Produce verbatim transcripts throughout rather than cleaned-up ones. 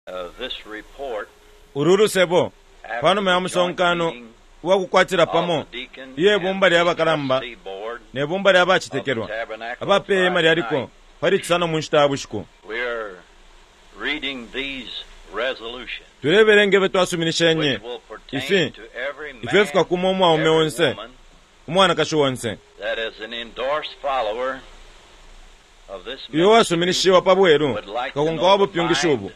Uh, this report Ulu lusebo after pa numa ya the joint musonkano meeting uwa kukwatila of pamo the deacon iye and bumba the lya bakalamba trustee board ne bumba lya of the bacetekelwa tabernacle abapeema Friday lyaliko night, pali cisano mu nshita ya bushiku. we are reading these resolutions Tulebelenga ifyo twasuminishenye which will pertain ifi to every ifyo man, fikakuma umwaume every onse woman umwanakashi onse that is an endorsed follower of this iyo ministry wasuminishiwa pa bweru would like to kakonka know wa the bupyungishi mind ubu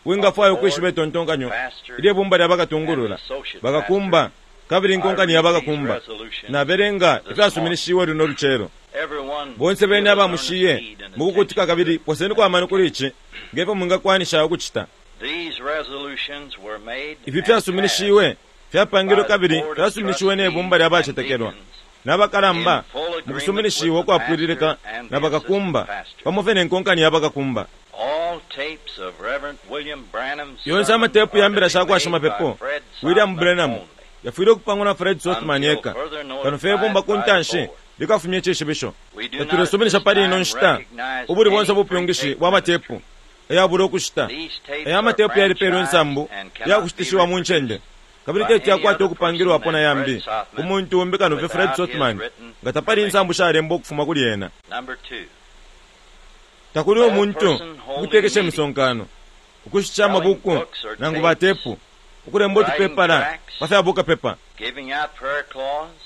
wingafwaya ukwishiba itontonkanyo pastor ilye bumba lya and bakatungulula associate bakakumba pastor. kabili I inkonkani ya read these bakakumba resolutions nabelenga this morning. ifyasuminishiwe luno lucelo. Everyone Bonse bene give us abamushiye earnest heed and mukukutika attention to kabili it. poseniko amano kuli ici ngefyo mwingakwanisha ukucita. These resolutions were made Ifi and fyasuminishiwe fyapangilwe passed by the kabili board of fyasuminishiwe ne bumba trustees lya and bacetekelwa deacons n'abakalamba in full agreement mukusuminishiwa with the ukwapwililika pastor and the na bakakumba assistant pastor. pamo fye ne nkonkani ya bakakumba. All tapes of Reverend William Branham's Yonse sermons amatepu are ya to mbila be sha kwa made by shimapepo Fred William Sothmann Branham only yafwile ukupangwa na Fred Sothmann until eka further kano fye bumba notified ku by the ntanshi board. likafumya icishibisho. We do not at Tatulesuminisha this pali ino time nshita recognize ubuli bonse any ubupyungishi pre-tape bwa matepu ministry. ayabula ukushita. These tapes Aya are matepu yalipeelwe franchised insambu and ya cannot be kushitishiwa mu reproduced ncende kabili by teti any yakwata other person ukupangilwapo na than yambi Fred Sothmann umuntu umbi kano fye Fred without his Sothmann written nga tapali insambu shalembwa ukufuma kuli ena. Number two, Takuli no umuntu person holding ukutekesha meetings, imisonkano ukushitisha selling amabuku books or nangu tapes, batepu ukulemba writing utupepala tracts, pa fya bukapepa giving out prayer cloths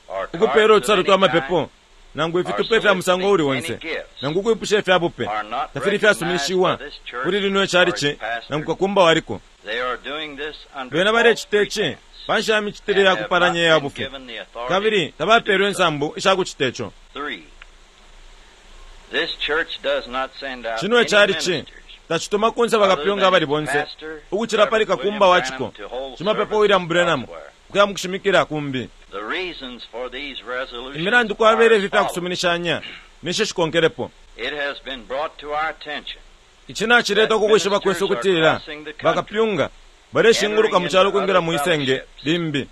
or ukupeela cards of utusalu any twa kind, mapepo nangu or ifitupe fya musango soliciting uli any onse gifts nangu ukwipusha ifya bupe are not tafili recognized fyasuminishiwa by this church kuli lino or its icalici pastor. nangu kakumba waliko. They are doing this under Bena false balecita ici pretense pa nshi ya micitile and ya have not kupalanya iya been bufi given the authority kabili to tabapeelwe do so. insambu isha kucita ico. Three, this church does not send out Chino any icalici ministers tacituma kunse other bakapyunga than abali its bonse pastor, ukucila pali Reverend William kakumba wa Branham, ciko to hold shimapepo services William Branham elsewhere. ukuya mu kushimikila kumbi. The reasons for these resolutions Imilandu are kwabele as ifi fya follows. kusuminishanya nisho shikonkelepo. It has been brought to our attention Ici nacileta that ukukwishiba kwesu ministers are ukutila crossing the country, bakapyunga baleshinguluka entering mu cyalo into kwingila other mu isenge fellowships, limbi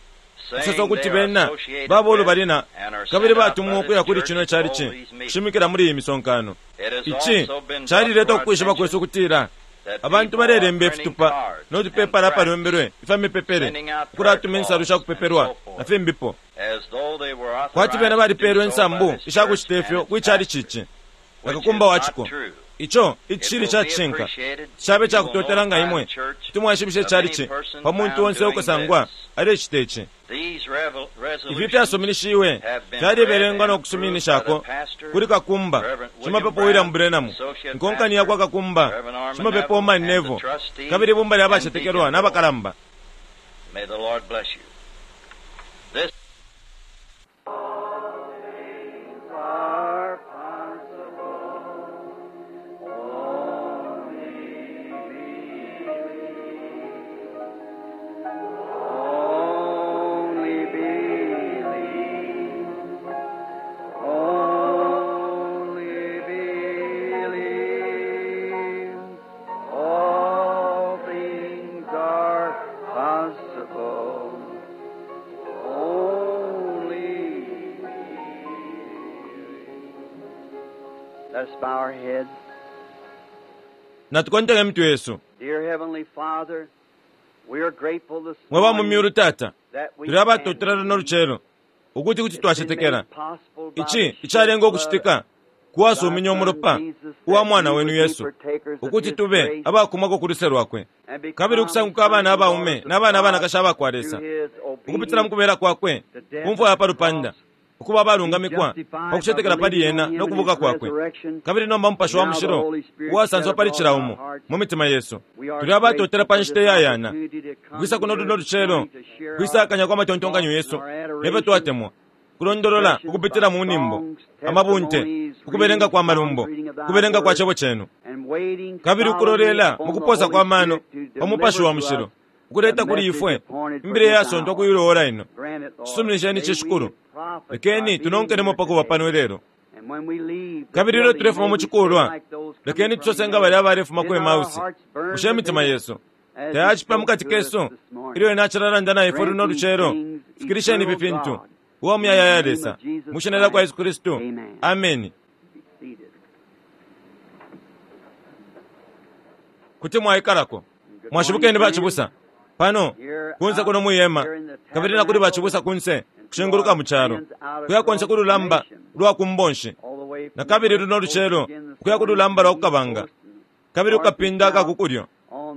kusosa saying ukuti they are bena associated baba with ulubalina and are kabili sent out batumwa by ukuya this kuli church chino to hold calici these meetings. kushimikila muli iyi misonkano. It has Ici also been brought to calileta our ukwishiba kwesu attention ukutila that abantu people are balelemba printing ifitupa cards no and tupepala tracts, apalembelwe ifya mipepele sending out prayer ukulatuma insalu cloths sha and kupepelwa so na forth, fimbipo as though they were kwati bena authorized to do balipeelwe so by insambu this isha church kucita and ifyo its kwi calici pastor, ici which is nakakumba wa not ciko. true. Ico It icishili will ca be cishinka appreciated cabe if you ca will kutotela nga notify imwe the church kuti mwashibisha of any icalici person pa muntu found onse doing ukusangwa this. alecita ici. These revel- Ifi resolutions fyasuminishiwe have been read fyalibelengwa and no approved by the kusuminishako pastor, kuli kakumba Reverend William shimapepo William Branham, Branham associate nkonkani ya kwa pastor, kakumba Reverend Orman shimapepo Neville, Orman and the Neville trustees kabili ibumba lya and bacetekelwa deacon board. n'abakalamba. May the Lord bless you. This are possible. Only believe. Only believe. Only believe. All things are possible. Only believe. Let us bow our heads. Natukontele mitwe yesu. Dear Heavenly Father, we are grateful this Mwe ba mu morning myulu tata that we tuli abatotela can luno believe. lucelo ukuti kuti It's been twacetekela. made possible by Ici the shed icalenga blood ukucitika of kuwasumina thy Son umulopa Jesus, uwa that mwana we wenu would be Yesu partakers of ukuti his tube grace abakumwako ku luse lwakwe and kabili become ukusanguka abana sons and abaume daughters of n'abana God abanakashi abakwa through Lesa his ukupitila mu obedience kubela kwakwe to death ku mfwa ya at pa the lupanda cross, ukuba be abalungamikwa pa justified by kucetekela pali believing ena on him no and kubuka his kwakwe resurrection. kabili nomba mupashi wa Now the mushilo Holy Spirit shed uwasanswa pali abroad cila in our umo hearts. mu mitima yesu. We are Tuli abatotela grateful pa for nshita this iyayana opportunity to come kwisa kuno here luno this lucelo morning to share our kwisakanya kwa matontonkanyo thoughts yesu and our nefyo adoration, twatemwa kulondolola expressions ukupitila by mu nimbo songs, amabunte testimonies, ukubelenga reading kwa songs, malumbo reading of thy kubelenga kwa word, cebo chenu and waiting kabili solemnly ukulolela upon mu the kuposa Holy kwa mano Spirit to pa mupashi deliver wa to mushilo us ukuleta the kuli message ifwe appointed for imbile this yasontwa hour. kuyiloola ino. Grant it, Lord. Cisuminisheni May we cishikulu profit by lekeni being tunonkelemo here pa kuba today. pano ilelo And when we leave the kabili ilyo building, tulefuma may mu we say cikulwa like those coming lekeni from tusose nga Emmaus, balya abalefuma did ku not our Emausi hearts burn bushe imitima within us yesu as he tayacipa spoke mukati to us kesu this morning? ilyo ena acilalanda na ifwe Grant luno these lucelo things, fikilisheni ifi eternal fintu God, uwa in the muyayaya name Lesa of Jesus mu shina lya kwa Christ. Yesu Kristu. Amen. Ameni. Be seated. Kuti mwaikalako. Mwashibukeni bachibusa pano kunse kuno muyema kabili nakuli bachibusa kunse kushinguluka muchalo kuya konse kululamba lwa kumbonshi na kabili luno lucelo kuya kululamba lwa kukabanga kabili kukapinda akakukulyo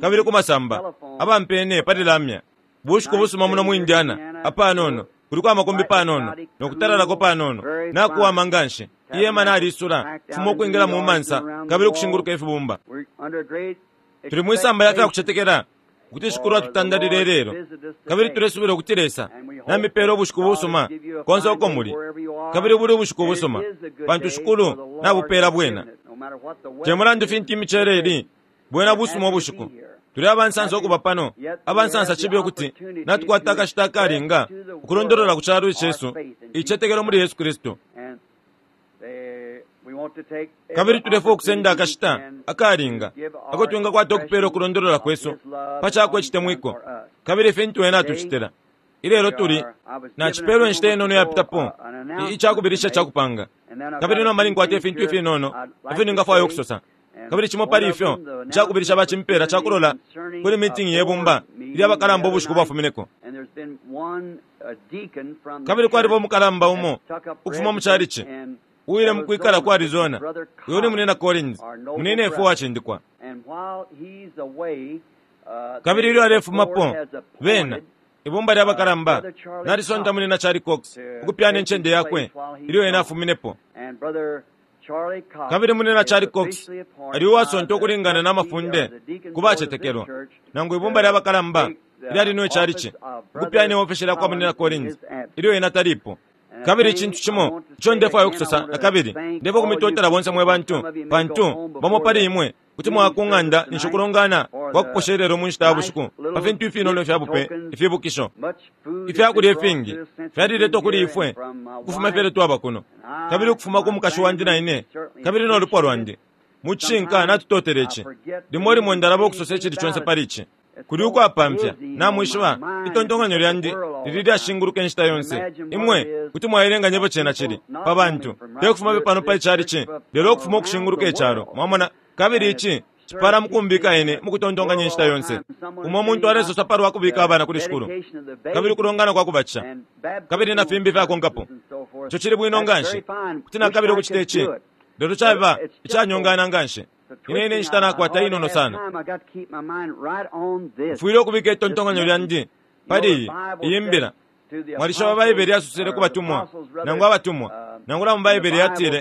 kabili kumasamba abampene pali bushiku busuma muno mu Indiana apanono kuliko amakumbi panono nokutalalako panono nakuwama nganshi iyema nalisula fuma ukwingila mu mansa kabili kushinguluka ifibumba tuli mwisamba yafya kuchetekela kuti shikulu atutandalile lelo kabili tulesubila ukuti Lesa namipela ubushiku busuma konse uko muli kabili buli ubushiku busuma pantu shikulu nabupela bwena temulandu fintu imicele ili bwena busuma ubushiku tuli abansansa okuba pano abansansa chibi okuti natukwata akashita akalinga ukulondolola ku kyalo ichesu ichetekelo muli Yesu Kristo kabili tulefa okusenda akashita akalinga ako twingakwata okupela okulondolola kwesu pachakwe chitemwiko kabili fintu wena atuchitela ilelo tuli nachipelwe nshita inono yapitapo ichakubilisha chakupanga kabili nomba ninkwata ifintu ifinono ifyo ningafwaya okusosa kabili chimo pali ifyo chakubilisha bachimpela chakulola kuli meeting yebumba ilya bakalamba ubushiku bwafumineko kabili kwaliba omukalamba umo ukufuma mu chalichi uwile mukwikala ku Arizona uyo ni munena Collins munene efo wachindikwa kabili ilyo alefumapo bena ibumba lya bakalamba nalisonta munena Charlie Cox ukupyana enchende yakwe ilyo ena afuminepo kabili munena Charlie Cox ali uwasonta okulingana n'amafunde kubachetekelwa nangu ibumba lya bakalamba ilyali niwe chalichi ukupyana iofesi lya kwa munena Collins ilyo ena talipo kabili ichintu chimo icho ndefwayo okusosa na kabili ndefo kumitotela bonse mwe bantu pantu bamo pali imwe kuti mwakung'anda ninshi okulongana kwakuposherera mu nshita ya bushiku pa fintu ifinono ifya bupe ifibukisho ifyakulya ifingi fyaliletwa kuli ifwe ukufuma ifyele twaba kuno kabili ukufuma ku mukashi wandi na ine kabili n'olupwa lwandi muchinka natutotela ichi limo limo ndalaba okusosa echili chonse pali ichi kuli ukwapamfya namwishiba itontonkanyo lyandi lili lyashinguluka enshita yonse imwe kuti mwaelenganya chena chili pa bantu tekufuma pano pa ichalichi lelo okufuma okushinguluka echalo mwamona kabili ichi chipala mukumbika ine mukutontonkanya enshita yonse umo muntu alesosa palwa kubika abana kuli shikulu kabili kulongana kwakubatisha kabili na fimbi fyakonkapo icho chili bwino nganshi kuti nakabili okuchita ichi lelo chaba ichanyongana nganshi ine ine nshita nakwata inono sana mfwile okubika itontonkanyo lyandi pali iyi iyi mbila mwalishoba Baibele yasusile ku batumwa nangu abatumwa nangula mu Baibele yatile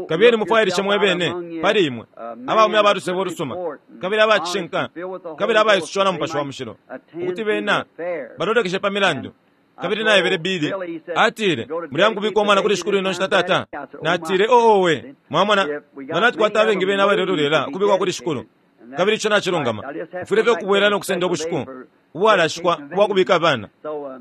kabili mufwayilishe mwebene pali imwe abaume abalusebo olusuma kabili abachishinka kabili abayisushiwa na mupashi wa mushilo ukuti bena balolekeshe pa milandu kabili naebele Bili atile mulyangubika omwana kuli shikulu ino nshita tata natile oowe mwamona nga natukwata abengi bena abalelolera ukubikwa kuli shikulu kabili icho nachilungama mfwile fye okubwera n'okusenda obushiku ubwalashikwa ubwakubika abana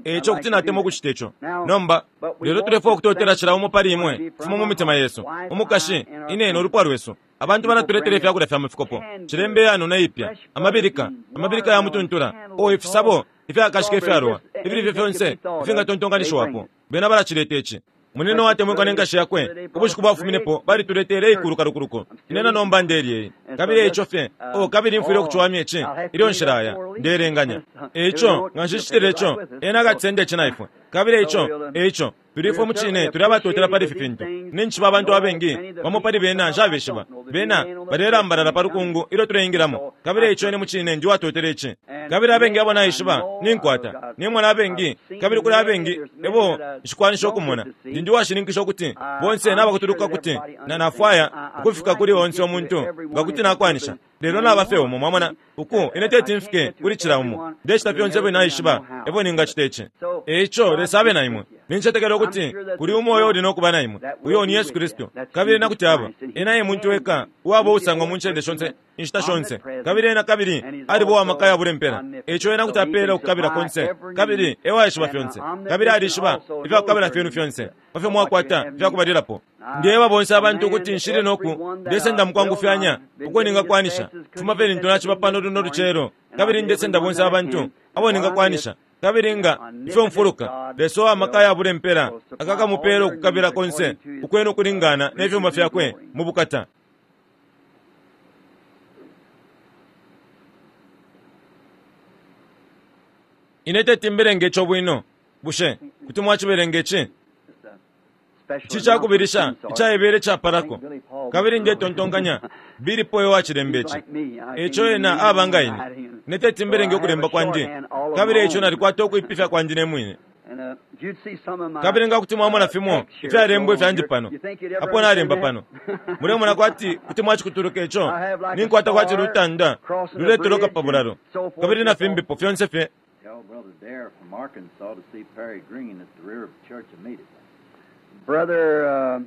echo kuti natema okuchita echo nomba lelo tulefa okutotela chila umo pali imwe kufuma mu mitima yesu umukashi inene olupwa lwesu abantu banatuletela ifyakulya fya mufikopo chilembe yano naipya amabilika amabilika ya mutuntula o ifisabo ifyakashika ifyaluwa ifili fye fyonse ifingatontonkanishiwapo bena balachileta ichi munene watemwikwa n'enkashi yakwe ubushiku bwafuminepo balituletele ikulu kalukuluku inena nomba ndelyeyi kabili eicho fye o kabili mfwile okuchiwamya ichi ilyo nshilaya ndelenganya eicho nga nshishitile icho ena akatisenda ichi naifwe kabili eicho eicho tulifwe muchine tuli abatotela pali ifi fintu ninchiba abantu abengi bamo pali bena nshabeshiba bena balelambalala pa lukungu ilyo tuleingilamo kabili eicho ine muchine ndi watotela ichi kabili abengi abo naishiba ninkwata nimona abengi kabili kuli abengi ebo nshikwanisha okumona ndi ndi washininkisha ukuti bonse nabakutuluka kuti na nafwaya ukufika kuli onse omuntu nga kuti nakwanisha lelo nabafe umo mwamona uku ine teti mfike kuli chila umo ndechita fyonse ebyo naishiba ebo ningachita ichi eicho Lesa abe na imwe ninchetekela ukuti kuli umoyo uli nokuba na imwe uyo ni Yesu Kristo kabili nakuti aba ena ye muntu weka uwaba usangwa mu nchende shonse inshita shonse kabili ena kabili alibo amaka yabulempela eicho ena kuti apela okukabila konse kabili ewaishiba fyonse kabili alishiba ifyakukabila fyenu fyonse pafyo mwakwata ifyakubalilapo ndiyeba bonse abantu ukuti nshili noku ndesenda mukwangufyanya uko ningakwanisha kufuma fye lintu nachiba pano luno lucelo kabili ndesenda bonse abantu abo ningakwanisha kabili nga ifyo mfuluka Lesa amaka yabulempela akakamupela okukabila konse ukwenu okulingana n'ebyuma fyakwe mu bukata. Ine teti mberenge ico bwino. Bushe kuti mwacibelenga ici? Ici cakubilisha icaebele icapalako. Kabili ndetontonkanya Billy Paul wacilemba ici. Eco ena aba nga ine. Ine teti mberenge ukulemba kwandi. Kabili eco nalikwata ukuipifya kwandi ne mwine. Kabili nga kuti mwamona fimo ifyalembwa ifyandi pano, apo nalemba pano, mulemona kwati kuti mwacikutuluka ico, ninkwata kwati lutanda luletoloka pa bulalo, kabili na fimbipo fyonse fye. Tell Brother Dare from Arkansas to see Perry Green at the rear of the church immediately. Brother uh,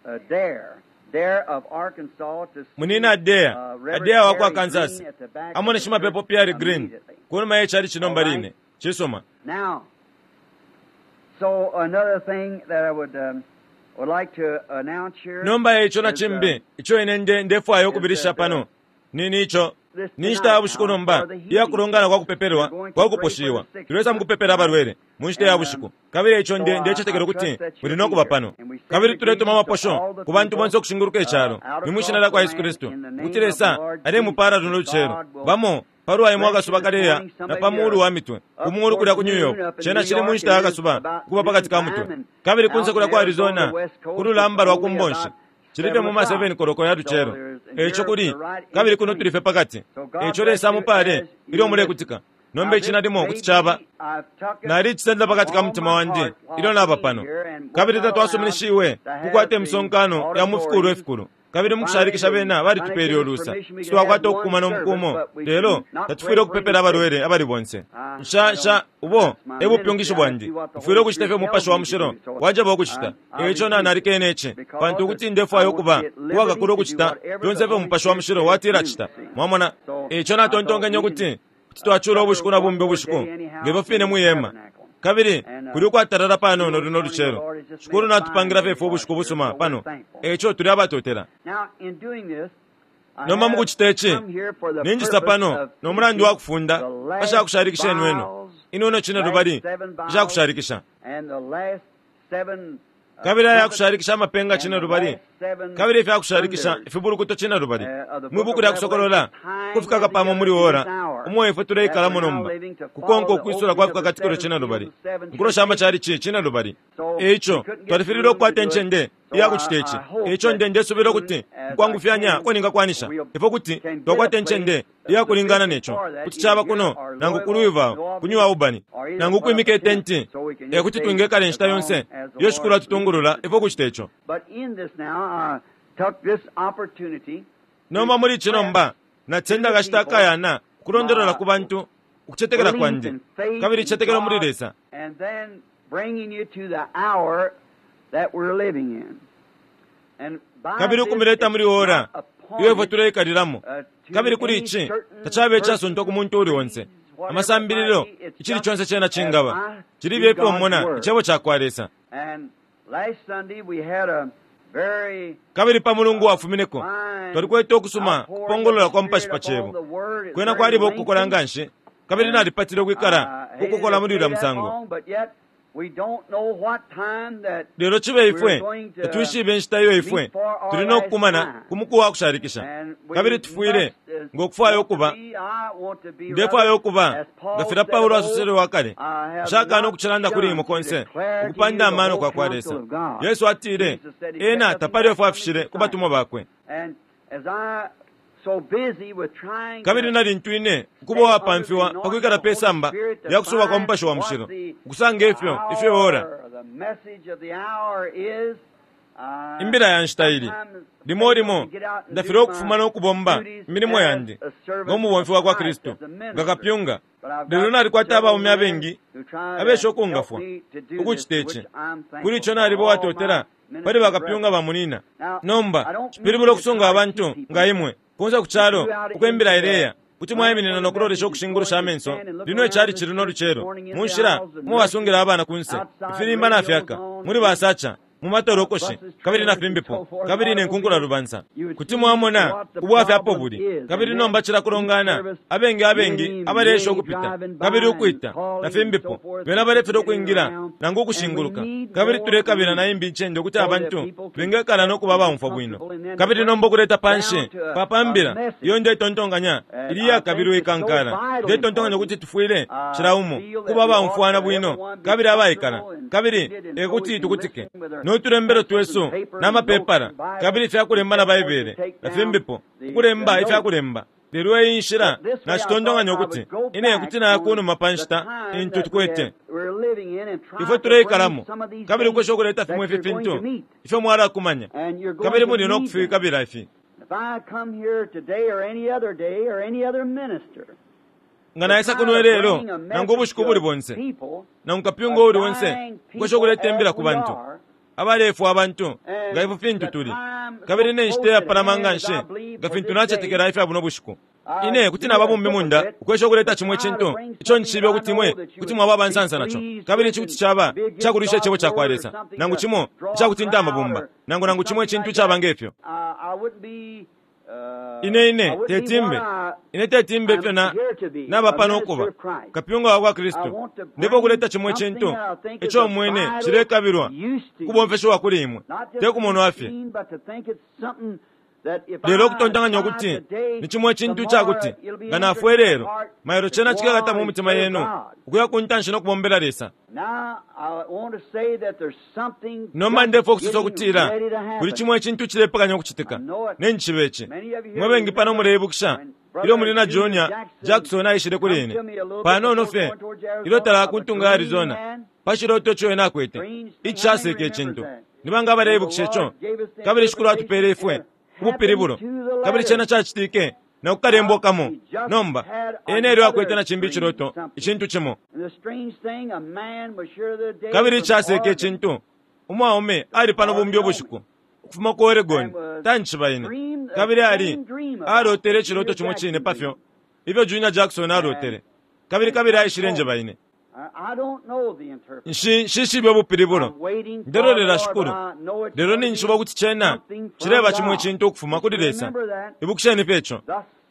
uh, Dare, Dare of Arkansas to see Munina Dare, uh, Reverend Dare wa kwa Perry Kansas, Green at the back amone of the shimapepo church Perry Green, immediately. kunuma ye chali chino mbaline, chisoma. Now, so another thing that I would um, would like to announce here Nomba ico na is, uh, chimbi, ico ine nde ndefwayo ukubilisha pano, nini ico? Ni nshita ya bushiku nomba iya kulongana kwa kupepelwa kwa kuposhiwa. Tulesa mukupepela abalwele mu nshita ya bushiku. Kabili ico nde ndecetekela ukuti muli no kuba pano. Kabili tuletuma amaposho ku bantu bonse ukushinguluka icalo ni mwishina lya kwa Yesu Kristu, ukuti Lesa alemupala luno lucelo. Bamo palwa imwe akasuba kaleya na pa muulu wa mitwe, ku muulu kulya ku New York, cena cili mu nshita ya kasuba kuba pakati ka mutwe. Kabili kunse kulya ku Arizona, ku lulamba lwa kumbonshi, cili fye mu ma seven koloko ya lucelo. Eco kuli kabili kuno tuli fye pakati. Eco Lesa mupale ilyo mulekutika. Nomba ici nalimo kuti caba nalicisenda pakati ka mutima wandi ilyo naba pano. Kabili tatwasuminishiwe kukwata imisonkano ya mu fikulu ifikulu. Kabili mukushalikisha bena balitupele ulusa. Sitwakwata okukumana omukumo, lelo tatufwile okupepela abalwele abali bonse. Nsha nsha ubo e bupyungishi bwandi. Mfwile ukucita ifyo Umupashi wa Mushilo wanjeba ukucita. Eco na nalikene ici, pantu ukuti ndefwaya ukuba uwakakula ukucita fyonse ifyo Umupashi wa Mushilo watila cita. Mwamona? Eco natontonkenye ukuti kuti twacula ubushiku na bumbi ubushiku ngefyo fine mwihema. Kabili kuli ukwatalala panono luno lucelo. Shikulu natupangira fye ifwe ubushiku busuma pano. Eco tuli abatotela. Now, in doing this, I Nomba have mukucita ici, come here for the ninjisa purpose pano of no mulandu wa kufunda the last pashakushalikisha inweno. vials, Inono cine lubali ishakushalikisha. and the last seven, uh, Kabili aya trumpets kushalikisha amapenga and cine the lubali. last seven Kabili ifyakushalikisha thunders. ifibulukuto cine lubali. Uh, of the Mwi book buku of lya kusokolola, Revelation, kufika kapamo muri ora, umwe ifwe tuleikalamo nomba, kukonka ukwisula kwa fikakatikilo cine lubali. Nkulo shama chali ci cine lubali. Eico, twalifilile okukwata encende iya kucita ici. Eico nde ndesubila ukuti nkwangufyanya ko ningakwanisha. Ifwe kuti twakwata encende iya kulingana neco. Kuti caba kuno, nangu ku Louisville, ku New Albany, nangu kwimika etenti, e kuti twingekala inshita yonse iyo Shikulu atutungulula ifwe kucita ico. But in this now, I took this opportunity Nomba muli ici nomba, natenda akashita akayana kulondolola ku bantu ukucetekela kwandi, kabili icetekelo muli Lesa. and then bringing you to the hour that we're living in. And by Kabili this, ukumileta muli it's ora not iyo ifwe appointed, tuleikalilamo. uh, to Kabili kuli any ici certain tacabe icasontwa ku muntu uli onse. whatever Amasambililo it might be, it's icili just conse cena as cingaba. I Cili do bye God's pomona word. icebo ca kwa Lesa. And last Sunday we had a very Kabili pa mulungu wafumineko fine twalikwete okusuma outpouring kupongolola of kwa the mupashi pa Spirit upon cebo. the word. It's Kwena very kwaliba okukola lengthy. nga nshi, kabili nalipatile ukwikala I hated ukukola to muli stay ulya that musango. long, but yet we don't know what time that Lelo cibe ifwe we're going to tatwishibe inshita iyo ifwe meet for our tuli no last kukumana time. ku muku wa kushalikisha. And we Kabili tufwile must, uh, ng'okufwaya want to okuba be, I want to be ndefwaya rather, okuba as Paul nga filya said Paulo of old, asosele wakale I have nshakana not okucilanda kuli shunned imwe to konse declare to you ukupanda the amano whole kwa kwa counsel Lesa. of God. Yesu atile Jesus said he kept ena nothing tapali back efo from his afishile ku disciples. batumwa bakwe. And as I so busy with trying Kabili to na lintu ine ukuba stay under the uwapamfiwa anointing pa of kwikala the pe Holy samba Spirit to lya kusuba kwa find Mupashi wa what Mushilo the ukusanga ifyo ifyo ora hour, the message of the hour is, I imbila ya nshita ili sometimes limo fail limo to get out and ndafile do my okufuma n'okubomba duties imilimo as yandi a servant ng'omubomfi of wa kwa Christ, Kristo as a minister. nga kapyunga. But I've Lelo got nalikwata several abaume men abengi who try to abesha help okungafwa me to do this, ukucita ici. which I'm Kuli thankful ico for naliba all uwatotela my pali ministry bakapyunga brethren. bamunina. Now, I Nomba don't mean cipilibula to okusunga try to abantu keep people nga imwe kunze ku kyalo If you out ukwembela into the ileya kuti land mwayiminina for the n'okulolesha message is okushingurusha going to amenso stand and look lino around ekyali this kiri church this n'olucelo morning in mu the nshila aisles and mwe basungira nurseries, abaana ku nse outside ifirimba radios nafyaka on muli basacha mu matolokoshi kabili na fimbipo kabili ne nkunkula lubansa kuti mwamona ubwafya apo buli kabili nomba cila kulongana abengi abengi abaleesha ukupita kabili ukwita na fimbipo bena balefera ukwingila nangu ukushinguluka kabili tulekabila na imbi incende ukuti abantu bengekala no kuba abamfwa bwino kabili nomba ukuleta panshi papambila iyo ndetontonkanya ili iyakabilwa ikankala ndetontonkanya ukuti tufwile cila umo kuba abamfwana bwino kabili abaikala kabili ekuti tukutike n'utulembelo twesu n'amapepala kabili ifyakulemba na baibele na fimbipo ukulemba ifyakulemba lelo iyi nshila nacitontonkanya ukuti ine kuti naya kunuma pa nshita intu tukwete ifwe tuleikalamo kabili ukwesha ukuleta fimwe ifi fintu ifyo mwalakumanya kabili muli no kufikabila ifi nga naisa kuno lelo nangu ubushiku buli bonse nangu kapyunga uli onse ukwesha ukuleta imbila ku bantu abalefwa abantu nga ifyo fintu tuli kabili ne nshita iyapalama nga nshi nga fintu nacetekela ifya buno bushiku ine kuti naba bumbi munda ukwesha ukuleta chimwe chintu icho nchibe kuti mwe kuti mwaba abansansa nacho kabili ichi kuti chaba chakulisha icebo cha kwa Lesa nangu chimo ichakutinta amabumba nangu nangu chimwe chintu chaba ngefyo ine ine tetimbe ine tetimbe ifyo na naba pano ukuba kapyunga wa kwa Kristu ndipo kuleta chimwe chintu icho mwene chilekabirwa kubomfeshewa kuli imwe tekumonwa fye lelo okutontanganya okuti ni chimwe chintu chakuti nga nafwe lero mailo chena chikakata mu mitima yenu ukuya kuntanshi nokubombela Lesa nomba ndefo okusosa okutila kuli chimwe chintu chilepakanya okuchitika nenchibe ichi mwe bengi pano muleibukisha ilyo muli na Junior Jackson aishile kuli ine panono fye ilyo talakuntunga Arizona pachiloto cho ena akwete ichaseke echintu nibanga baleibukisha icho kabili shikulu atupele ifwe ubupilibulo kabili chena chachitike na kukalembwakamo nomba ene elyo akwete na chimbi chiloto ichintu chimo kabili ichaseke echintu umwaume ali pano bumbi ubushiku ukufuma ku Oregon tanchiba ine kabili ali alotele ichiloto chimwe chine pafyo ifyo Junior Jackson alotele kabili kabili aishile njeba ine nshishibe ubupilibulo ndelolela shikulu lelo ninjishiba ukuti chena chileba chimwe chintu ukufuma kuli Lesa ibukisheni pecho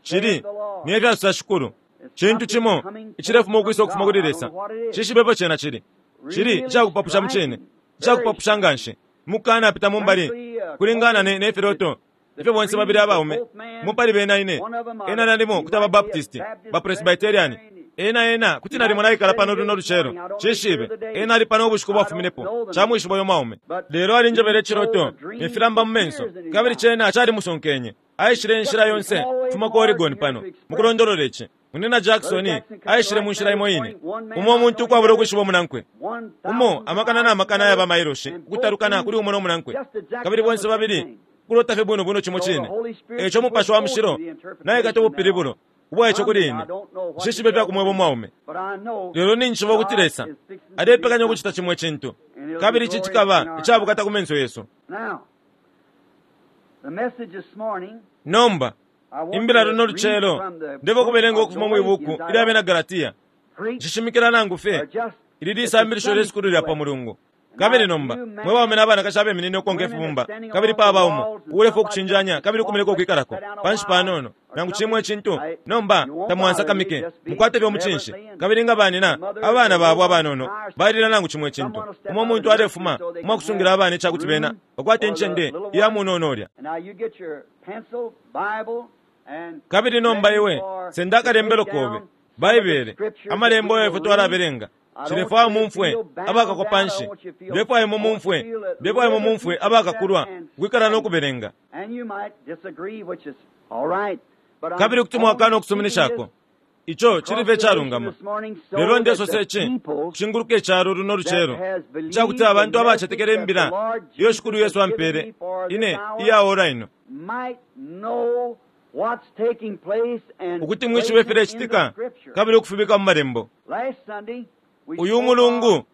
chili niye fyasusa shikulu chintu chimo ichilefuma ukwisa ukufuma kuli Lesa chishibepo chena chili chili ichakupapusha muchine ichakupapusha nganshi mukana apita mumbali kulingana ne nefiloto ifyo bonse babili abaume mupali bena ine ena nalimo kuti ababaptisti bapresbyterian ena ena kuti nalimo naikala pano luno lucero chishibe ena ali pano ubushiku bwafuminepo chamwishiba uyo mwaume lelo alinjebele ichiloto nefilamba mu menso kabili chena chali musonkenye aishile inshila yonse kufuma ku Oregon pano mukulondolola ichi munina Jackson aishile mu nshila imo ine umo omuntu ukwabula ukwishiba omunankwe umo amakana na makana ayaba mailoshi ukutalukana kuli umo n'omunankwe kabili bonse babili kulota fye bwino bwino chimo chine echo mupashi wa mushilo naikata ubupilibulo ubwaecho kuli ine nshishibe fyakumweba omwaume lelo ninjishiba ukuti Lesa alepekanya ukuchita chimwe chintu kabili ichi chikaba ichabukata ku menso yesu nomba imbila luno lucelo ndebo kubelenga ukufuma mwibuku ilya bena Galatia nshishimikila nangu fye ili lisambilisho lyesukulu lya pa mulungu kabili nomba mwe baume n'abanakashi abeminine ukonka ifibumba kabili paba umo ulefa okuchinjanya kabili ukumeleka okwikalako panshi panono nangu chimwe chintu nomba tamwansakamike mukwate fye omuchinshi kabili nga banina abana babo abanono balila nangu chimwe chintu umo omuntu alefuma umwakusungila abana echakuti bena bakwate enchende iya munono olya kabili nomba iwe senda akalembelo kobe baibele amalembo ayo ifwe twalabelenga chilefwayo mumfwe abakakwa panshi ndefwayo mumumfwe ndefwayo mumumfwe abakakulwa kwikala n'okubelenga kabili kuti mwakana okusuminishako icho chilife chalungama lelo ndesose ichi kushinguluka echalo luno lucelo chakuti abantu abachetekela imbila iyo shikulu Yesu ampele ine iyaora ino ukuti mwishibe filechitika kabili ukufibika mu malembo uyu mulungu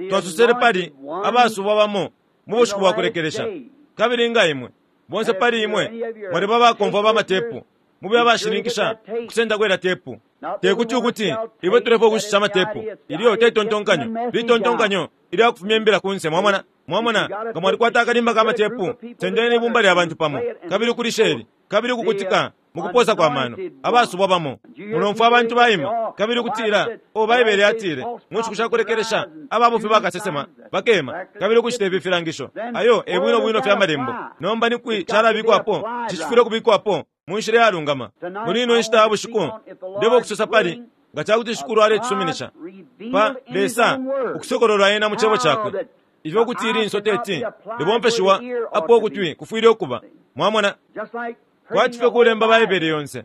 twasusele pali abasubwa bamo mu bushiku bwakulekelesha kabili nga imwe bonse pali imwe mwaliba bakomfwa bamatepu mube abashininkisha kusenda kwela tepu. Tekuti ukuti iwe tulepo kushisha amatepu ilyo tetontonkanyo litontonkanyo ilya kufumya imbila kunse. Mwamona, mwamona nga mwalikwata akalimba ka matepu, sendeni ibumba lya bantu pamo kabili kulisheli kabili kukutika mukuposa kwa mano abasubwa bamo. Mulomfwa abantu baima kabili kutila o Baibele atile mu nshiku sha kulekelesha ababufi bakasesema bakema kabili kushita ifi filangisho. Ayo e bwino bwino fya malembo. Nomba ni kwi chalabikwapo cicifwile kubikwapo mu nshila yalungama. Muli ino nshita ya bushiku ndebo kusosa pali nga chakuti shikulu aletisuminisha pa Lesa ukusokololwa ena mu chebo chakwe ifyo kuti ilinso teti libompeshiwa apo ukutwi kufwile ukuba. Mwamona, kwati fye kulemba Baibele yonse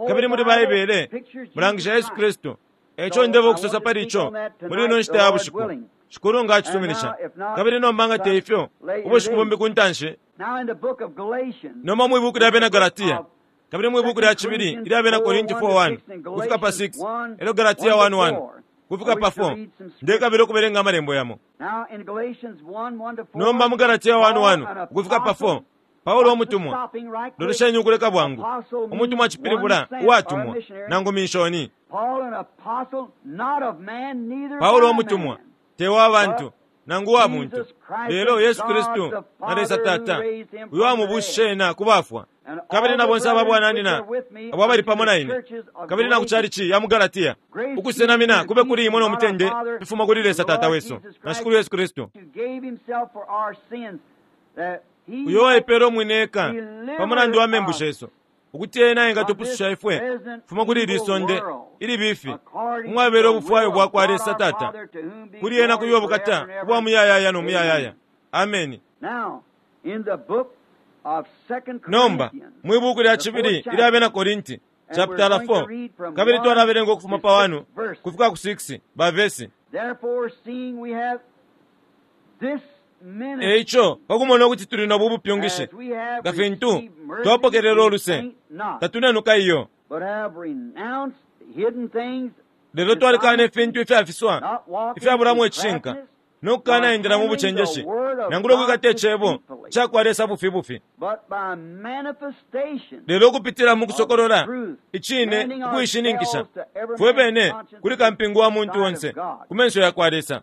kabili muli Baibele mulangisha Yesu Kristu. Echo ndebo kusosa pali icho muli ino nshita ya bushiku shikulu nga acisuminisha. Kabili nomba nga te ifyo ubushiku bumbi ku ntanshi. Nomba mwibuku lya bena Galatia kabili mwibuku lya chibili ilya bena Korinti four one kufika pa six elo Galatia one one kufika pa four ndekabili okubelenga amalembo yamo. Nomba mu Galatia one one kufika pa four Paulo omutumwa lolesheni ukuleka bwangu omutumwa achipilibula uwatumwa nangu minshoni. Paulo omutumwa tewa abantu nangu wa muntu lelo Yesu Kristu na Lesa Tata uyo amubushishe ena kubafwa. Kabili na bonse ababwananina abo abali pamo na ine kabili na kuchalichi ya mu Galatia ukusenamina kube kuli imwe nomutende bifuma kuli Lesa Tata wesu na Shikulu Yesu Kristu uyo waipela omwine eka pamulandu wa membu shesu ukuti ena engatupususha ifwe fuma kuli ili sonde ili bifi umwabele obufwayo bwakwa Lesa Tata kuli ena kuyo obukata ubwa muyayaya nomuyayaya. Ameni. Nomba mwibuku lya chibili ilya bena Korinti chapter four kabili twalabelenga okufuma pa one kufika ku six ba verse. Eicho pakumona okuti tuli nobu bupyungishi nga fintu twapokelela oluse tatunenuka iyo lelo twalikana ifintu ifyafiswa ifyabulamu ecishinka nokukana endela mu buchenjeshi nangula okwikata echebo chakwa Lesa bufi bufi lelo okupitila mu kusokolola icine ukuishininkisha fwe bene kuli kampingu wa muntu onse ku menso yakwa Lesa.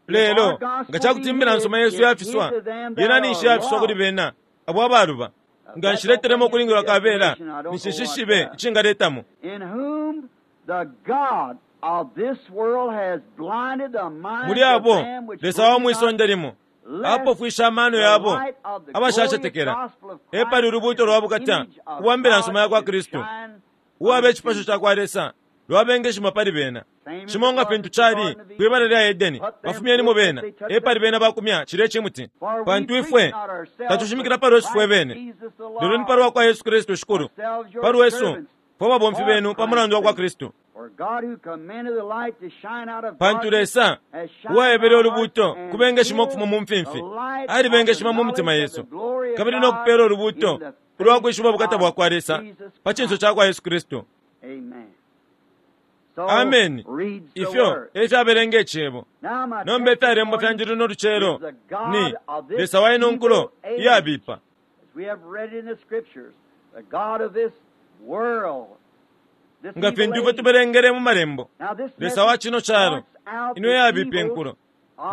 Lelo nga chakuti imbila nsoma Yesu yafiswa yena ninshi yafiswa kuli bena abo abaluba nga nshiletelemo okulingilwa kabela nishishishibe ichingaletamo. Muli abo Lesa wa mwisonde limo apofwisha amano yabo abashachetekela epali ulubuto lwa bukata ubwa mbila nsoma yakwa Kristu uwaba echipasho chakwa Lesa lwabengeshima pali bena chimonga fintu chali kwibala lya Edeni bafumyenimo bena epali bena bakumya chile chimuti pantu ifwe tatushimikila palwesu fwe bene lelo ni palwa kwa Yesu Kristu shikulu palwesu fwe babomfi benu pamulandu wa kwa Kristu. Pantu Lesa uwaebele olubuto kubengeshima okufuma mu mfimfi alibengeshima mu mutima Yesu kabili nokupela olubuto ulwakwishiba obukata bwakwa Lesa pa chinso chakwa Yesu Kristu. Ameni. Ifyo efyabelenga echebo nomba efyalembo fyanje luno luchelo ni Lesa wa ino nkulo iyabipa. Nga fintu ifwe tubelengele mu malembo Lesa wa chino chalo ino yabipa enkulo.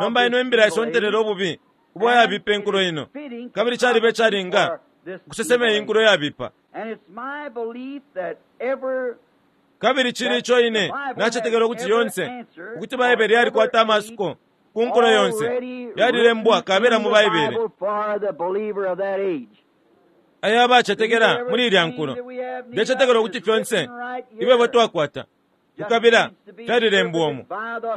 Nomba ino imbila isontelela obubi ubwa yabipa enkulo ino kabili chaliba echalinga kusesema inkulo yabipa. Kabili chili icho ine nachetekela okuti yonse ukuti Baibele yalikwata amasuko ku nkulo yonse yalilembwa kabela mu Baibele aya abachetekela muli ilya nkulo. Ndechetekela okuti fyonse ibebo twakwata kukabila fyalilembwa omu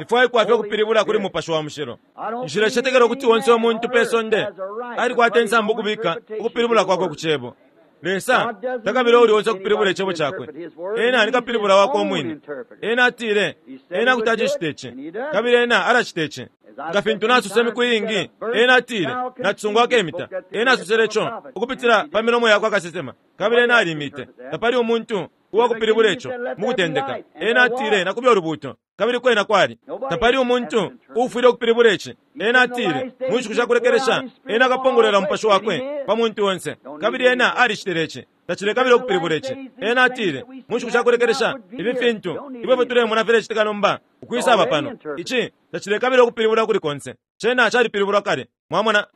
ifwaikwa fye kupilibula kuli Mupashi wa Mushilo. Nshilechetekela okuti wonse omuntu pe sonde alikwata ensambu okubika ukupilibula kwakwe ku chebo. Lesa takabila uli onse okupilibula echebo chakwe ena alikapilibula wako omwine. Ena atile ena kuti acicita ichi kabili ena alacita ichi nga fintu nasuse emiku iingi. Ena atile nacisungwako emita ena asusele icho okupitila pa milomo yakwe akasesema kabili ena alimite tapali omuntu uwakupilibula icho mukutendeka. Ena atile nakubya olubuto kabili kwena kwali tapali omuntu uufwile okupilibula ichi. Ena atile mu nshiku shakulekelesha ena akapongolola Mupashi wakwe pa muntu onse kabili ena alicitile ichi Tacilekabila ukupilibula ici. Ena atile mu nshiku shakulekelesha ifi fintu ifwe tulemona filecitika nomba ukwisaba pano. Ici tacilekabila ukupilibula kuli konse. Cena calipilibulwa kale. Mwamona?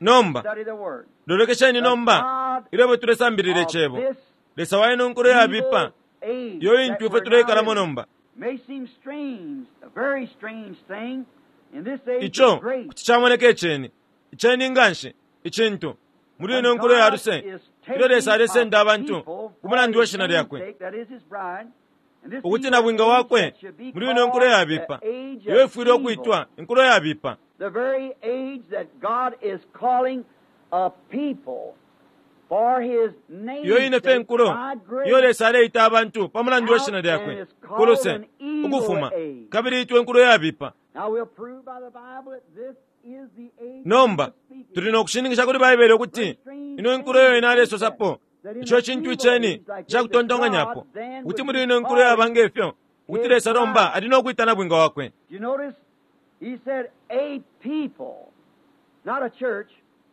Nomba lolekesheni nomba ilyo tulesambilila icebo. Lesa wa ino nkulo yabipa iyo intu ifwe tuleikalamo nomba. Ico kuti camoneka iceni, iceni nganshi, icintu muli ino nkulo ya luse ilyo Lesa alesenda abantu ku mulandu we shina lyakwe, ukuti na bwinga wakwe muli ino nkulo yabipa iyo ifwile ukwitwa inkulo yabipa. The very age that God is calling a people for his name's Iyo ine fe sake, nkulo by grace, iyo Lesa aleita abantu pa mulandu we shina lyakwe kuluse ukufuma, kabili itwe nkulo yabipa. Now we'll prove by the Bible that this is the age Nomba of speaking. tuli no kushininkisha kuli Baibele ukuti ino nkulo iyo ine alesosapo ico cintu iceni cakutontonkanyapo, ukuti muli ino nkulo yaba ngefyo ukuti Lesa nomba ali no kwita na bwinga wakwe. You notice he said a people, not a church.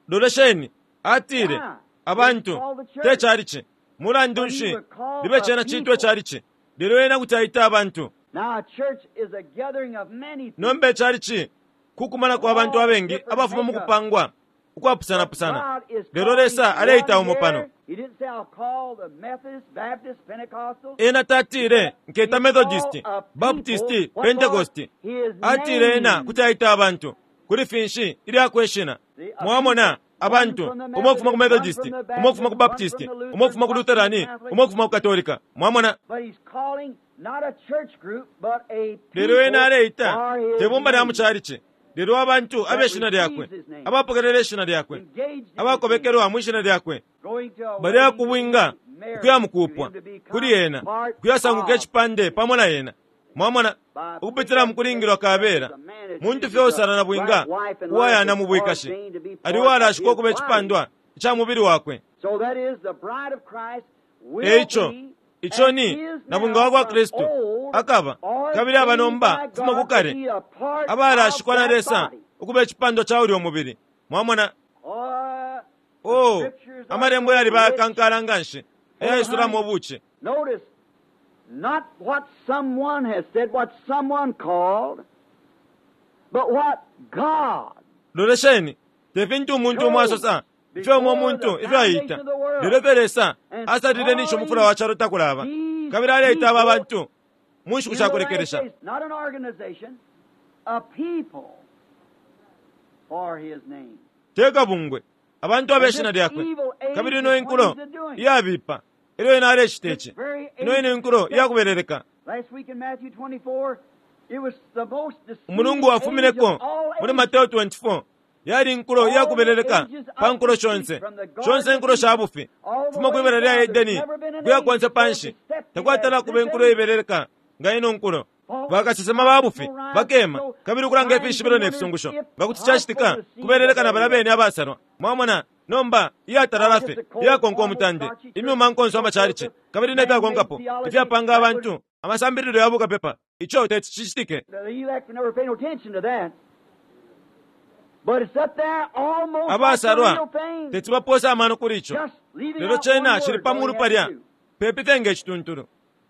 Lolesheni atile abantu te chalichi. Mulandu nshi libe cena citwe chalichi, lelo ena kuti aita abantu. Now a church is a gathering of many people. Nomba echalichi kukumana kwa bantu abengi abafuma mu kupangwa ukwapusanapusana, lelo Lesa aleita umo pano. He didn't say, I'll call the Methodist, Baptist, Pentecostal. Ena tatile nketa Methodist, Baptist, Pentecost. Atile ena kuti aita abantu kuli finshi ilyakweshina. Mwamona abantu umo kufuma ku Methodist, umo kufuma ku Baptist, umo kufuma ku Lutherani, umo kufuma ku Katolika. Mwamona? But he's calling not a church group, but a Lelo ena aleita for his te bumba lya name. mu chalichi, lelo abantu abeshina lyakwe, abapokelela ishina lyakwe, Engaged in his name. abakobekelwa mu ishina lyakwe, Going to a bali wedding akubwinga to be married ukuya mukupwa to him to become kuli ena, part kuyasanguka of icipande pamo na ena. Mwamona? Ukupitila mu kulingilwa kabela muntu fye usala na bwinga uwayana mu bwikashi ali walashikwa ukuba icipandwa ica mubili wakwe. So that is the bride of Christ will Eico be ico and ni is na bwinga wa kwa now from Kristu old, akaba kabili aba nomba ordained by kufuma ku God to kale be a part abalashikwa of na that Lesa body. ukuba icipandwa ca ulya umubili. Mwamona? Oh, the Oh, scriptures are amalembo so yali rich. bayakankala nganshi eyaisulamo obuchi. Notice, not what someone has said, what someone called, but what God Lolesheni te fintu umuntu umo asosa ifyo umo umuntu ifyo aita, lelo ifyo Lesa asalile nisho umufula wa calo takulaba, kabili aleita aba bantu mu nshiku in the last shakulekelesha. days, not an organization, a people for his name. Te kabungwe abantu abeshina lyakwe. Kabili ino inkulo iyabipa ilyo ena alecita ici, ino ine inkulo iyakubeleleka. Last week in Matthew twenty-four, it was the most deceiving Umulungu age wafumineko of all muli ages. Mateo twenty-four yali inkulo iyakubeleleka pa nkulo shonse shonse inkulo sha bufi kufuma kwibala lya Edeni kuya konse panshi takwatala kuba inkulo ibeleleka nga ino nkulo. Bakasesema ba bufi bakema kabili ukulanga ifishibilo ne fisungusho nga kuti cacitika kubeleleka na bala bene abasalwa. Mwamona? Nomba iyatalala fe iyakonka umutande imyuma nkonso amachalichi kabili nefyakonkapo ifyapanga abantu amasambililo ya bukapepa, ico teti cicitike. The elect never pay no attention to that. But it's up there almost like the Abasalwa real thing. teti baposa amano kuli ico, Just leaving lelo out one cena word cili pa all mulu you have palya to do. pepi fye nge cituntulu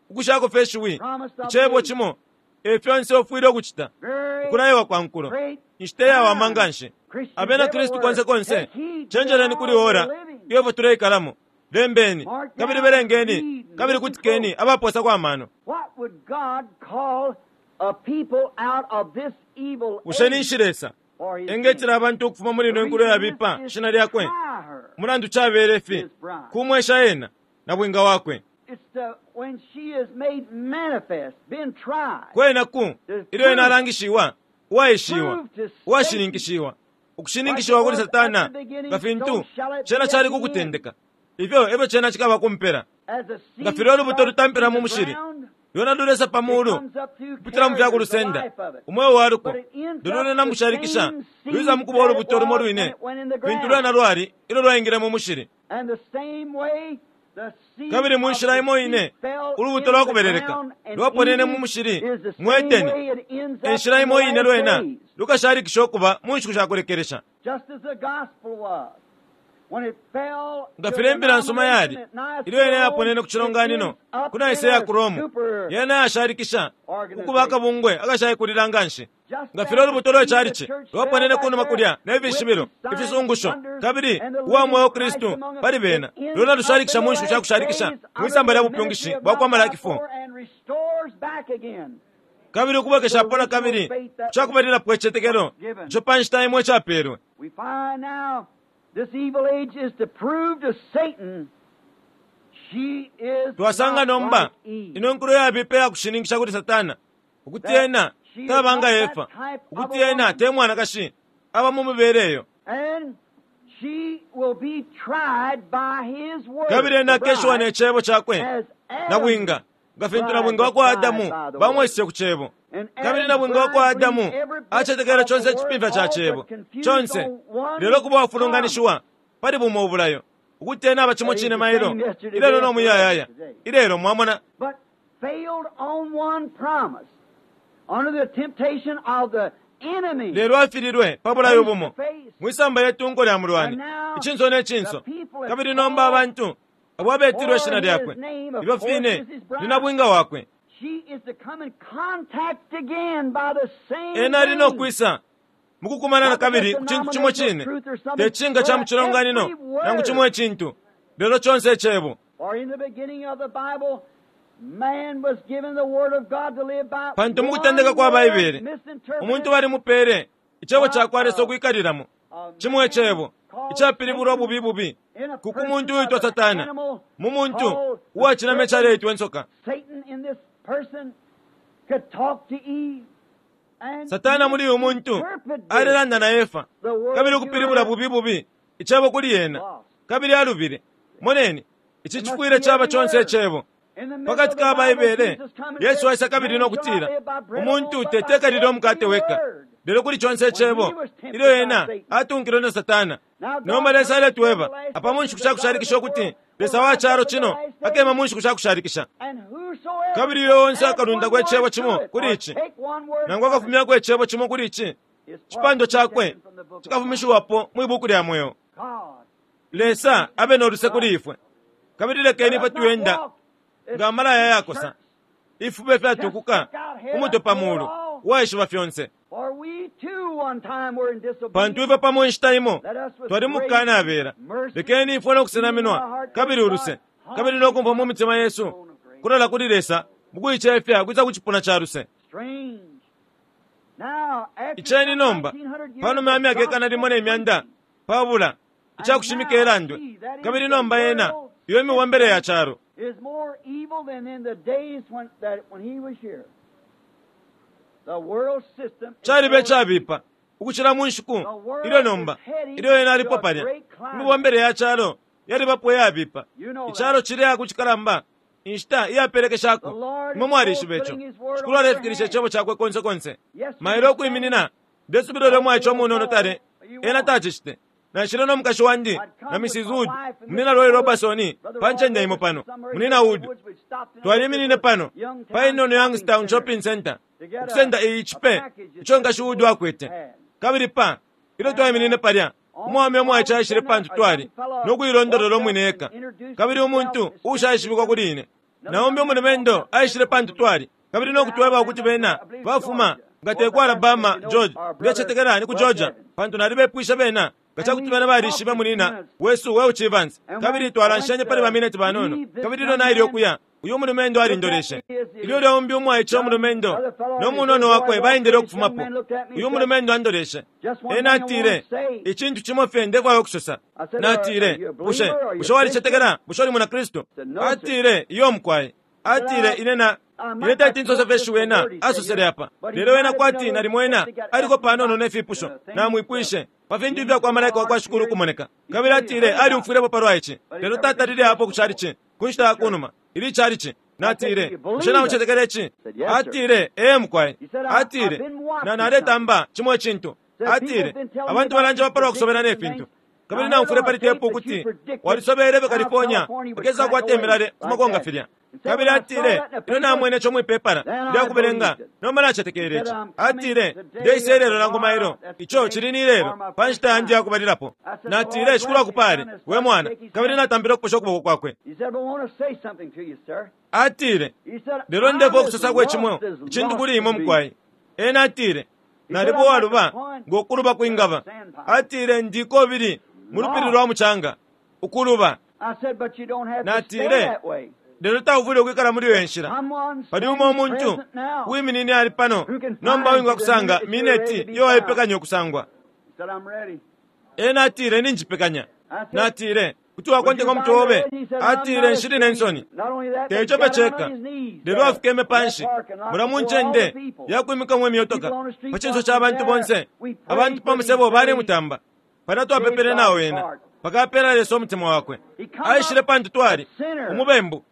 ukushako fye shiwi Promise of icebo the age. cimo e fyonse ufwile ukucita Very ukulayiwa kwa nkulo great inshita iyawama time. nganshi. Christians Abena Kristu everywhere, konse konse take heed to the cenjeleni kuli hour ora we're living. iyo ifwe tuleikalamo. Lembeni Mark kabili down, belengeni read, and kabili listen kutikeni close. abaposa kwa mano. What would God call a people out of this evil Bushe age ninshi Lesa for his name? engetela abantu ukufuma muli The ino nkulo reason yabipa is, is shina to lyakwe? try her, Mulandu cabele fi his bride. kumwesha ena na bwinga wakwe. It's the, when she is made manifest, been tried, Kwena ku ilyo ena alangishiwa, uwaishiwa, proved to Satan. uwashininkishiwa, Like it ukushininkishiwa kuli was at Satana the beginning, nga so fintu shall it cena be at cali the end. kukutendeka, ifyo efyo cena cikaba kumpela. As the Nga seed filya ulubuto starts lutampila in mu the mushili, ground, lwena lulesa pa it mulu comes up through kupitila mu carriers, the fyakulusenda life of it. umweo wa luko, But it ends lelo up lwena the mushalikisha same lwiza seed mukuba that it ulubuto lumo was when lwine it went in the fintu ground. lwena lwali ilyo lwaingile mu mushili. And the same way, the seed Kabili mu of nshila imo deceit ine fell ulubuto into the lwakubeleleka ground and lwaponene mu Eden mushili is the mu same Edeni, way it ends up enshila in the imo ine last lwena days. lukashalikisha ukuba mu nshiku shakulekelesha. Just as the gospel was. Nga filya imbila nsuma yali ilyo yena yaponene ku cilonganino ku Nicaea ku Rome, yena yashalikisha ukuba akabungwe akashaikulila nga nshi. Nga filya ulubuto lwe calici lwaponene kunuma kulya ne fishibilo, ifisungusho, kabili uwa mweo Kristu pali bena, lwena lushalikisha mu nshiku sha kushalikisha mwisamba lya bupyungishi bwa kwa Malaki four. Kabili ukubwekeshapo na kabili kucakubalilapo icitetekelo ico pa nshita imo icapeelwe. This evil age is to prove to Satan she is Twasanga not nomba like Eve. ino nkulo yabipa yakushininkisha kuli Satana ukuti ena taba nga Efa, ukuti ena te mwanakashi aba mu mibele eyo. And she will be tried by his word. Kabili ena the bride, akeshiwa ne cebo cakwe as Adam nabwinga nga fintu nabwinga wa kwa Adamu bamweseshe ku cebo. And Kabili Adam's nabwinga wa kwa bride Adamu believed every bit acetekele of chonse the word, icipimfya ca all cebo but confused chonse, on one lelo kuba wafulunganishiwa pali bumo ubulayo ukuti ena aba cimo cine mailo ilelo no muyayaya ilelo mwamona. But failed on one promise under the temptation of the enemy. Lelo afililwe pa bulayo bumo Face to face. mwisamba yetunko lya mulwani icinso ne cinso. Kabili nomba abantu abo abetilwe ishina lyakwe ifyo fine ni nabwinga wakwe. She is to come in contact again by the same Ena ali no thing. kwisa mukukumana na kabili ku cintu cimo cine, te cinga ca mu cilonganino nangu cimo icintu, lelo conse icebo. For in the beginning of the Bible, man was given the word of God to live by. Pantu mu kutendeka kwa One word Baibele, misinterpreted, umuntu balimupele icebo ca kwa Lesa ukwikalilamo, cimo icebo icapilibulwa bubi bubi in a ku person muntu of uitwa an Satana, animal mu muntu called the uwacinama serpent. icaleitwa insoka. Satan in this person could talk to Eve. And Satana muli uyu muntu misinterpreted alelanda na Efa the word kabili to ukupilibula her. bubi bubi icebo kuli yena, kabili alubile. Moneni, ici cifwile caba conse icebo. In the middle Pakati of the ka Bible, Baibele, Jesus come and Yesu said, aisa kabili "Man no shall kutila not live by bread umuntu alone, but by tetekalile umukate every weka, word." lelo kuli conse icebo ilyo ena atunkilwe na Satana. Nomba Lesa aletweba apa mu nshiku sha kushalikisha ukuti Lesa wa calo cino akema mu nshiku sha kushalikisha. And whosoever Kabili uyo onse adds akalundako one icebo word cimo to it, kuli or ici, take one word nangu from it, akafumyako icebo cimo kuli ici, his part cipando will be cakwe taken from the book of life. cikafumishiwapo mwi buku lya mweo. God, Lesa abe no luse kuli ifwe, kabili lekeni let ifwe us not tuyenda walk as nga amalaya yakosa, church, ifube fyatukuka umutwe pa mulu uwaishiba fyonse. for we too one time were in Pantu disobedience. ifwe pamo inshita imo Let us with twali grace, mukukanabela, mercy, lekeni ifwe no kusenaminwa kabili uluse, kabili no kumfwa mu mitima yesu kulola kuli Lesa mukuicefya kwisa ku cipuna ca luse. Strange. Now, after Iceni some nomba nineteen hundred years panuma ya of myaka ikana limo ne gospel myanda preaching, pabula icakushimika ilandwe, kabili nomba yena iyo imibombele ya calo is more evil than in the days when, that when he was here. The world system is caliba more icabipa ukucila mu nshiku ilyo nomba ilyo ena alipo palya. Imibombele ya calo yalibapo iyabipa, icalo cili ku cikalamba inshita iyapelekeshako. Imwe mwalishiba ico. Shikulu alefikilisha icebo cakwe konse konse. Mailo ukwiminina ndesubilo lyo mwaice umunono tale ena tacicite. Naishile no mukashi wandi na Missus Wood, munina Roy Robertson pa ncende imo pano, munina Wood. Twaliminine pano pa inono Youngstown Shopping Center ukusenda iyi cipe ico nkashi Wood akwete. Kabili pa ilyo twaiminine palya, umwaume umwaice aishile pantu twali no kuilondolola umwine eka, kabili umuntu uushaishibikwa kuli ine. Naumbi umulumendo aishile pantu twali kabili no kutweba ukuti bena bafuma nga te ku Alabama, George, ndecetekela ni ku Georgia, pantu nalibepwisha bena nga cakuti bena balishibe munina wesu Welch Evans. Kabili twalanshenye pali bamineti banono, kabili ilyo naile ukuya uyu mulumendo alindoleshe. Ilyo lyaumbi umwaice umulumendo no munono wakwe baendele ukufumapo, uyu mulumendo andoleshe. Ena atile, icintu cimo fye ndefwaya ukusosa. Natile, bushe bushe walicetekela? Bushe uli muna Kristu? Atile, iyo mukwai. Atile, ine na ine tati nsose fye shiwi ena asosele apa, lelo ena kwati nalimo ena aliko panono ne fipusho namwipwishe pa fintu ifya kwa malaika wa kwa Shikulu kumoneka. Kabili atile aliumfwilepo palwa ici, lelo tatalile apo ku calici ku nshita ya kunuma ili calici. Natile, bushe naucetekela ici? Atile, ee mukwai. Atile, na naletamba cimo icintu. Atile, abantu balanjeba palwa kusobela ne fintu. Kabili naumfwile pali tepu ukuti walisobele pe California akesa kukwata imilale kumakonga filya. Kabili atile, ino namwene ico mwipepala lyakubelenga, nomba nacetekele ici. Atile, ndeisa ilelo nangu mailo, ico cili ni lelo pa nshita yandi yakubalilapo. Natile, Shikulu akupale we mwana, kabili natambile ukuposha ukuboko kwakwe. Atile, lelo ndefwa ukusosa kwe cimo icintu kuli imwe mukwai. Ena atile, nalipo waluba ngokuluba kwingaba. Atile, ndiko bili mu lupili lwa mucanga ukuluba. Natile, lelo taufwile ukwikala muli iyo nshila. Pali umo umuntu uwiminine ali pano nomba winga kusanga mineti iyo waipekanya ukusangwa. Ena atile, ninjipekanya. Natile, kuti wakonteka umutwe obe. Atile, nshili ne nsoni. Teco pe ceka, lelo afikeme panshi mula mu ncende yakwimikamwo imyotoka pa cinso ca bantu bonse. Abantu pa musebo balemutamba pana twapepele nawo ena pakapela Lesa umutima wakwe. Aishile pantu twali umubembu,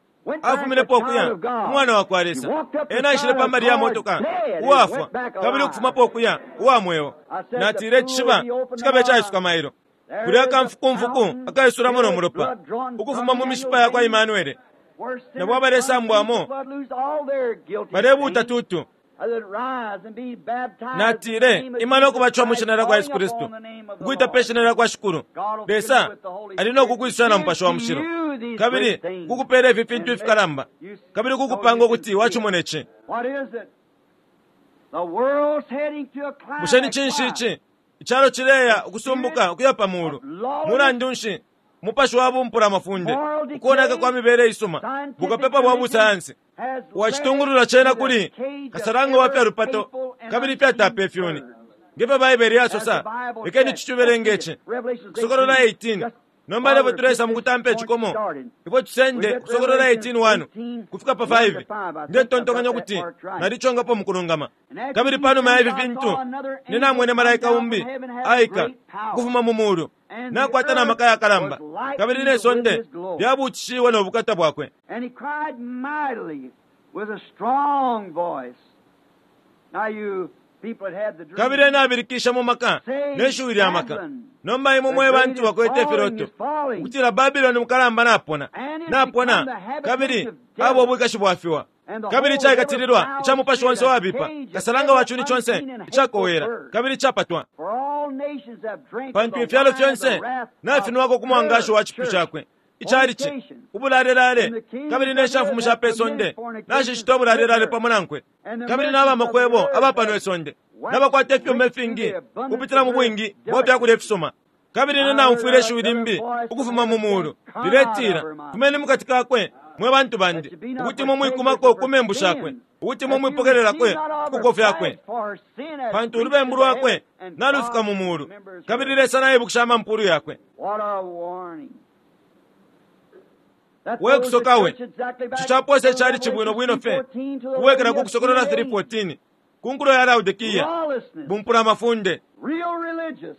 afuminepo ukuya umwana wa kwa Lesa. Ena aishile pambali ya motoka uwafwa, kabili ukufumapo ukuya uwa mweo. Natile, icishiba cikabe caisuka mailo kulya akamfukumfuku akaisulamo no mulopa ukufuma mu mishipa ya kwa Imanuele. Nabo abalesambwamo balebuuta tutu. Natile, imana ukubatwa mu shina lya kwa Yesu Kristu, ukuita pe shina lya kwa Shikulu. Lesa ali no kukwisula na Mupashi wa Mushilo, kabili kukupela ifi fintu ifikalamba, kabili kukupanga ukuti wacimona ici. Bushe ni cinshi ici? Icalo cileya ukusumbuka ukuya pa mulu. Mulandu nshi? Mupashi wa bumpula mafunde, ukuoneka kwa mibele isuma, bukapepa bwa busayansi wacitungulula cena kuli kasalanga wa fya lupato kabili fyatapa ifyuni. Ngefyo Baibele yasosa, lekeni tucibelenge ici. Kusokolola eighteen. Nomba levo tulesa mukutampa icikomo ifwe tusende Kusokolola eighteen one kufika pa five. Ndetontonkanya ukuti nalicongapo mukulungama. Kabili panuma ya ifi fintu ninamwene malaika umbi aika ukufuma mu mulu, nakwata na maka yakalamba, kabili ne sonde lyabuutishiwe no bukata bwakwe. And he cried mightily with a strong voice. Now you people that had the dream, Kabili ena abilikisha mu maka ne shiwi lya maka. Nomba imwe mwe bantu bakwete ifiloto ukutila Babiloni mukalamba napona, napona, kabili abo obwikashi bwafiwa, kabili caikatililwa ica mupashi wonse wabipa, kasalanga wa cuni conse icakowela kabili icapatwa. for all nations have drank Pantu the ifyalo wine of the fyonse wrath nafinwako ku mwangashi wa cipyu cakwe icalici ubulalelale, kabili ne shamfumu sha pe sonde nashishita ubulalelale pamo nankwe, kabili n'abamakwebo aba pano isonde n'abakwata ifyuma ifingi kupitila mu bwingi bwa fyakulya ifisuma. Kabili ine naumfwile ishiwi limbi ukufuma mu mulu liletila, fumeni mukati kakwe mwe bantu bandi, ukuti mwe mwikumako ku membu shakwe, ukuti mwe mwipokelelakwe kuko fyakwe, pantu ulubembu lwakwe nalufika mu mulu, kabili Lesa naibukisha amampulu yakwe. What a warning. That We throws the kusoka we. church exactly back Ico caposa to icali cibwino bwino fe Revelation three fourteen to the kubwekela ku Kusokolola Laodicean three fourteen ku nkulo ya Laodikiya, Lawlessness, bumpula mafunde real religious,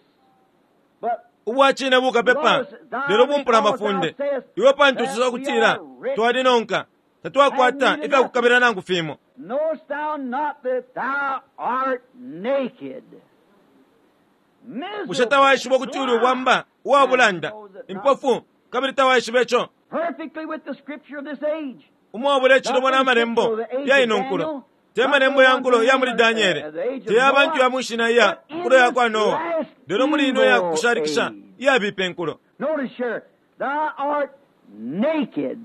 but ubwacine bukapepa, lelo bumpula mafunde. Iwe pantu usosa kutila twalinonka, tatwakwata ifyakukabila nangu fimo. knowest thou not that thou art naked? Bushe tawaishiba ukuti uli ubwamba uwa bulanda, impofu, kabili tawaishiba ico? Perfectly with the scripture of this age. Umwabula icilobo n'amalembo ya ino nkulo, te malembo ya nkulo ya muli Daniele, te ya bantu ya mwishina iya nkulo ya kwa Noa, lelo muli ino ya kushalikisha iyabipa enkulo. Notice here, thou art naked.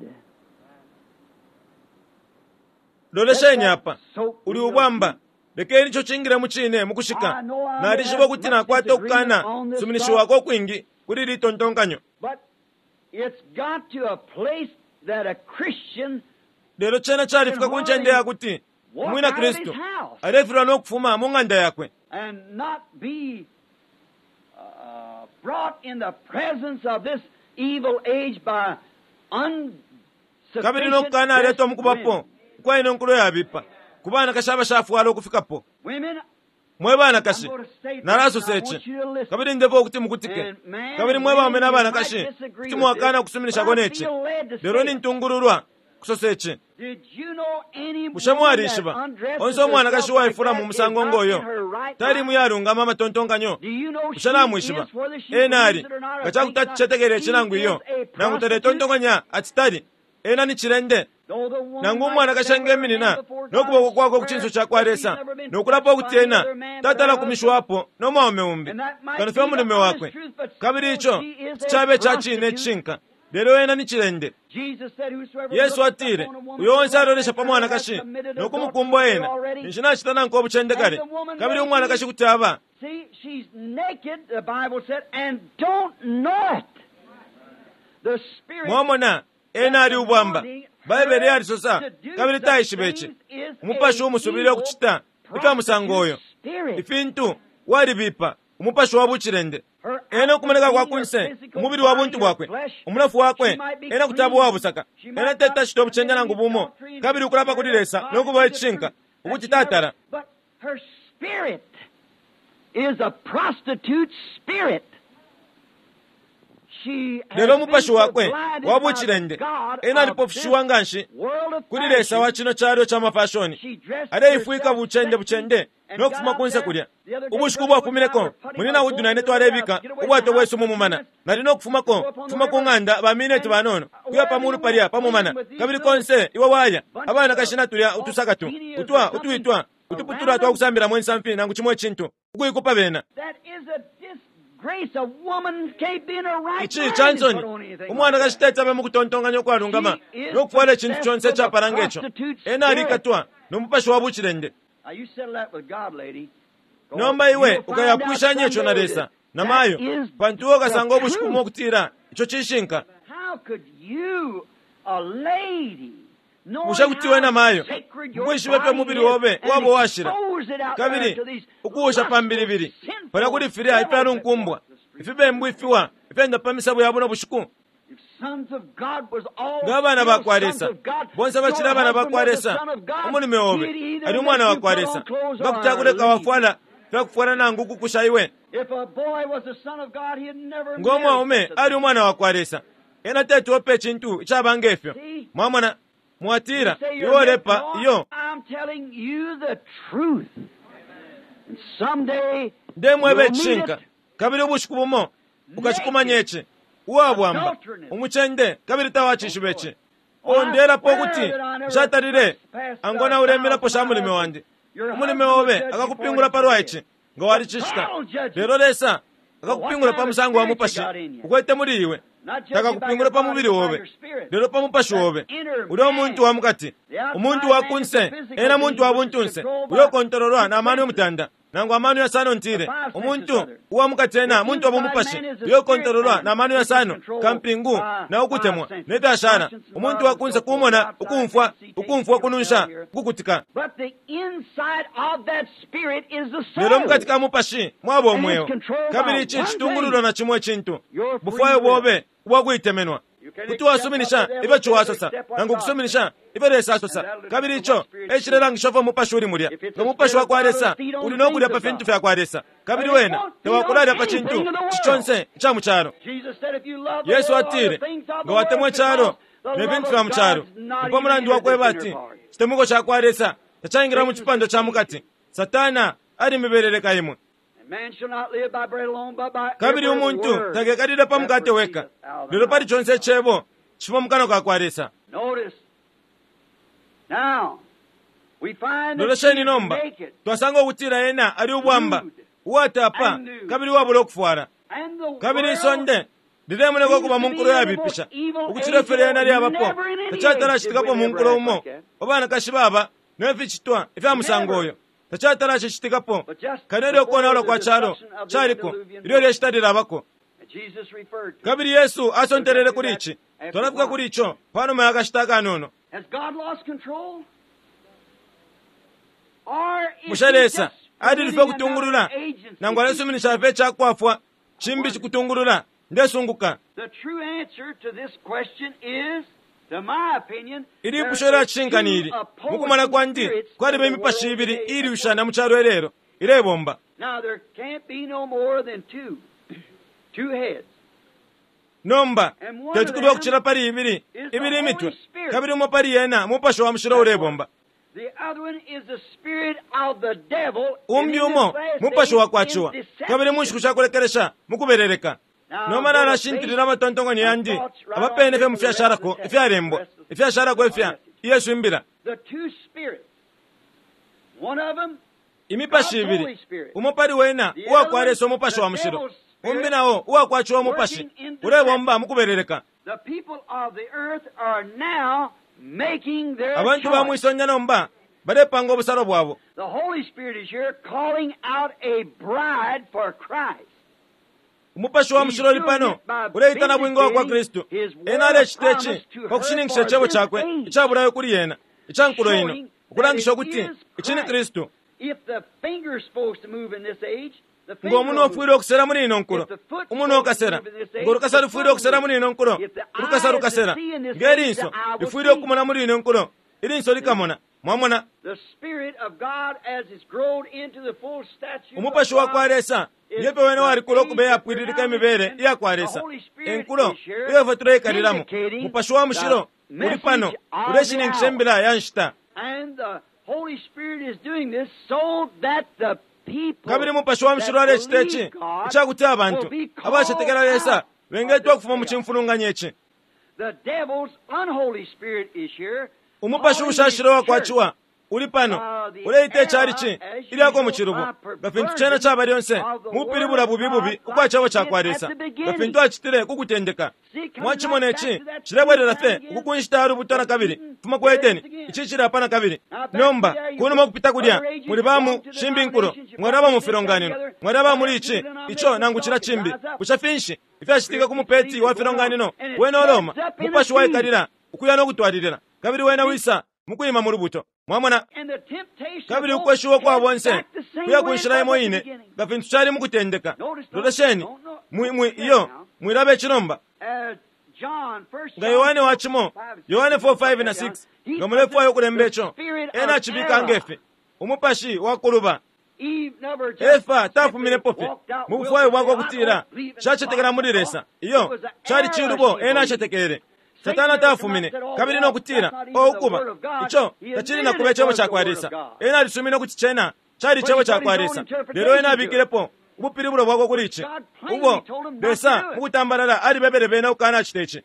Lolesheni apa, uli ubwamba. Lekeni ico cingile mu cine mukushika. Nalishiba ukuti nakwata ukukana suminishiwako ukwingi kuli ili tontonkanyo, But it's got to a place that a Christian lelo cena califika ku ncende yakuti walk umwina out of his Kristu house alefilwa no kufuma mu ng'anda yakwe, and not be uh, brought in the presence of this evil age by kabili no kukana aletwa mu unsufficient kubapo women. ukwa ino nkulo yabipa ku banakashi abashafwala ukufikapo. Women, Mwe banakashi, I'm going to say this, nalasosa and I ici, want you to listen. kabili ndefwa ukuti mukutike. And man Kabili and mwe baume women, na you banakashi, might disagree kuti with mwakana this, ukusuminishako but I neci, feel led to lelo say it. nintungululwa Kusosa ici. Bushe mwalishiba onse umwanakashi uwaifula mu musango ngoyo tali muyalungama amatontonkanyo? Bushe namwishiba ena ali nga cakuti aticetekele ici nangu iyo, nangu taletontonkanya ati tali ena ni cilende? Nangu umwanakashi engeminina no kuboko kwakwe ku cinso cakwa Lesa no kulapa ukuti ena tatala kumishwapo no mwaume umbi kano fye umulume wakwe, kabili ico cabe ca cine icishinka, lelo ena ni cilende. Yesu atile, uyo onse alolesha pa mwanakashi no kumukumbwa ena ninshi nacita nankwe ubucende kale. Kabili umwanakashi kuti aba mwamona ena ali ubwamba. Baibele yalisosa, kabili taishiba ici. Umupashi umusubile ukucita ifya musango uyo ifintu walibipa, umupashi wa bucilende. Ena ukumoneka kwa kunse, umubili wa buntu bwakwe, umunofu wakwe, ena kuti aba uwabusaka, ena teti acite ubucende nangu bumo, kabili ukulapa kuli Lesa no kuba icishinka ukuti tatala. Lelo umupashi wakwe wa bucilende, ena alipofushiwa nganshi kuli Lesa wa cino calo ca mafashoni, aleifwika bucende bucende no kufuma kunse kulya. Ubushiku bwafumineko munyina Wood na ine twalebika ubwato bwesu mu mumana. Nali no kufumako kufuma ku ng'anda ba mineti banono kuya pa mulu palya pa mumana, kabili konse iwe waya abanakashi na tulya utusaka tu utwa utwitwa utuputula twa kusambilamo insamfi nangu cimo icintu ukuikupa bena. Ici cansoni umwanakashi teti abe mukutontonkanya ukwalungama no kufwala icintu conse icapala ngeco. Ena alikatwa no mupashi wa bucilende. Nomba iwe ukayapwishanya ico na Lesa na mayo, pantu iwe ukasanga ubushiku bumo ukutila ico cishinka. Bushe kuti iwe na mayo mukwishiba ifyo umubili obe waba uwashila, kabili ukuwusha pa mbilibili palya kuli filya ifyalunkumbwa ifibembu ifiwa ifyenda pa misabo ya buno bushiku? Nga abana bakwa Lesa bonse bacili abana bakwa Lesa, umulume obe ali umwana wakwa Lesa, nga kuti akuleka wafwala fyakufwala nangu ukukusha iwe. Nga umwaume ali umwana wakwa Lesa, ena teti ope icintu icaba ngefyo. Mwamona? Mwatila iwe olepa iyo. Ndemweba icishinka, kabili ubushiku bumo ukacikumanya ici. Uwabwamba umucende, kabili tawacishiba ici. Ondelapo ukuti nshatalile angona ulemelapo sha mulime wandi. Umulime obe akakupingula palwa ici nga walicicita, lelo Lesa akakupingula pa musango wa mupashi ukwete muli iwe. Takakupingula pa mubili obe, lelo pa mupashi obe ulya umuntu wa mukati. Umuntu wa kunse ena muntu wa buntunse uyo ukontololwa na mano yomutanda nangu amano yasano ntile. Umuntu uwa mukati ena muntu wa bumupashi uyo ukontololwa na mano yasano kampingu na ukutemwa nefyashala. Umuntu wa kunse kumona, ukumfwa, ukumfwa ukununsha, ukukutika. Lelo mukati ka mupashi mwaba umweo, kabili ici citungululwa na cimo icintu, bufwayo bobe ubwakuitemenwa. Kuti wasuminisha ifyo ciwasosa nangu kusuminisha ifyo Lesa asosa, kabili ico ecilelangisha ifyo umupashi uli mulya. Nga umupashi wakwa Lesa uli no kulya pa fintu fya kwa Lesa, kabili wena tawakulalya pa cintu ciconse ica mu calo. Yesu atile, nga watemwa icalo ne fintu fya mu calo, ni pa mulandu wakweba ati icitemwiko ca kwa Lesa tacaingila mu cipando ca mukati. Satana alimibeleleka imwe. Kabili umuntu takekalile pa mukate weka, lelo pali conse icebo cifuma mu kanwa ka kwa Lesa. Lolesheni nomba, twasanga ukutila ena ali ubwamba, uwatapa, kabili uwabula ukufwala. Kabili isonde lilemoneka ukuba mu nkulo yabipisha ukucila ifyo lyena lyabapo. Tacatala citikapo mu nkulo umo abanakashi baba ne ficitwa ifya musango uyo. Tacatala cicitikapo kano ilyo ukonaula kwa calo caliko ilyo lyeshita lilabako. Kabili Yesu asontelele kuli ici. Twalafika kuli ico panuma ya kashita akanono. Bushe Lesa alilife ukutungulula nangu alesuminisha fye icakwafwa cimbi cikutungulula? Ndesunguka. Ilipusho lya cishinka ni ili, mukumona kwandi kwaliba imipashi ibili iilushana mu calo ilelo ilebomba. Nomba teti kube ukucila pali ibili ibili imitwe, kabili umo pali yena Mupashi wa Mushilo ulebomba. Umbi umo Mupashi wa kwaciwa, kabili mu nshiku shakulekelesha mukubeleleka. Nomba nalashintilila amatontonkanyo yandi abapene fye mu fyashalako ifyalembwa ifyashalako ifya Yesu imbila. Imipashi ibili, umo pali wena uwakwa Lesa Umupashi wa Mushilo, umbi nao uwakwaciwa Umupashi ulebomba mukubeleleka. Abantu ba mwisonde nomba balepanga ubusalo bwabo. Umupashi wa Mushilo uli pano uleita nabwinga wa kwa Kristu. Ena alecita ici pa kushininkisha icebo cakwe icabulayo kuli yena ica nkulo ino, ukulangisha ukuti ici ni Kristu. Ngo umunwe ufwile ukusela muli ino nkulo, umunwe ukasela. Ngo lukasa lufwile ukusela muli ino nkulo, ulukasa lukasela. Nge linso lifwile ukumona muli ino nkulo, ilinso likamona. Mwamona, Umupashi wa kwa Lesa ngepe wene walikula ukuba iyapwililika imibele iya kwa Lesa, enkulo iyo ifwe tuleikalilamo. Mupashi wa Mushilo uli pano uleshininkisha imbila ya nshita. Kabili Mupashi wa Mushilo alecita ici icakuti abantu abacetekela Lesa bengetwa ukufuma mu cimfulunganya ici. Umupashi ushashilo wakwaciwa uli pano uleita icalici ilyako mu cilubo, nga fintu cena caba lyonse mupilibula bubi bubi ukwa cebo cakwa Lesa, nga fintu acitile ku kutendeka. Mwacimona ici cilebwelela fye uku ku nshita ya lubuto na kabili fuma ku Edeni, ici cili apa na kabili. Nomba kunuma ukupita kulya muli bamu shimbi nkulo, mwalaba mu filonganino, mwalaba muli ici ico nangu cila cimbi. Bushe finshi ifyacitika ku mupeti wa filonganino wena oloma? Mupashi waikalila ukuya no kutwalilila, kabili wena wisa mukwima mu lubuto. Mwamona, kabili ukweshiwa kwa bonse kuya ku nshila imo ine nga fintu cali mukutendeka. Lolesheni mwi mwi iyo mwilaba icinomba nga Yohane wa cimo Yohane four five na six, nga mulefwaya ukulemba ico, ena acibika ngefi umupashi wa kuluba. Efa tafuminepo fye mu bufwayo bwakwe ukutila shacetekela muli Lesa. Iyo cali cilubo ena acetekele. Satana tafumine kabili no kutila o ukuba ico tacili na kuba icebo cakwa Lesa. Ena alisumine ukuti cena cali icebo cakwa Lesa, lelo ena abikilepo ubupilibulo bwakwe kuli ici ubo Lesa mukutambalala alibebele bena ukukanacita ici.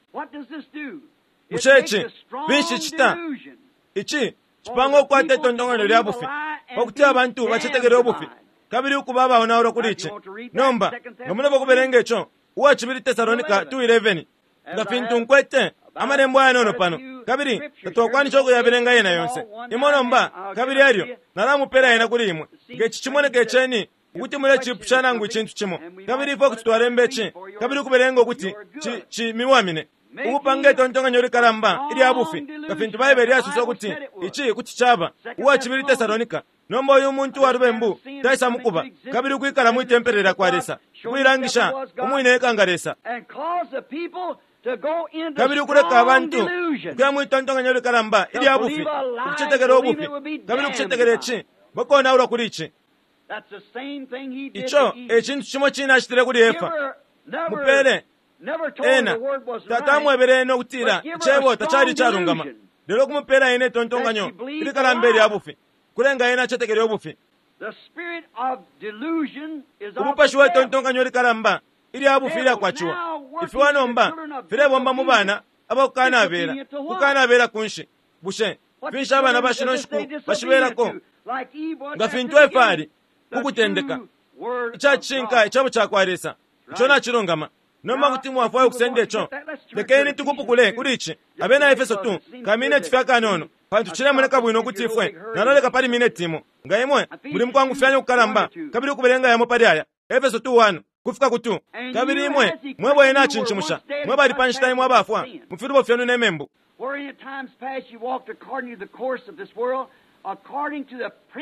Bushe ici finshi cita? Ici cipanga ukukwata itontonkanyo lya bufi pakuti abantu bacetekele ubufi kabili ukuba abaonaulwa kuli ici. Nomba nga mulepo kubelenga ico uwa cibili Tesalonika two eleven, nga fintu nkwete amalembo ayanono pano, kabili tatwakwanisha ukuyabelenga yena yonse imo nomba, kabili elyo nalamupela yena kuli imwe nge ci cimoneka iceni ukuti mulecipusha nangu icintu cimo, kabili ifwe kuti twalemba ici kabili ukubelenga ukuti cimiwamine ukupanga itontonkanyo likalamba ilya bufi nga fintu Baibele yasosa ukuti ici kuti caba. Uwa cibili Tesalonika. Nomba uyu muntu wa lubembu taisa mukuba kabili ukwikala mwi tempele lya kwa Lesa, ukuilangisha umwine eka nga Lesa, kabili ukuleka abantu ukuya mwitontonkanyo likalamba ilya bufi, ukucetekela ubufi kabili ukucetekela ici, bakonaulwa kuli ici. Ico e cintu cimo cine acitile kuli Efa. Mupele ena tatamwebele ena ukutila icebo tacali icalungama, lelo kumupela ena itontonkanyo ilikalamba ilya bufi, kulenga ena acetekele ubufi. Umupashi wa itontonkanyo likalamba ilya bufi ilyakwaciwa ifiwa nomba filebomba mu bana abakukanabela kukanabela kunshi. Bushe finshi abana bashino nshiku bashibelako? Nga fintu Efa ali kukutendeka icacishinka icebo cakwa Lesa ico nacilungama. Nomba kuti mwafwaya ukusenda ico, lekeni tukupukule kuli ici Abena Efeso two kamineti fye akanono, pantu cilemoneka bwino ukuti ifwe naloleka pali mineti imo. Nga imwe muli mukwangufyanya ukukalamba kabili ukubelenga yamo pali aya Efeso two one kufika ku two. Kabili imwe mwebo ena acincimusha mwe bali pa nshita imwe abafwa mu filubo fyenu ne membu,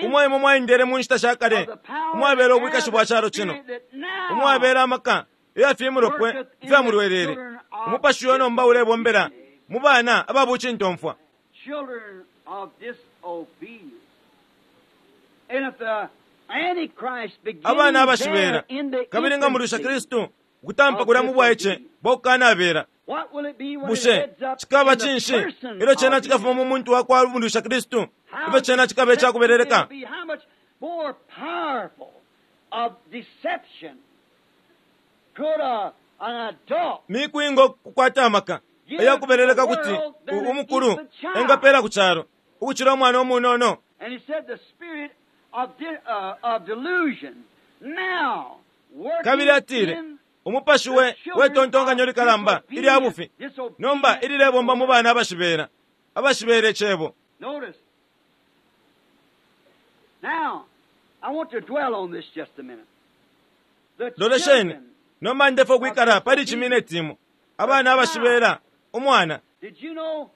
umwe imwe mwaendele mu nshita sha kale umwabela ubwikashi bwa calo cino, umwabela amaka iyafimulopwe ifyamulwelele. Umupashi uyo nomba ulebombela mu bana ababucintomfwa. Abana abashibela kabili nga mulwisha Kristu Ukutampa kulya mu bwaice bwakukanabela. What will it be when it Bushe heads up cikaba in the cinshi person ilyo cena of cikafuma mu muntu wakwa lubundusha Kristu? How Ifyo cena cikaba icakubeleleka. deceptive it'll be, how much more powerful of deception could a, an adult Miku ingo kukwata amaka eyakubeleleka kuti u- umukulu engapela ku calo ukucila umwana umunono. And he said the spirit of, de, uh, of delusion now working Kabili atile in umupashi we wetontonkanyo likalamba ilya bufi nomba ililebomba mu bana abashibela abashibela icebo. Notice. Now, I want to dwell on this just a minute. The Lolesheni children, nomba ndefo kwikala pali chimineti imo abana abashibela umwana. did you know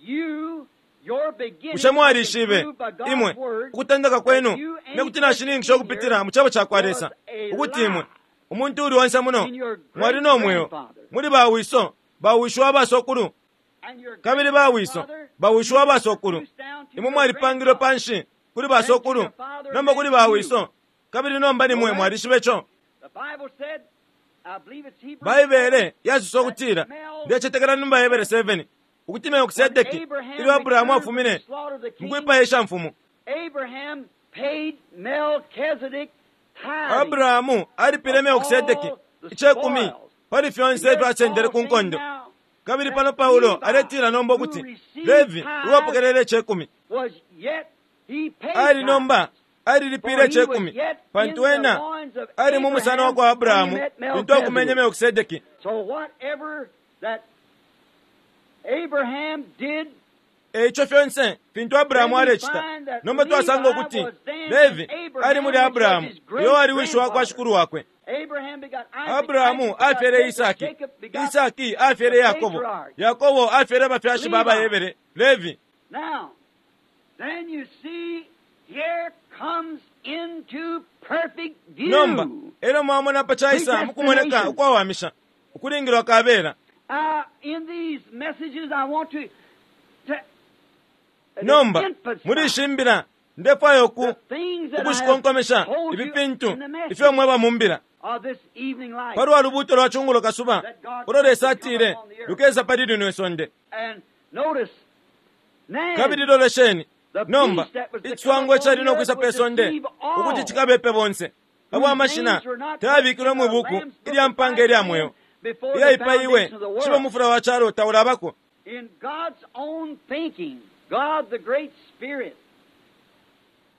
you, your beginning, Bushe mwalishibe proved by God's imwe word ukutendeka kwenu nekuti nashininkisha ukupitila mu cebo ca kwa Lesa ukuti imwe umuntu uli onse muno mwali no mweo muli bawiso bawisho abasokulu and your kabili bawiso grandfather bawisho abasokulu produced down to imwe your mwalipangilwe grandfather. panshi kuli basokulu nomba kuli bawiso kabili nomba nimwe mwalishibe co. The Bible said, I believe it's Hebrews Baibele yasusa ukutila ndecetekela ni Baibele seven ukuti Melkisedeki ilyo Abrahamu afumine mukwipaya ishamfumu Abraham paid Melchizedek tithing. Abrahamu alipile Melkisedeki icekumi pali fyonse ifyo asendele ku nkondo. Kabili pano Paulo aletila nomba ukuti Levi uwapokelele icekumi Was yet he paid ali nomba alilipile icekumi pantu ena ali mu musana wa kwa Abrahamu lintu akumenye Melkisedeki. So whatever that Abraham did, Eico fyonse fintu Abrahamu alecita nomba twasanga ukuti Levi ali muli Abrahamu uyo ali wishi wa kwa shikulu wakwe. Abraham begot Isaac, Abrahamu Isaac begot afyele Jacob, Isaki, Jacob begot Isaki afyele Yakobo, Yakobo afyele abafyashi ba Bahebere, Levi. Now, then you see, here comes into perfect view. Nomba elyo mwamona pa caisa mukumoneka ukwawamisha ukulingilwa kabela. Uh, in these messages, I want to, to Nomba emphasize muli ishi mbila ndefwaya uku the things that I have ukushikonkomesha told ifi you fintu in the message ifyo mweba mumbila of this evening light. palwa lubuuto lwa chungulo kasuba ulo Lesa atile lukesa pali lino isonde. And notice, now, Kabili lolesheni nomba iciswango icali nokwisa pe sonde ukuti cikabepe bonse abo amashina tayabikilwe mwi buku ilya mpanga ilya mweo before the iyaipaiwe foundation of the world. cibe mufula wa calo taulabako. In God's own thinking, God the great Spirit.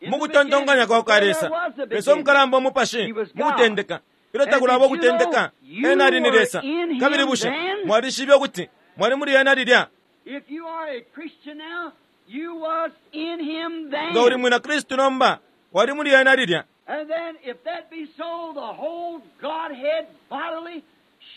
In the Mukutontonkanya kwa kwa beginning, Lesa there was a Lesa beginning. umukalamba umupashi mukutendeka ilyo takulaba ukutendeka ena ali ni Lesa. Kabili bushe mwalishibe ukuti mwali muli ena lilya? If you are a Christian now, you was in him then. Nga uli mwina Kristu nomba wali muli ena lilya. And then if that be so, the whole Godhead bodily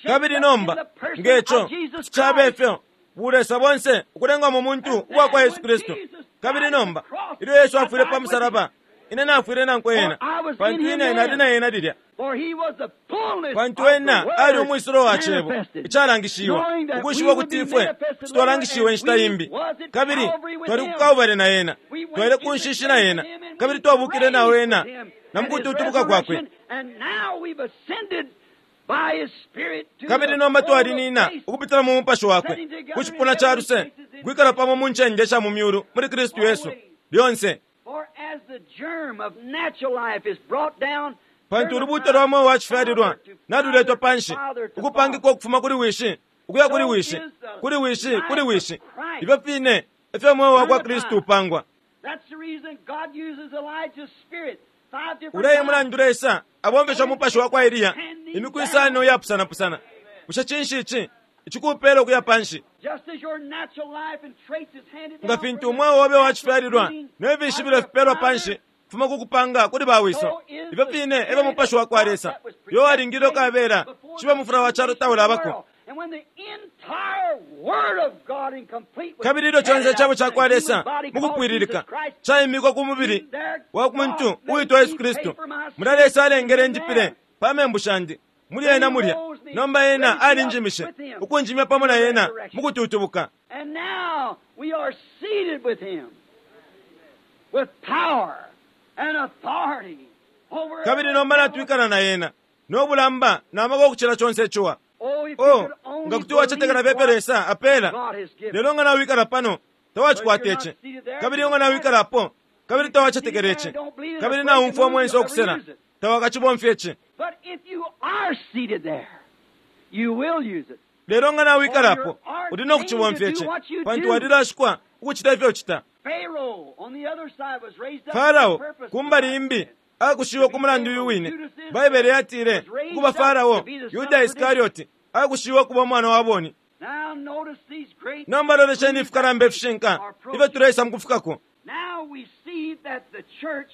shaped Kabili up in nomba the person ngeco of Jesus cabe Christ. ifyo bulesa bonse ukulengwa mu muntu uwa kwa Yesu Kristu. Kabili nomba ilyo Yesu afwile pa musalaba ine nafwile nankwe ena pantu ine nali na ena lilya. For he was the fullness Pantu of the ena Word ali umwisulo wa cebo manifested, icalangishiwa knowing that ukwishiba we would ukuti be ifwe manifested twalangishiwe later, inshita and we imbi. was at Kabili Calvary with twali him. ku Kalvari na ena We went twali in ku the nshishi na grave ena with him, and kabili we twabukile nawe raised ena with him na and his mukututubuka kwakwe. resurrection, and now we've ascended by his Spirit to Kabili the nomba throne of twalinina grace. ukupitila mu mupashi wakwe ku cipuna ca luse kwikala pamo mu ncende sha mu myulu muli Kristu Yesu lyonse. For as the germ of natural life is brought down Pantu ulubuto lwa mweo wa cifyalilwa naluletwa panshi ukupangikwa ukufuma kuli wishi ukuya kuli wishi kuli wishi kuli wishi ifyo fine ifyo mweo wa kwa Kristu upangwa. That's the reason God uses Elijah's spirit five different Uleyi times. mulandu Lesa abomfesha umupashi wa kwa Eliya imiku isano iyapusanapusana. Bushe cinshi ici icikupela ukuya panshi? Just as your natural life and traits is handed Nga down fintu from umweo obe wa the cifyalilwa breeding ne fishibilo of your fipelwa father, panshi kufuma ku kupanga kuli bawiso ifyo fine efyo mupashi wa kwa Lesa yo alingile ukabela cibe mufula wa calo taulabako. And when the entire Word of God in complete was Kabili ilyo conse carried icebo out ca in kwa the Lesa human body called mukukwililika Jesus Christ, caimikwa ku mubili wa muntu uitwa Yesu Kristu mulya Lesa alengele njipile pa membu shandi muli ena mulya nomba ena alinjimishe ukunjimya pamo na ena mukututubuka. And now we are seated with him with power and authority over Kabili nomba natwikala na ena No bulamba na maka ukucila chonse ichiwa. Oh, nga kuti wachetekela pepe Lesa apela. Lelo nga nawikala pano tawachikwata ichi. Kabili nga nawikala apo kabili tawachetekela ichi. Kabili naumfwa mwenso okusela tawakachibomfya ichi. But if you are seated there, you will use it. Lelo nga nawikala apo uli nokuchibomfya ichi pantu walilashikwa ukuchita ifyo uchita. Pharaoh on the other side was raised up Farao for a purpose. kumbali imbi akushiwe ku mulandu uyu wine. Baibele yatile ukuba Farao Yuda Iskarioti akushiwe kuba umwana wa boni. Now notice these great Nomba lolesheni ifikalamba ifishinka ifyo tuleisa mukufikako. Now we see that the church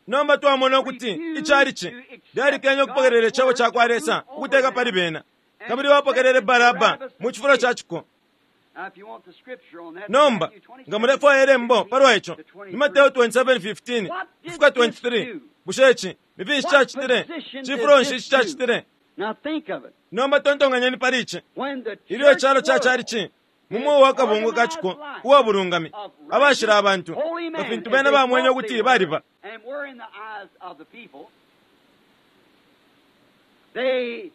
Nomba twamona ukuti ichalichi lyalikenya okupokerera icebo ca kwa Lesa ukuteka pali bena kabili bapokerere Baraba mu chifulo ca chiko. Now if you want the scripture on that, Nomba Matthew nga mulefwaya elembo palwa ico ni Mateo twenty-seven fifteen kufika twenty-three. Bushe ichi ni finshi cacitile? Chifulo nshi ici cacitile? Now think of it. Nomba tontonganyeni pali ici. When the Ilyo icalo church ca world chalichi mumuwo wa kabungwe ka chiko uwa bulungami abashila abantu holy nga men, fintu as bena they bamwenye thought ukuti they were, baliba and were in the eyes of the people, they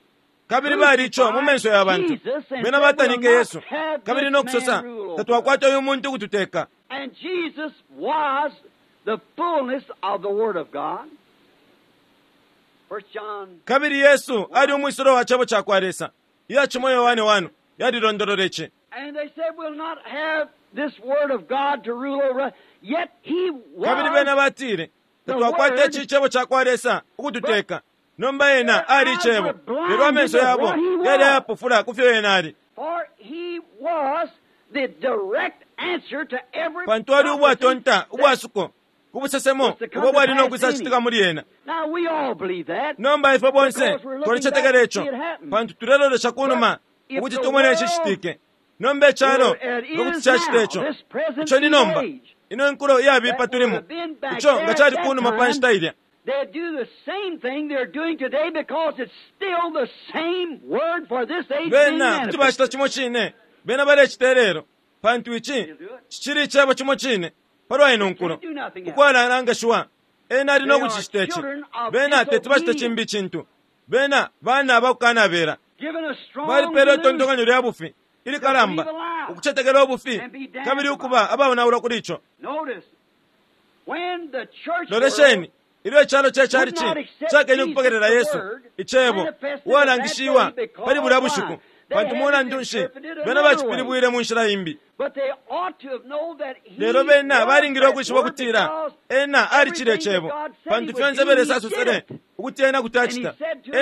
kabili bali ico mu menso ya bantu bena batanike Yesu kabili nokusosa tatwakwata uyu muntu ukututeka. And Jesus was the fullness of the Word of God. First John Kabili Yesu ali umwisilo wa cebo ca kwa Lesa. Iyacimo Yohane one yalilondolola ici. And they said, we'll not have this Word of God to rule over us. Yet he was Kabili bena batile tatwakwata ici cebo ca kwa Lesa ukututeka. Nomba ena ali icebo lelo amenso yabo yali ayapofula ku fyo ena ali. For he was the direct answer to every Pantu ali prophecy ubwatonta that- ubwasuko ku busesemo ubo bwali nokwisacitika muli ena. Now we all believe that. Nomba ifwe bonse twalicetekela ico pantu tulelolesha kunuma ukuti tumone ici citike. Nomba icalo ngokuti cacita ico ico ni nomba ino nkulo iyabipa tulimo ico nga cali kunuma pa nshita ilya. They do the same thing they're doing today because it's still the same word for this age being Bena kuti manifested. bacita cimo cine bena balecita ilelo pantu ici cicili icebo cimo cine palwa ino nkulo ukwalanangashiwa. Ena ali nokucicita ici. Bena teti bacite cimbi icintu. Bena bana abakukanabela Given a strong balipele delusion itontonkanyo lya bufi ilikalamba ukucetekela ubufi kabili ukuba abaonaulwa kuli ico. Notice, when the church Lolesheni ilyo icalo ce chalichi cakenye ukupokelela Yesu icebo uwalangishiwa pali bulya bushiku pantu mulandu nshi bena bacipilibwile mu nshila imbi. But they ought to have known that he Lelo bena was balingile that ukwishiba word ukutila because ena alicile everything icebo that God said pantu he would fyonse do, he Lesa did asosele it. ukuti ena kuti acita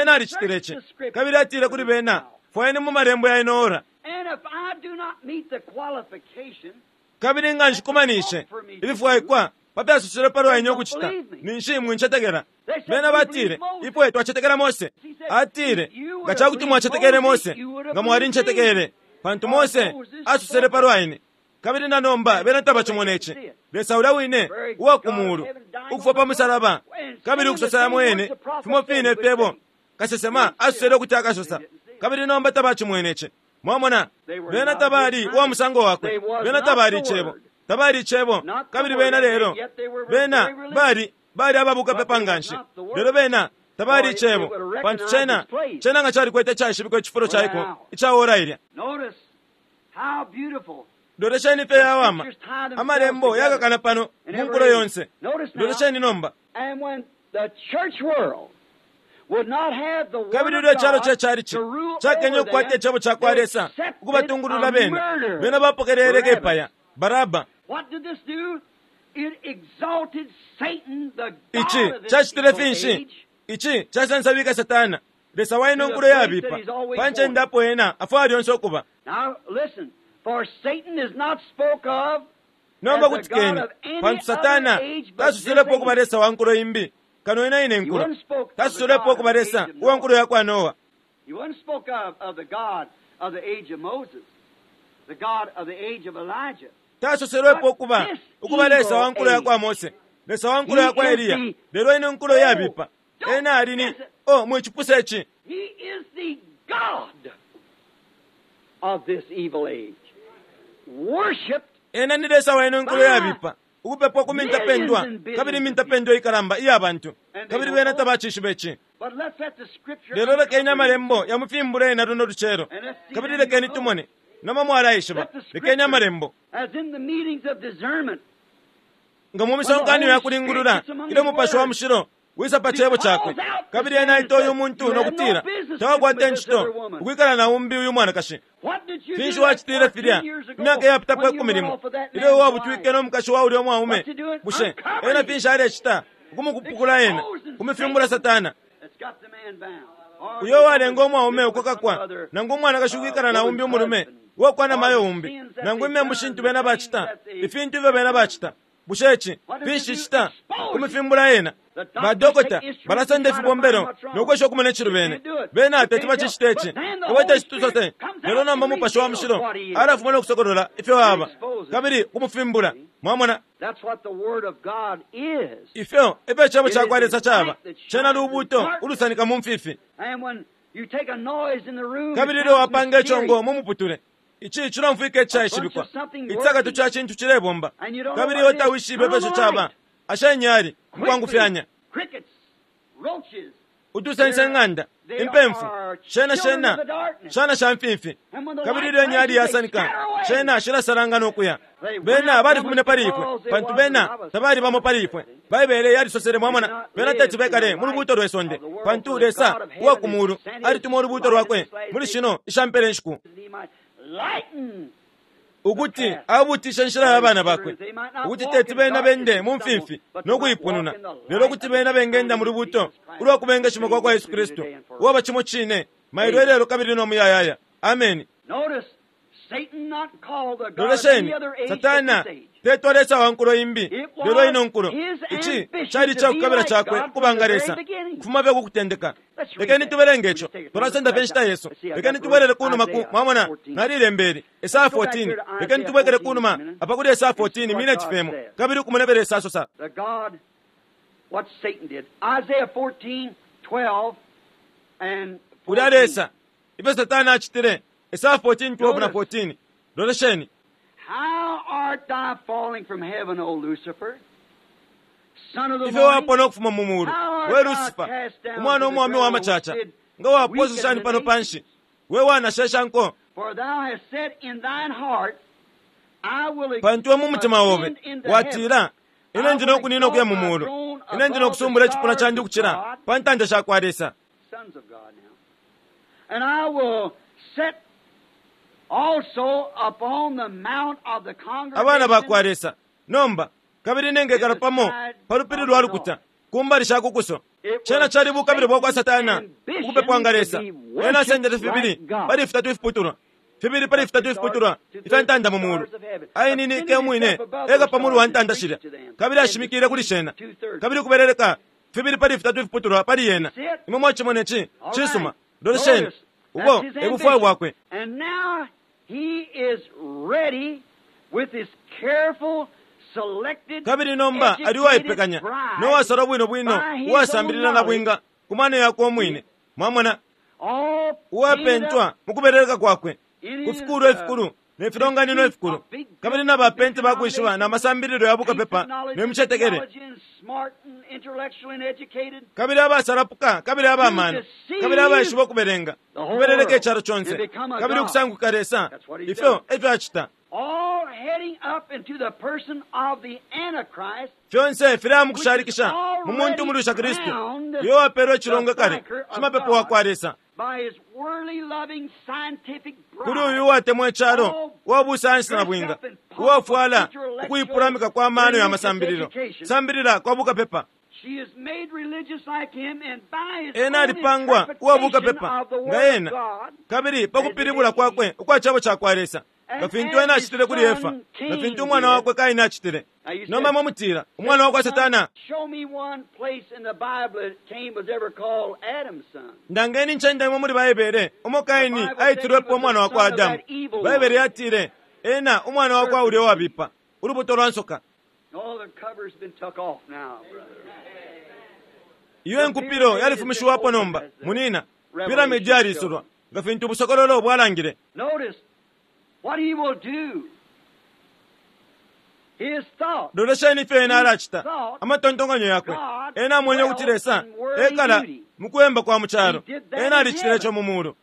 ena alicitile ici. Kabili atile kuli bena fwayeni mu malembo ya ino ora. And if I do not meet the qualification, Kabili nga nshikumanishe ibifwaikwa papyasosele palwa ine ukucita ninshi mwincetekela. Bena batile ifwe twacetekela Mose. Atile nga cakuti mwacetekele Mose nga mwalincetekele pantu Mose asosele palwa ine. Kabili na nomba bena tabacimona ici. Lesa ulya wine uwa ku muulu ukufwa pa musalaba kabili ukusosela mwene fimo fine fyebo kasesema asosele ukuti akasosa. Kabili nomba tabacimwene ici. Mwamona bena tabali uwa musango wakwe. Bena tabali icebo tabali icebo kabili bena lelo bena bali bali ababuka pepa nganshi lelo bena tabali icebo pantu cena cena nga calikwete caishibikwa icifulo caiko ica ora ilya. notice how beautiful Lolesheni fye yawama amalembo yakakana pano mu nkulo yonse. Lolesheni nomba. And when the church world would not have the word Kabili of ilyo icalo God ce chalichi to rule cakenye over ukukwata them, icebo ca kwa they Lesa accepted ukubatungulula a bena murderer, bena bapokelele Barabbas. kepaya Baraba. What did this do? It exalted Satan, the god Ici of this cacitile evil finshi? age, Ici casansabika Satana Lesa wa ino nkulo yabipa pa ncende apo ena afwaya lyonse ukuba. Now listen, for Satan is not spoke of Nomba as the kutikeni god of any pantu Satana other age but tasoselepo this ukuba age. Lesa wa nkulo imbi kano ina ine He nkulo. wasn't spoke of the Tasoselepo God ukuba of the Lesa age of uwa nkulo Noah. ya kwa Noa. He wasn't spoke of, of the God of the age of Moses, the God of the age of Elijah. Tasoselwepo ukuba ukuba Lesa wa nkulo ya kwa Mose, Lesa wa nkulo ya kwa Eliya. Lelo ino nkulo yabipa ena ali ni oh mwicipusa ici. He is the God of this evil age. Worshipped Ena ni Lesa wa ino nkulo yabipa Ukupepwa ku mintapendwa kabili imintapendwa ikalamba iya bantu, kabili bena tabacishiba ici. Lelo lekeni amalembo yamufimbule ena luno lucelo, kabili lekeni tumone nomba mwalaishiba. Lekeni amalembo nga mu misonkano ya kulingulula ilyo Mupashi wa Mushilo wisa pa cebo cakwe, kabili ena aita uyu muntu nokutila tawakwata incito ukwikala na umbi uyu mwanakashi. Finshi wacitile filya imyaka iyapitapo ikumi limo ilyo wabutwike no mukashi wa ulya mwaume? Bushe ena finshi alecita ukumukupukula ena kumifimbula Satana uyo walenga umwaume ukukakwa nangu umwanakashi ukwikala na umbi umulume uwakwa na mayo umbi, nangu imembu shintu bena bacita, ifintu ifyo bena bacita? Bushe ici finshi cita kumifimbula ena? Badokota balasenda ifibombelo nokwesha okumona icilubene bena teti bacicite ici iwe tecitusose. Lelo nomba Mupashi wa Mushilo alafuma nokusokolola ifyo aba kabili kumufimbula. Mwamona ifyo efyo icebo cakwa Lesa caba, cena lubuto ulusanika mu mfifi. Kabili ilyo wapanga icongo mu muputule, ici cilomfwika icaishibikwa, icisakatu ca cintu cilebomba, kabili iwe tawishibe ifyo caba. Asha inyali mukwangufyanya, utusense ng'anda impemfu shena shena shana sha mfimfi, kabili ilyo inyali yasanika shena shilasalanga nokuya. Bena balifumine pali ifwe pantu bena tabali bamo pali ifwe. Baibele yalisosele, mwamona, bena teti bekale mu lubuto lwe sonde, pantu Lesa uwa ku mulu alituma ulubuto lwakwe muli shino ishampele nshiku ukuti abutishe inshila ya bana bakwe, ukuti teti bena bende mu mfimfi no kuipununa, lelo ukuti bena bengenda mu lubuto ulwa kubengeshima kwa kwa Yesu Kristu, uwaba cimo cine mailo ilelo kabili no muyayaya. Ameni. Lolesheni, Satana tetwa Lesa wa nkulo imbi, lelo ino nkulo. Ici cali icakukabila cakwe ukubanga Lesa kufuma fye kukutendeka. Lekeni tubelenge ico, twalasenda fye inshita yesu. Lekeni tubwelele kunuma ku mwamona nalilembeli Esaya fourteen. Lekeni tubwekele kunuma apa kuli Esaya fourteen mineti femo, kabili ukumona ifyo Lesa asosa. Ulya Lesa ifyo Satana acitile. Esaya fourteen twelve na fourteen. Lolesheni. How art thou falling from heaven, O Lucifer, son of the ifyo wapona ukufuma mu mulu we Lucifer, umwana umwaume wa macaca, nga waposa shani pano panshi, we wanashesha nko. For thou hast said in thine heart, I will Pantu we mu mutima obe ascend into watila, heaven. ine ndi nokunina ukuya mu mulu, ine ndi nokusumbula icipuna candi ukucila pa ntanda sha kwa Lesa. Sons of God now. And I will set also upon the mount of the Abana ba kwa congregation Lesa nomba, kabili nengekala pamo pa lupili lwa lukuta ku mbali sha kukuso. Cena cali bukabilo bwa kwa Satana ukupepwanga Lesa. Ena asendele fibili pali fitatu ifiputulwa, fibili pali fitatu ifiputulwa ifya ntanda mu mulu, aininike umwine eka pa mulu wa ntanda shilya, kabili ashimikile kuli shena, kabili kubeleleka fibili pali fitatu ifiputulwa pali yena. Imwe mwacimone ci cisuma. Lolesheni ubo ebufwayo bwakwe. And now he is ready with his careful, selected, Kabili nomba ali uwaipekanya nowasalwa bwino bwino, uwasambilila na bwinga ku mano yakwe omwine, mwamona, all uwapentwa mu kubeleleka kwakwe ku fikulu ifikulu ne filonganino ifikulu, kabili na bapenti bakwishiba na masambililo ya bukapepa ne micetekele, kabili abasalapuka kabili abamano kabili abaishiba ukubelenga, kubeleleka icalo conse, kabili ukusanguka Lesa. Ifyo efyo acita. All heading up into the person of the Antichrist, Fyonse filaya mu kushalikisha mu muntu umulusha Kristu, uyo wapelwe icilongwe kale shimapepo wa kwa Lesa by his worldly loving scientific kuli uyu bride, uwatemwa icalo, uwa busayansi na bwinga, uwafwala ukuipulamika kwa mano ya masambililo, sambilila kwa bukapepa. she is made religious like him, and by his Ena own alipangwa uwa interpretation bukapepa of the nga Word of ena, God, kabili pa kupilibula kwakwe ukwa cebo ca kwa Lesa, nga fintu ena acitile kuli Efa, nga fintu umwana wakwe Kaini acitile. Nomba mwe mutila umwana wakwa Satana. Show me one place in the Bible that Cain was ever called Adam's son. Ndangeni ncende imwe muli Baibele umo Kaini aitilwepo umwana wakwa Adamu. Baibele yatile ena umwana wakwa ulya uwabipa, ulubuto lwa nsoka. Oh, the cover's been took off now, brother. Iyo enkupilo yalifumishiwapo nomba munina, piramidi yalisulwa nga fintu ubusokololo bwalangile. Notice what he will do. Lolesheni ifyo ena alacita amatontonkanyo yakwe. Ena amwene ukuti Lesa ekala mukuyemba kwa mu calo. Ena alicitile ico mu mulu.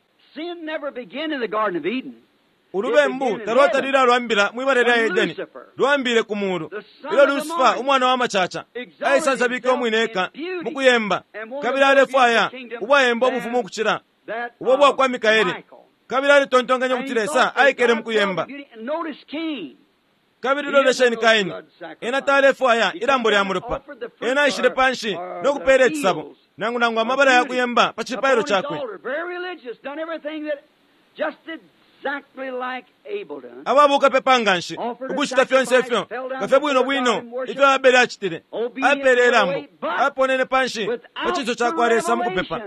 Ulubembu talwatalile alwambila mwibala lya Edeni, lwambile ku mulu. Ilyo Lusifa umwana wa macaca aisansabike umwine eka mukuyemba, kabili alefwaya ubwayemba ubufumu ukucila ubo bwakwa Mikaeli, kabili alitontonkanya ukuti Lesa aikele mukuyemba. Kabili lolesheni Kaini, ena talefwaya ilambo lya mulopa. Ena aishile panshi no kupela icisabo nangu nangu amabala ya kuyemba pa cipailo cakwe. Ababuka pepa nganshi ukucita fyonse ifyo nga bwino bwino ifyo Abele acitile. Apele ilambo, aponene panshi pa cinso ca kwa Lesa mukupepa,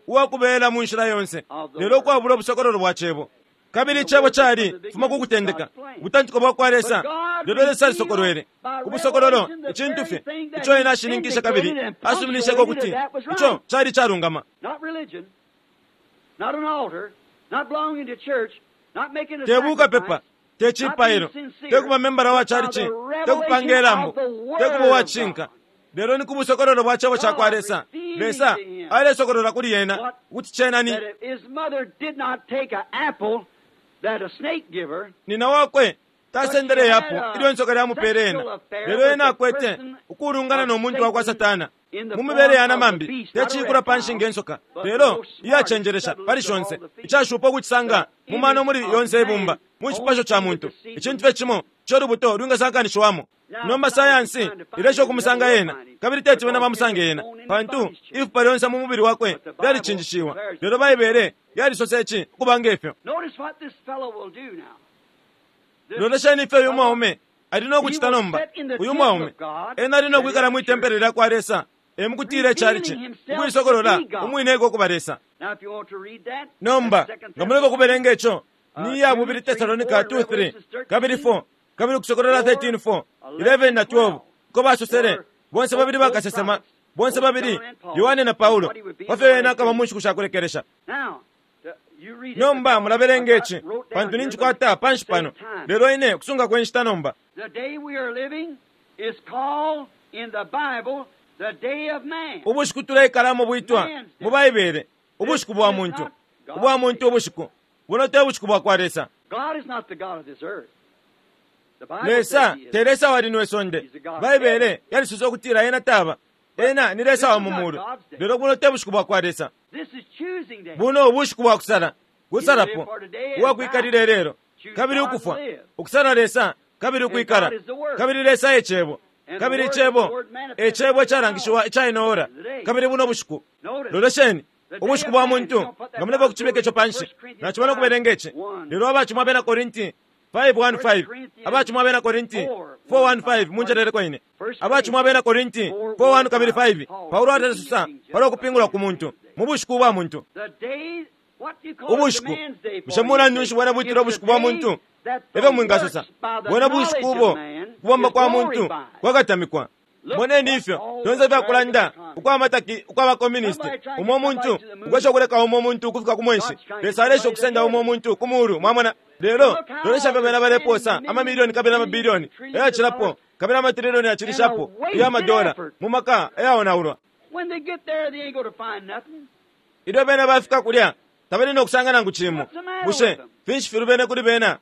uwakubela mu nshila yonse, lelo ukwabula ubusokololo bwa cebo. Kabili icebo cali fuma ku kutendeka, ubutantiko bwa kwa Lesa, lelo Lesa alisokolwele ubusokololo icintu fye ico ena ashininkishe kabili asuminisheko ukuti ico cali calungama. Te bukapepa, te cipailo, te kuba membala wa chalichi, te kupanga ilambo, te kuba uwacishinka, lelo ni ku busokololo bwa cebo ca kwa Lesa. Lesa alesokolola kuli yena ukuti cena ni nina wakwe tasendele yapo ilyo insoka lyamupele ena, lelo ena akwete ukulungana no muntu wakwa Satana mu mibele ya namambi, tecikula panshi nge nsoka, lelo iyacenjelesha pali shonse, icashupa ukucisanga mu mano muli yonse ibumba mu cipasho ca muntu, icintu fye cimo ico lubuto lwingasankanishiwamo. Nomba sayansi ilesha ukumusanga ena, kabili teti bena bamusange ena, pantu ifupa lyonse mu mubili wakwe lyalicinjishiwa, lelo Baibele yalisosa ici ukuba ngefyo. Lolesheni ifyo uyu mwaume ali no kucita nomba. Uyu mwaume ena ali no kwikala mwi tempele lya kwa Lesa, emukutila icalici, ukuisokolola umwine eko kuba Lesa. Nomba nga muleka kubelenga ico, ni ya bubili Tesalonika two three kabili four kabili Kusokolola thirteen four eleven na twelve, uko basosele bonse babili bakasesema, bonse babili Yohane na Paulo, pafyo ena akaba mu nshiku shakulekelesha. Nomba mulabelenga ici pantu ninjikwata panshi pano, lelo ine kusunga kwenshita nomba. Ubushiku tuleikalamo bwitwa mu Baibele ubushiku bwa muntu, ubwa muntu ubushiku buno te bushiku bwa kwa Lesa. Lesa te Lesa wa lino isonde. Baibele yalisosa ukutila ena taba, ena ni Lesa wa mu mulu, lelo buno te bushiku bwa kwa Lesa. Buno ubushiku bwa kusala, kusalapo uwakwikalila ilelo kabili ukufwa, ukusala Lesa kabili ukwikala, kabili Lesa e cebo, kabili icebo e cebo icalangishiwa icainoora, kabili buno bushiku. Lolesheni ubushiku bwa muntu, nga muleka kucibika ico panshi, nacimana ukubelenga ici. Lelo abacimwa abena Korinti five one five, abacimwa abena Korinti four one five, munjeleleko ine, abacimwa abena Korinti four one kabili five, Paulo atalesosa palwa kupingula ku muntu mu bushiku bwa muntu. Ubushiku bushe mulandu nshi bwena bwitila ubushiku bwa muntu? Efyo mwingasosa bwena bushiku ubo kubomba kwa muntu kwakatamikwa. Moneni ifyo fyonse fyakulanda ukwamataki ukwabakomunisti, umo muntu ukwesha ukuleka umo muntu ukufika ku mwenshi, Lesa alesha ukusenda umo muntu ku mulu, mwamona. Lelo lolesha fyo bena baleposa amamilioni kabili amabilioni ayacilapo kabili amatrilioni yacilishapo iya madola mu maka ayaonaulwa. Ilyo bena bafika kulya tabali no kusanga nangu cimo. Bushe finshi filubene kuli bena?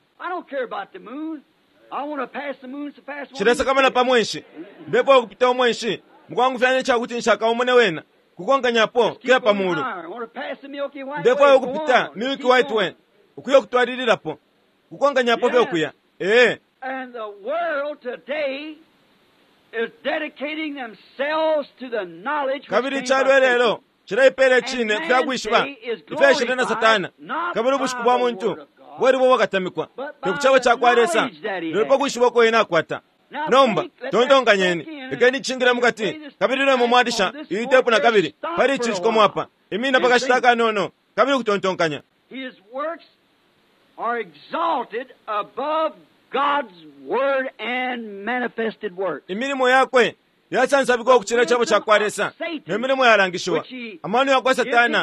Cilesakamana pa mwenshi, ndefwaya ukupita umwenshi mukwangufyanya icakuti nshakaumone wena kukonkanyapo kuya pa mulu. Ndefwaya ukupita Milky White Way ukuya kutwalililapo kukonkanyapo fye ukuya. Ee, kabili icalo ilelo cileipela icine kufyakwishiba ifyaishile na Satana, kabili ubushiku bwa muntu bwali bwo bwakatamikwa te ku cebo ca kwa Lesa, lelo pa kwishiba uko ena akwata. Nomba tontonkanyeni, lekeni icingile mukati, kabili lemo mwalisha iyi tepu na kabili pali ici cikomo apa, imina pakashita akanono kabili kutontonkanya. Imilimo yakwe yasansabikwa ukucila icebo ca kwa Lesa ne milimo yalangishiwa, amano yakwa Satana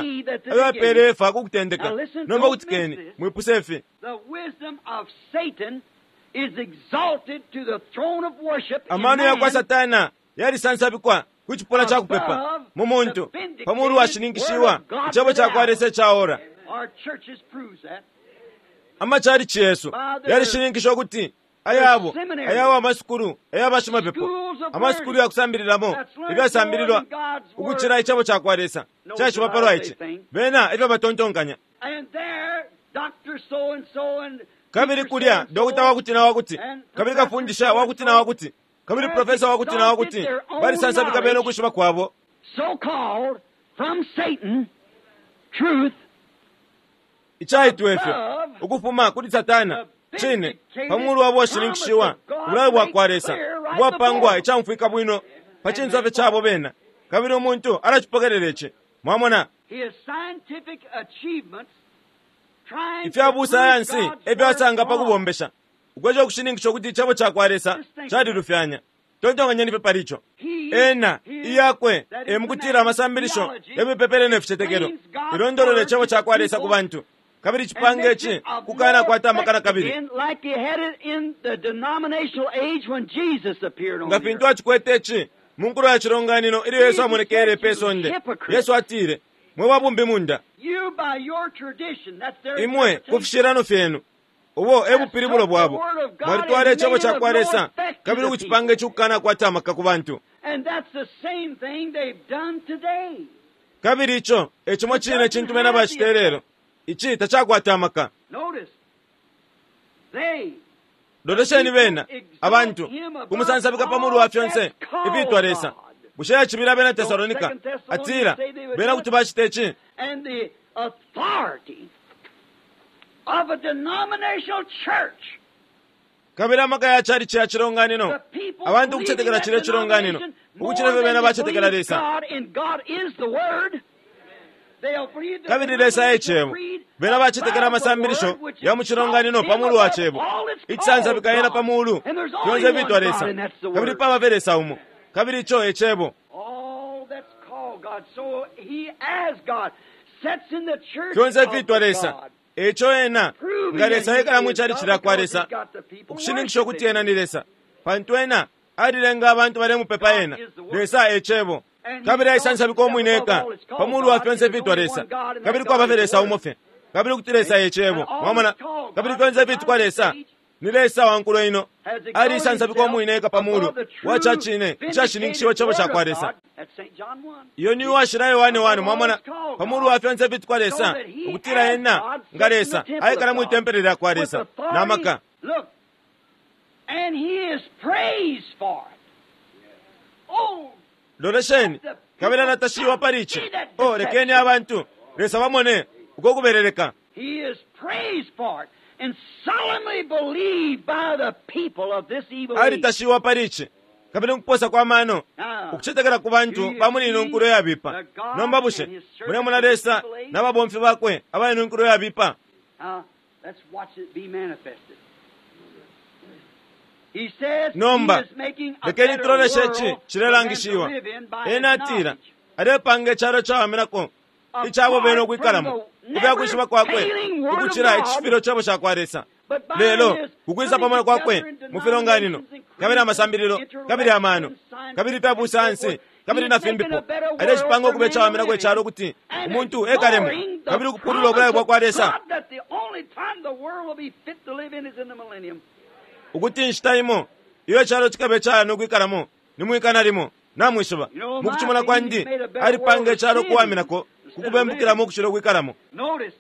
ayo apele Efa ku kutendeka. Nomba kutikeni mwipuse ifi. is exalted to the throne of worship in Amano ya kwa man Satana yalisansabikwa ku cipuna ca kupepa mu muntu pa mulu washininkishiwa icebo ca kwa Lesa ica ora. Our churches proves that. Amachalichi yesu yalishininkisha ukuti ayabo ayawo amasukulu ayabashimapepo amasukulu yakusambililamo ifyasambililwa ukucila icebo ca kwa Lesa caishiba palwa ici bena ifyo batontonkanya. And there, Doctor so and so and Kabili kulya dokota wakuti na wakuti kabili kafundisha wakuti na wakuti kabili profesa wakuti na wakuti balisansabika bena ukwishiba kwabo so called from Satan truth icaitwa ifyo ukufuma kuli Satana cine pamulu wabo washininkishiwa ubulayo bwa kwa Lesa ubwapangwa icamfwika bwino pa cinso fye cabo bena kabili umuntu alacipokelela ici mwamona. His scientific achievements trying Ifya to prove busayansi God's efyo word asanga pa wrong. kubombesha ukwesha ukushininkisha ukuti icebo ca kwa Lesa calilufyanya. Tontonkanyeni pe pali ico. Ena iyakwe e mukutila amasambilisho yamipepele ne ficetekelo ilondolola icebo ca kwa Lesa ku bantu kabili And cipanga makes ici it of kukana no kwata amakana effect kabili again, like he had it in the denominational age when Jesus appeared on nga the fintu earth. acikwete ici mu nkulo ya cilonganino ilyo Yesu amonekele pe sonde. Yesu atile, mwe babumbi munda, You by your tradition, that's their imwe ku interpretation. fishilano fyenu ubo e bupilibulo bwabo mwalitwala icebo ca kwa Lesa kabili ukucipanga ici kukana kwata amaka ku bantu. And that's the same thing they've done today. Kabili ico e cimo cine cintu bena bacita lelo. Ici tacakwata amaka. Notice, they Lolesheni bena abantu kumusansabika pa mulu wa fyonse ifiitwa Lesa. Bushe yacibila abena Tesalonika atila bena kuti bacita ici? And the authority of a denominational church. Kabili amaka ya chalichi ya cilonganino The people abantu believing ukucetekela that cile cilonganino denomination ukucila more fye bena than they bacetekela believe Lesa. God, and God is the Word. They'll believe the Kabili Lesa e denominational cebo creed bena bacetekela above the amasambilisho Word, which ya mu cilonganino exalts pa mulu wa him cebo above all that's icisansabika called yena God. pa mulu And there's only fyonse one ifiitwa God, Lesa and that's the kabili Word. paba fye Lesa umo kabili ico e cebo. All that's called God. So he as God sets in the church Fyonse of ifiitwa Lesa God, eco ena proving nga that Lesa he ekala mu is chalichi God lya kwa because Lesa he's got the people ukushininkisha ukuti worshiping ena him. ni Lesa pantu ena alilenga abantu balemupepa ena. Lesa e cebo kabili aisansabika umwine eka pa mulu wa fyonse ifiitwa Lesa kabili kwaba fye Lesa umo fye kabili kuti Lesa e cebo mwamona kabili fyonse ifiitwa Lesa ni Lesa wa nkulo ino Has exalted alisansabika himself umwine eka pa mulu above the true wa ca cine icashininkishiwa vindicated cebo ca word kwa of Lesa. God. That's Saint John one. Iyo ni uwashila Yohane one mwamona Above all that's called pa mulu God, wa fyonse ifiitwa so Lesa that he ukutila as ena God nga sits in the Lesa temple aikala of mwi God tempele lya kwa with Lesa authority. na maka. Look, and he is praised for it. Oh, Lolesheni kabili anatashiwa pali ici. O lekeni abantu Lesa bamone uko kuberereka. he is praised for it and solemnly believed by the people of this evil age. Alitashiwa pali ici kabili nkuposa kwa mano Now, ukucetekela ku bantu ba muli ino nkulo yabipa. Nomba bushe mulemona Lesa n'ababomfi bakwe aba ino nkulo yabipa? Now, let's watch it be manifested. He says Nomba he is making a lekeni better tuloleshe world ici for them to cilelangishiwa. live in by his Ena atila knowledge. alepanga icalo cawaminako icabo bene Apart from ukwikalamo the ku fya kwakwe never-failing word of ukucila God, icishibilo cebo ca kwa Lesa. but by Lelo his ukwisa coming pamwe kwakwe together in mu filonganino denominations and kabili amasambililo creeds, kabili amano intellectual kabili and fya scientific and so busayansi forth, kabili he na is making fimbipo a better world alecipanga for ukuba man to icawaminako live icalo in ukuti and umuntu ekalemo ignoring the kabili ukupulula ubulayo promise bwa of kwa Lesa God that the only time the world will be fit to live in is in the millennium. ukuti inshita imo iyo icalo cikabe cayana ukwikalamo ni mwikana limo namwishiba You know, mu my kucimona opinion, kwandi he's made a better alipanga world icalo to sin kuwaminako instead of kukubembukilamo living. ukucila ukwikalamo. Notice,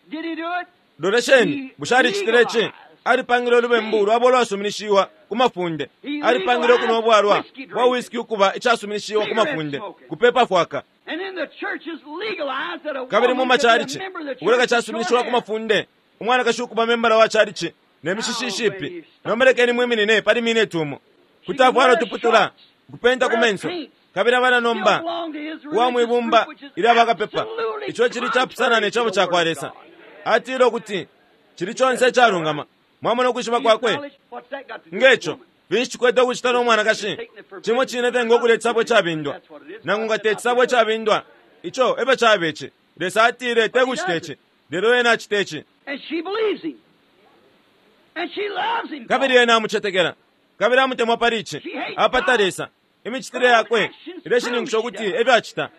did he do it? Lolesheni He bushe alicitile ici? legalized Alipangile ulubembu sin. lwabo lwasuminishiwa ku mafunde. He Alipangile okunwa legalized ubwalwa whiskey bwa drinking, whisky ukuba icasuminishiwa ku cigarette mafunde smoking. kupepa fwaka. And in the churches legalized that a Kabili mu woman could be a machalichi member of the ukuleka church with short casuminishiwa ku hair. mafunde umwanakashi ukuba membala wa chalichi ne mishishi Now, when ishipi. you stop Nomba lekeni mwiminine pali mineti umo she kuti can afwala wear utuputula shorts, kupenta ku wear menso paints, kabili abana still nomba belong to his uwa religious mwibumba group, which is ilyo abakapepa absolutely ico cili capusana contrary ne to cebo the ca Word kwa of Lesa. God. Atile ukuti cili conse He says it's all right. icalungama mwamona ukwishiba His kwakwe knowledge, what's that got to do with the ngeco woman? finshi cikwete ukucita no mwanakashi cimo cine fye ngokulya icisabo icabindwa nangu nga te cisabo icabindwa ico efyo caba ici. Lesa atile te But he kucita does ici it. lelo ena acita ici. And she believes him. Kabili ena amucetekela kabili amutemwa pali ici. Apata Lesa. Imicitile yakwe ileshininkisha ukuti efyo acita.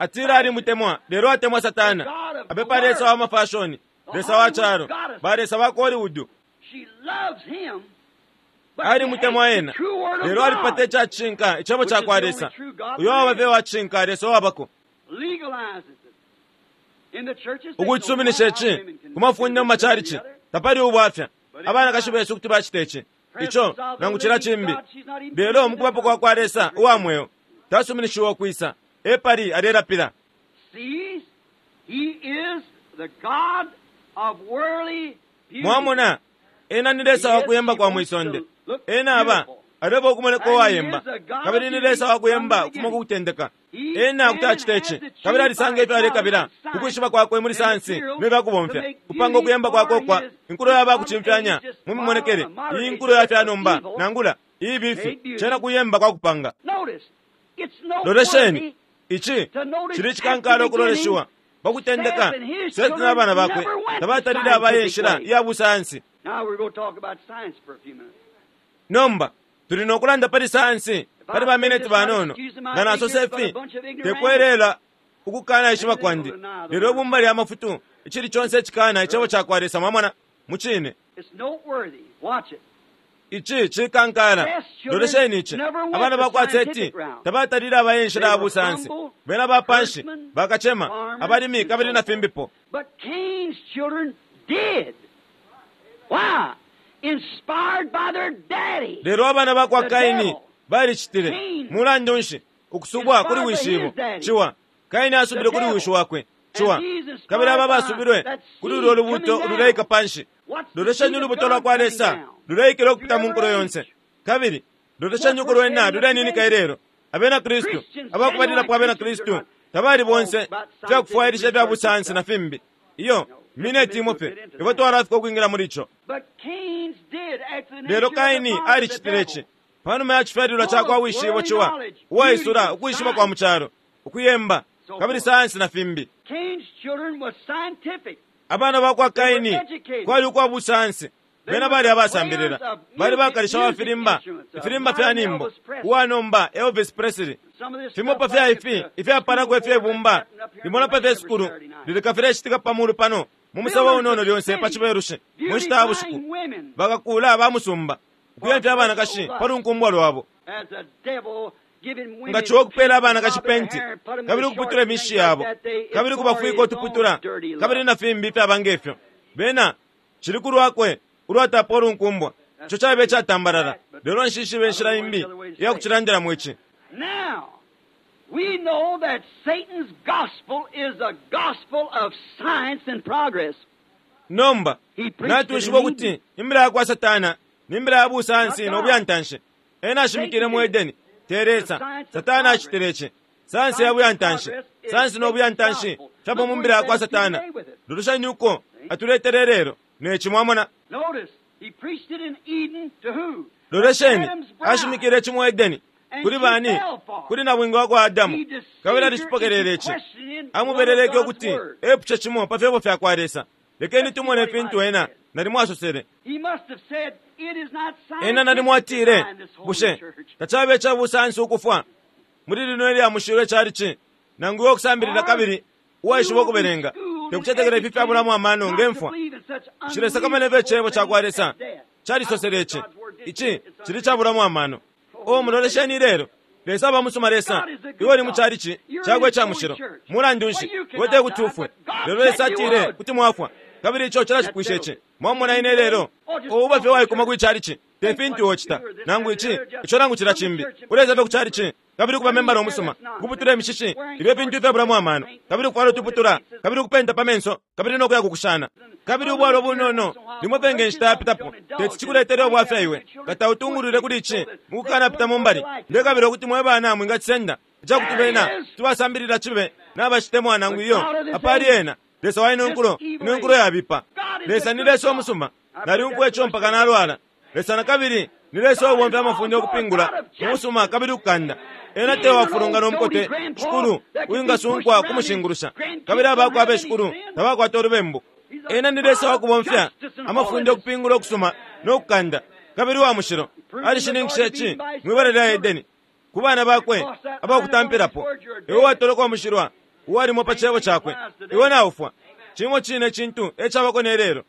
Atila alimutemwa, lelo atemwa Satana. Apepa Lesa wa mafashoni, Lesa wa calo, ba Lesa ba Hollywood. Alimutemwa ena, lelo alipata icacishinka icebo ca kwa Lesa. Uyo waba fye wacishinka, Lesa wabako. Ukucisuminisha ici ku mafunde mu macalici tapali ubwafya. Abanakashi besu kuti bacita ici, ico nangu cila cimbi, lelo mukubapo kwa kwa Lesa uwa mweo tasuminishiwa ukwisa epali alelapila. Mwamona, ena ni Lesa wa kuyemba kwa mwisonde. Ena aba aleba ukumoneka uwayemba, kabili ni Lesa wa kuyemba ukufuma ku kutendeka. Ena kuti acita ici, kabili alisanga ifyo alekabila ukwishiba kwakwe muli sayansi ne fyakubomfya kupanga ukuyemba kwakwe kwa inkulo yaba kucimfyanya mu mimonekele. Iyi nkulo ya fyanomba nangula iyi bifi cena kuyemba kwa kupanga. Lolesheni, ici chili chikankala okuloleshiwa pakutendeka. Seti n'abana bakwe tabatalile abaye enshila iya busayansi. Nomba tuli nokulanda pali sayansi pali bamineti banono. Nga nasosa ifi tekwelela ukukana ishiba kwandi, lelo ibumba lya mafutu icili chonse icikana icebo ca kwa Lesa. Mwamona mucine ici cikankala. Lolesheni ici, abana bakwa Seti tabatalile abaye enshila ya busayansi. Bena bapanshi bakacema abalimi kabili na fimbipo. Lelo abana bakwa Kaini balicitile. Mulandu nshi? Ukusubwa kuli wishibo ciwa. Kaini asubile kuli wishi wakwe ciwa, kabili aba basubilwe kuli ulwo lubuto luleika panshi. Lolesheni ulubuto lwa kwa Lesa luleikila ukupita mu nkulo yonse, kabili lolesheni uko lwena luleninika ilelo. Abena Kristu abakubalilapo abena Kristu tabali bonse fyakufwailisha ifya busayansi na fimbi. Iyo mineti imo fye ifwe twalafika ukwingila muli ico. Lelo Kaini alicitile ici panuma ya cifyalilwa ca kwa wishibo ciwa, uwaisula ukwishiba kwa mucalo, ukuyemba kabili sayansi na fimbi. Abana bakwa Kaini kwali ukwa busayansi. Bena bali abasambilila, bali bakalisha wa filimba, ifilimba fya nimbo, uwanomba Elvis Presley. Fimo pa fya ifi ifyapalako ifyebumba limona pa fye sukulu lilika filecitika pamulu pano mu musebo unono lyonse pa cibelushi mu nshita ya bushiku. Bakakula bamusumba ukuyemfya abanakashi pa lunkumbwa lwabo. Nga ciwa okupeela abanakashi penti kabili ukuputula imishi yabo kabili ukubafwika utuputula kabili na fimbi ifyaba ngefyo. Bena cili kulwakwe ulwatapa ulunkumbwa, ico cabe icatambalala. Lelo nshishibe inshila imbi iya kucilandilamo ici. We know that Satan's gospel is a gospel of science and progress. Nomba natwishiba ukuti imbila ya kwa Satana ni imbila ya busayansi no buyantanshi. Ena ashimikile mu Edeni te Lesa. Satana acitile ici. Sayansi ya buyantanshi, sayansi no buyantanshi fyaba mu mbila ya kwa Satana. Lolesheni uko atuletele lelo neci. Mwamona, lolesheni, ashimikile ici mu Edeni kuli bani? Kuli nabwinga wa kwa Adamu, kabili alicipokelele ici. Amubeleleke ukuti epuce cimo pa fyebo fya kwa Lesa. Lekeni tumone fintu ena nalimo asosele. Ena nalimo atile, bushe tacabe ca busayansi ukufwa muli lino ilya mushilo icalici nangu iwe okusambilila kabili uwaishiba ukubelenga tekucetekela ifi fyabulamo amano ngemfwa. Nshilesakamana ifyo icebo ca kwa Lesa calisosele ici. Ici cili cabulamo amano. O mulolesheni lelo, Lesa aba musuma. Lesa iwe uli mu calici cakwe ica mushilo. Mulandu nshi iwe tekuti ufwe? Lelo Lesa atile kuti mwafwa, kabili ico cilacipwisha ici. Mwamona ine lelo ouba fye waikuma kwi calici te fintu wocita nangu ici ico nangu cila cimbi. Uleza fye ku calici kabili kuba membala omusuma, kuputula imishishi, ibyo fintu ifyabulamo amano, kabili kufwala utuputula, kabili kupenta pa menso, kabili nokuya kukushana, kabili ubwalo bunono limwe penge nshita yapitapo. Teti cikuletele ubwafya iwe kata utungulule kuli ici mukukanapita mu mbali. Ndekabila ukuti mwe bana mwingacisenda icakuti bena tibasambilila cibe nabacitemwa nangu iyo apali ena Lesa wa ino nkulo, ino nkulo yabipa. Lesa ni Lesa omusuma, naliumfwa ico mpaka nalwala. Lesa na kabili ni Lesa ubomfya amafunde okupingula umusuma kabili ukukanda. Ena te wafulungana umukote shikulu uwingasunkwa kumushingulusha, kabili abakwe abeshikulu tabakwata ulubembu. Ena ni Lesa wakubomfya amafunde ukupingula ukusuma no kukanda, kabili wa mushilo. Alishininkisha ici mwibala lya Edeni ku bana bakwe abakutampilapo. Iwe watoloka umushilwa uwalimo pa cebo cakwe, iwe naufwa. Cimo cine cintu ecabako ne lelo.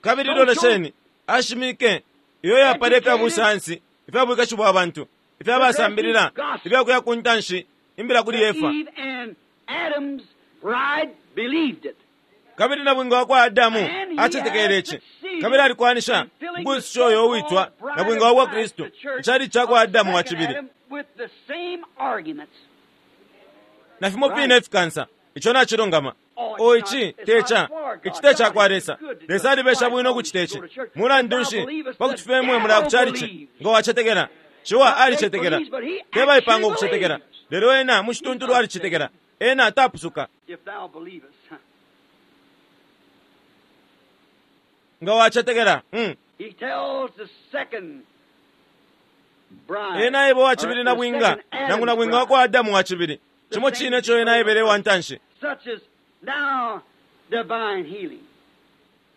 Kabili lolesheni, ashimike iyo yapala ifya busayansi, ifya bwikashi bwa bantu, ifya basambilila, ifya kuya ku ntanshi, imbila kuli Efa. Kabili nabwinga wa kwa Adamu acetekele ici, kabili alikwanisha ukuisusha uyo uwitwa nabwinga wa kwa Kristu, icali ca kwa Adamu wa cibili. Na fimo fine ifikansa, ico nacilungama. O ici teca, ici teca kwa Lesa. Lesa alibesha bwino ukucita ici. Mulandu nshi pakuti femwe mulaya ku chalichi nga wacetekela? Ciwa alicetekela, tebaipanga ukucetekela, lelo ena mucituntulu alicetekela. Ena tapusuka. Nga wacetekela, mm. Ena eba wacibili na bwinga, nangu na bwinga wa kwa Adamu wa cibili. Cimo cine ico ena aebele wa ntanshi.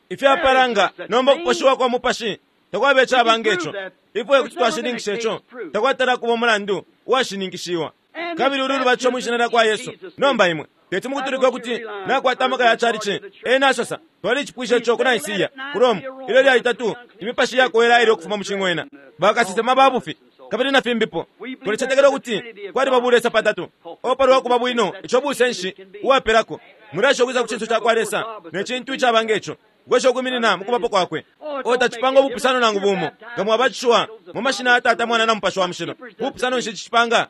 Ifyapalanga nomba ukuposhiwa kwa mupashi takwaba icabanga ico. Ifwe kuti twashininkisha ico, takwatala kuba umulandu uwashininkishiwa. Kabili ulu lubatisho mwishina lya kwa Yesu. Nomba imwe teti mukutulika kuti nakwata amaka ya chalichi. Ena asosa twalicipwisha ico ku Naisiya ku Rome ilyo lya itatu imipashi yakowela ili ukufuma mu cing'wena, bakasesema babufi kabili na fimbipo. Tulicetekela ukuti kwaliba bulesa patatu opalwa kuba bwino ico busenshi uwapelako mulasha ukwisa ku cinso ca kwa Lesa ne cintu icabanga ico gwesha ukwiminina mukubapo kwakwe. O tacipanga ubupusano nangu bumo nga mwabatishiwa mu mashina ya Tata, Mwana na Mupashi wa Mushilo. Bupusano nshi cicipanga?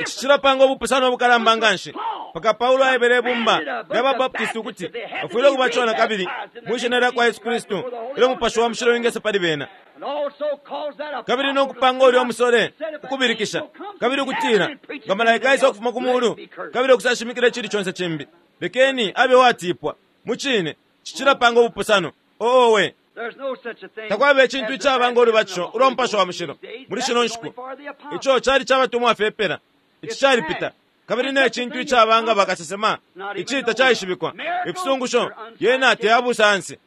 Ici cilapanga ubupusano obukalamba nganshi paka Paulo aebele ibumba lya Babaptisti ukuti bafwile ukubatishiwa na kabili mwishina lya kwa Yesu Kristu ilyo Mupashi wa Mushilo wingesa pali bena. Kabili nokupanga ulya umusole ukubilikisha kabili ukutila nga malaika aisa ukufuma ku mulu kabili ukusashimikila icili conse cimbi, lekeni abe watipwa. Mucine cicilapanga ubupusano. Oowe, takwaba icintu icabanga ulubatisho ulwa Mupashi wa Mushilo muli shino nshiku. Ico cali cabatumwa fepela, ici calipita. Kabili ne cintu icabanga bakasesema, ici tacaishibikwa. Ifisungusho yena teyabusayansi.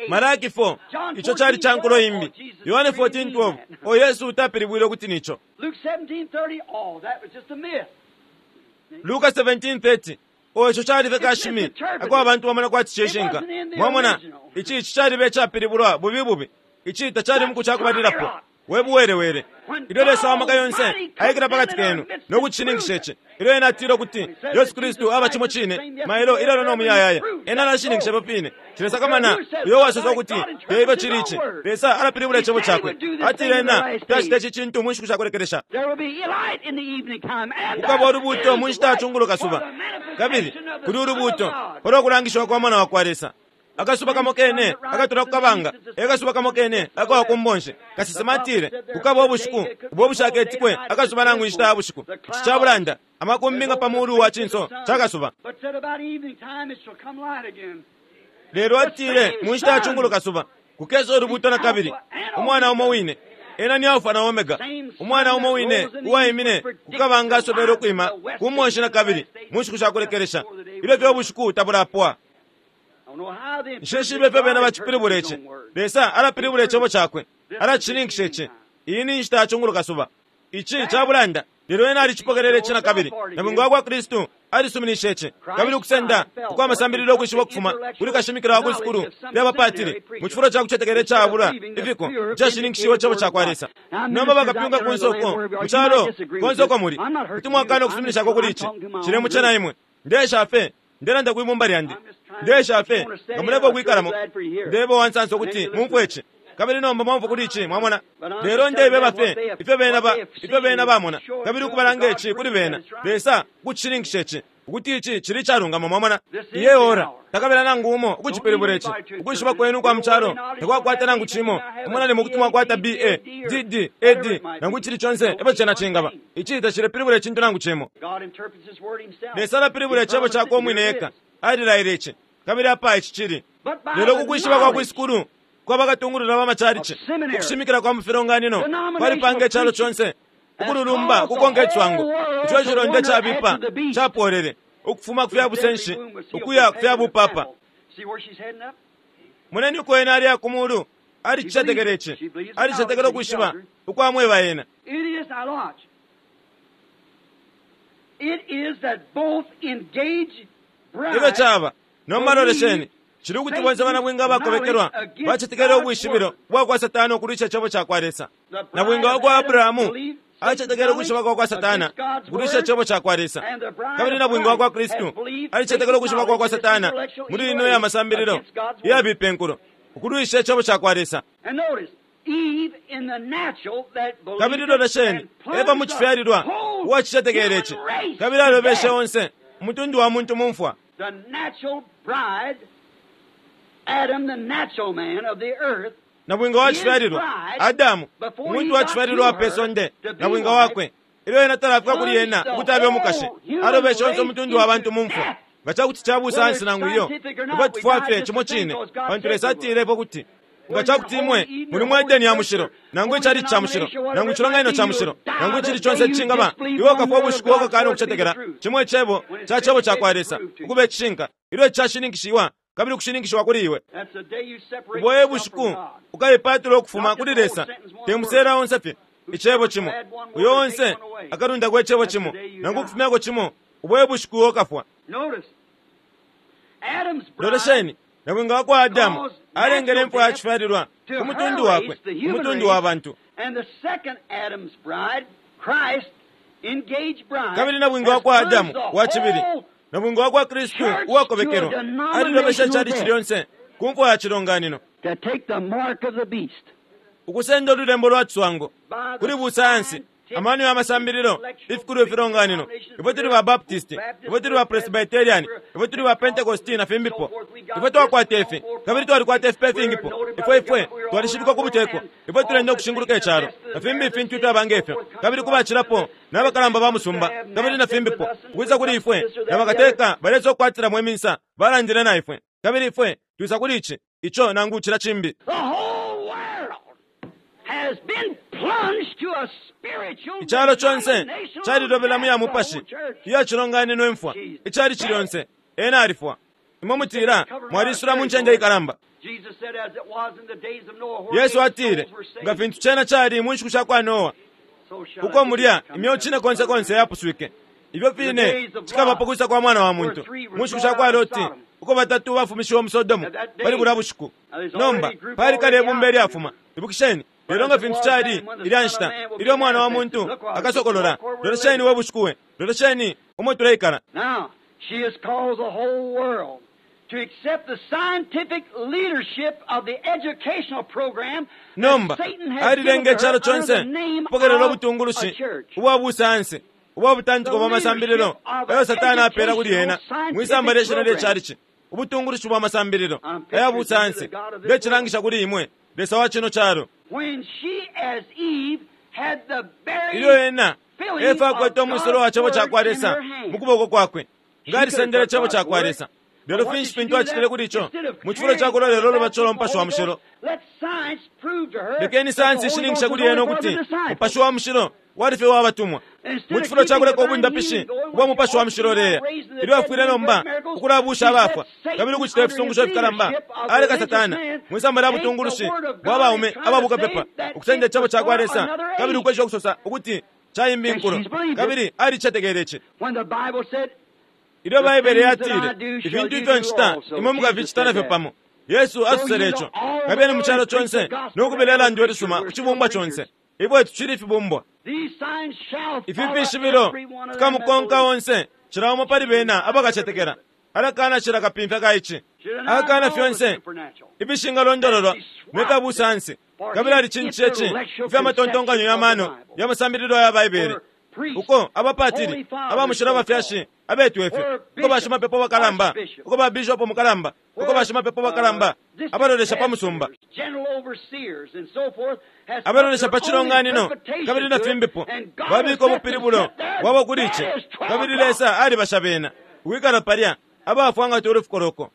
Malaki four, ico cali ca nkulo imbi. Yohane fourteen twelve, o Yesu utapilibwile ukuti nico. Luka seventeen thirty, o ico cali fye kashimi ako abantu bamona kwati cishinka. Mwamona, ici ici calibe icapilibulwa bubi bubi. Ici tacali muku cakubalilapo. We buwelewele. Ilyo Lesa wa maka yonse aikila pakati kenu no kucishininkisha ici. Ilyo ena atile ukuti Yesu Kristu aba cimo cine mailo ilelo no muyayaya, ena alashininkisha pa pine. Cilesakamana uyo wasosa ukuti teifyo cili ici. Lesa alapilibula icebo cakwe. Atile ena tacita ici cintu mu nshiku shakulekelesha. Kukaba ulubuuto mu nshita ya cungulo kasuba, kabili kuli ulubuuto palwa kulangishiwa kwa Mwana wa kwa Lesa. Akasuba kamo kene akatula ku kabanga, ekasuba kamo kene akawa ku mbonshi. Kasesema atile kukaba ubushiku ubwo bushaketikwe akasuba nangu inshita ya bushiku. Ici cabulanda amakumbi nga pa mulu wa cinso ca kasuba. Lelo atile mu nshita ya cungulo kasuba kukesa ulubuuto na kabili. Umwana umo wine ena ni Alfa na Omega, umwana umo wine uwaimine kukabanga asobele ukwima ku mbonshi na kabili mu nshiku shakulekelesha ilyo fye ubushiku tabulapwa. Nsheshibe fye bena bacipilibula ici. Lesa alapilibula icebo cakwe, alacishininkisha ici. Iyi ni nshita ya cungulo kasuba. Ici cabulanda, lelo ena alicipokelele ici na kabili. Nabwinga wa kwa Kristu alisuminishe ici, kabili ukusenda ukwa amasambililo ukwishiba ukufuma kuli kashimikila wa kwisukulu lya bapatili mu cifulo ca kucetekela icabula ifiko icashininkishiwe icebo ca kwa Lesa. Nomba bakapyunga ku nsoko mu calo konse uko muli, kuti mwakana ukusuminishako kuli ici. Cilemucena imwe. Ndesha fe ndelanda kwibumba lyandi, ndesha fe nga muleko ukwikalamo. Ndeba wansansa ukuti mumfwe ici, kabili nomba mwamfwa kuli ici, mwamona. Lelo ndebeba fe ifyo bena ba ifyo bena bamona, kabili ukubalanga ici kuli bena. Lesa kucishininkisha ici ukuti ici cili icalungama, mwamona. Iye ora takabela nangu umo ukucipilibula ici. Ukwishiba kwenu kwa mucalo takwakwata nangu cimo. Umunani mukuti mwakwata B A D D A D nangu icili conse epo cena cingaba. Ici tacilepilibula icintu nangu cimo. Lesa alapilibula icebo cakwe umwine eka. Alilaile ici, kabili apa ici cili. Lelo kukwishiba kwa kwisukulu Kwaba katungulula ba machalichi ukushimikila kwa mufilonganino kwalipanga icalo chonse ukululumba kukonka icwango ico chilonda chabipa chapolele ukufuma kufya busenshi ukuya kufya bupapa. Moneni uko ena ali akumulu alichichetekele ichi alichichetekele ukwishiba ukwamweba ena. Ifyo chaba nomba lolesheni chili kuti bonse banabwinga abakobekelwa bachetekele ubwishibilo bwakwa Satana ukulwisha icebo cakwa Lesa. Nabwinga wakwa Abrahamu alichetekele ukwishiba kwakwa Satana ukulwisha icebo cakwa Lesa. Kabili nabwinga wakwa Kristu alichetekele ukwishiba kwakwa Satana muli ino ya masambililo iyabipa enkulo ukulwisha icebo cakwa Lesa. Kabili lolesheni Eva mu chifyalilwa uwachichetekele ichi kabili alobeshe onse umutundu wa muntu mumfwa. Nabwinga wachifyalilwa Adamu umuntu wachifyalilwa pe sonde nabwinga wakwe ilyo ena talafika kuli ena ukuti abe umukashi alobeshe onse umutundu wa bantu mumfwa. Nga chakuti chabusansi nangu iyo ifwe tufwa fye chimo chine pantu Lesa atilepo kuti nga chakuti imwe muli mu Edeni ya mushilo nangu ichali cha mushilo nangu ichilonganino cha mushilo nangu ichili chonse chingaba iwe ukafwa ubushiku wokakana ukuchetekela chimwe icebo cha chebo chakwa Lesa ukuba icishinka ilyo chashininkishiwa kabili ukushininkishiwa kuli iwe. Uboye bushiku ukayipatula ukufuma kuli Lesa temusera onse fye icebo chimo uyo onse akalundako icebo chimo nangu ukufumyako chimo uboye bushiku ukafwa. Lolesheni nabwinga wakwa Adamu alengele imfwa yachifyalilwa ku mutundu wakwe umutundu wa bantu. Kabili nabwinga wakwa Adamu wachibili nabwinga wakwa Kristu uwakobekelwa alilobesha ichalichi lyonse ku mfwa ya chilonganino ukusenda ululembo lwa chiswango kuli busayansi amano ya masambililo ifikulu ifilonganino ifwe tuli ba Baptist ifwe tuli ba Presbyterian ifwe tuli ba Pentecost na fimbipo ifwe twakwata ifi kabili twalikwata ifipe ifingipo ifwe ifwe twalishibikwa ku buteko ifwe tulenda ukushinguluka icalo na fimbi ifintu ifyabanga ifyo kabili kubacilapo n'abakalamba ba musumba kabili na fimbipo ukwisa kuli ifwe na bakateka balesa okukwatiramo iminsa balandile na ifwe kabili ifwe twisa kuli ichi icho nangu chila chimbi. Ichalo chonse chalilobela mu ya mupashi iya chilonganino imfwa ichali chilonse ena alifwa. Imwe mutila mwalisula mu ncende ikalamba. Yesu atile nga fintu chena chali mu nshiku shakwa Noa uko mulya imyeo chine konse konse yapuswike ibyo fine chikabapo kwisa kwa mwana wa muntu mu nshiku shakwa Loti uko batatu bafumishiwe mu Sodomu pali bulya bushiku. Nomba pali kale ibumba ilyafuma ibukisheni lelo nga fintu chali ilya nshita ilyo mwana wa muntu akasokolola. Lolesheni we bushiku we lolesheni umo tuleikala. Nomba alilenga icalo chonse kupokelela ubutungulushi ubwa busayansi ubwa butantiko bwa masambililo eyo Satana apela kuli ena mwisamba lye shina lye chalichi ubutungulushi bwa masambililo eya busayansi lyechilangisha kuli imwe Lesa wa chino chalo. Ilyo ena Efa akwete umwisolo wa chebo chakwa Lesa mukuboko kwakwe nga alisendele icebo chakwa Lesa. Lelo finshi fintu achitile kuli icho mu chifulo chakulo lelo lubachola umupashi wa mushilo. Lekeni sayansi ishininkisha kuli ena ukuti umupashi wa mushilo walife wabatumwa mu chifulo chakuleka obundapishi ubwa mupashi wa mushilo leya ilyo afwile nomba ukulabusha abafwa kabili ukuchita ifisungusho ifikalamba aleka Satana mwisamba lya butungulushi bwa baume ababukapepa ukusenda icebo chakwa Lesa kabili ukwesha ukusosa ukuti chaimbi inkulo kabili alichetekele ichi. Ilyo Baibele yatile ifintu ifyo nchita imwe mukafichita nafyo pamo. Yesu asusele icho kabili mu chalo chonse nokubila ilandwe lisuma ku chibumbwa chonse ifwe tuchili ifibumbwa. Ifi fishibilo fikamukonka onse chila umo pali bena abakachetekela alakana chila kapimfya ka ichi akana fyonse ifishingalondololwa nefya busansi kabili alichinchiche chi ifya matontonkanyo ya mano ya masambililo ya Baibele uko abapatili abamushilo abafyashi abetu efyo uko bashimapepo bakalamba uko babishopo mukalamba uko bashimapepo bakalamba abalolesha pa musumba abalolesha pa chilonganino kabili na fimbipo babika ubupilibulo bwabo kuli ichi kabili Lesa alibasha bena ukwikala palya abafwa nga tuli fukoloko.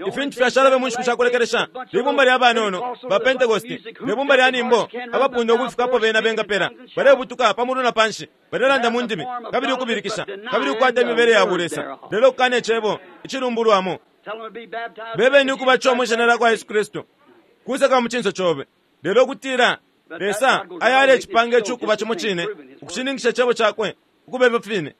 Ifintu fyashalabe mu nshiku shakulekelesha libumba lya banono ba Pentecosti ne bumba lya nimbo abapunda ukufikapo bena bengapela balebutuka pa mulu na panshi, balelanda mu ndimi kabili ukubilikisha kabili ukukwata imibele ya bulesa, lelo kukana icebo icilumbulwamo. Bebeni ukubatishiwa mwi shina lya kwa Yesu Kristu kuseka mu cinso cobe, lelo kutila Lesa ayale icipange icukuba cimo cine ukushininkisha icebo cakwe ukubeba fine.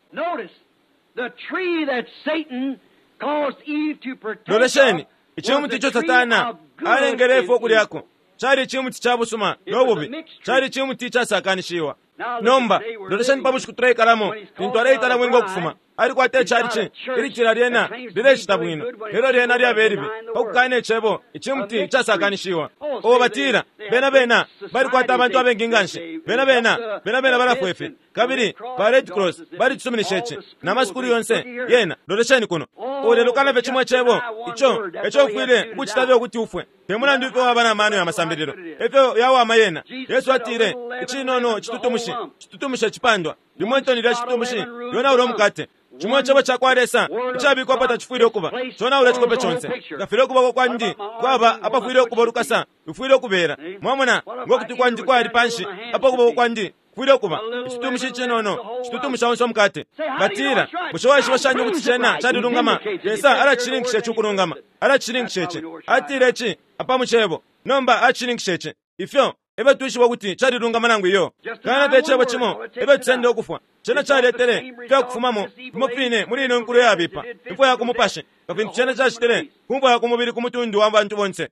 Lolesheni icimuti ico Satana alengele Efa ukulyako cali icimuti ca busuma no bubi, cali icimuti icasakanishiwa. Nomba lolesheni pa bushiku tuleikalamo lintu aleitala bwinga ukufuma alikwata icalici ilitila lyena lilecita bwino, lelo lyena lyaba elibi pakukana icebo icimuti icasakanishiwa. O batila bena bena balikwata abantu abengi nganshi, bena bena bena bena balafwa ifi kabili ba Red Cross balicisuminisha ici na masukulu yonse yena. Lolesheni kuno o lelo kanafe cimwe cebo ico eco ufwile ukucita ukuti ufwe te mulandu ifyo waba na mano ya masambililo efyo yawama yena. Yesu atile icinono citutumushi citutumusha icipandwa limwe itoni lya citutumushi lyonaula umukate. Cimwe cebo cakwa Lesa icabikwa apa tacifwile ukuba conaula icikope conse. Ngafile ukuboko kwandi kwaba apafwile ukuba ulukasa lufwile ukubela. Mwamona ngokuti kwandi kwali panshi apo ukuboko kwandi kufwile ukuba icitutumushi icinono citutumusha onse umukate. Batila bushe waishiba shani ukuti cena calilungama? Lesa alacishininkisha ici ukulungama, alacishininkisha ici. Atile ici apa mu cebo, nomba acishininkisha ici. Ifyo ebe twishiba ukuti calilungama nangu iyo. Kana fye icebo cimo ebe tusende ukufwa. Cena caletele fyakufumamo fimo fine muli ino nkulo yabipa imfwa ya kumupashi nga fintu cena cacitile ku mfwa ya kumubili ku mutundu wa bantu bonse.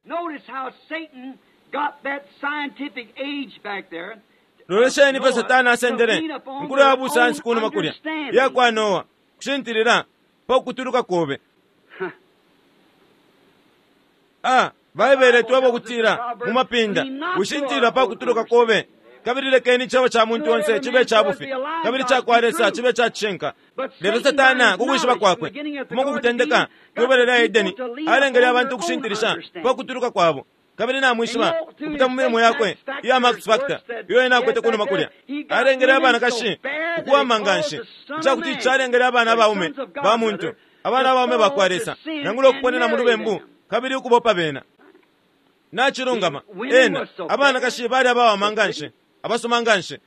Lolesheni ifyo Satana asendele inkulo ya busansi kunuma kulya iya kwa Noa kushintilila pa kutuluka kobe. Ah, Baibele tweba ukutila mu mapinda wishintilila pa kutuluka kobe, kabili lekeni icebo ca muntu onse cibe ca bufi kabili ca kwa Lesa cibe ca cishinka. Lelo Satana kukwishiba kwakwe kuma kukutendeka kwibele lya Edeni alengele abantu ukushintilisha pa kutuluka kwabo, kabili namwishiba kupita mu milimo yakwe iya Max Factor iyo ena akwete kunuma kulya alengele abanakashi ukuwama nganshi icakuti calengele abana abaume ba muntu abana abaume ba kwa Lesa nangula ukuponena mu lubembu kabili ukubopa bena. Nachilungama ena abanakashi bali abawama nganshi abasoma nganshi.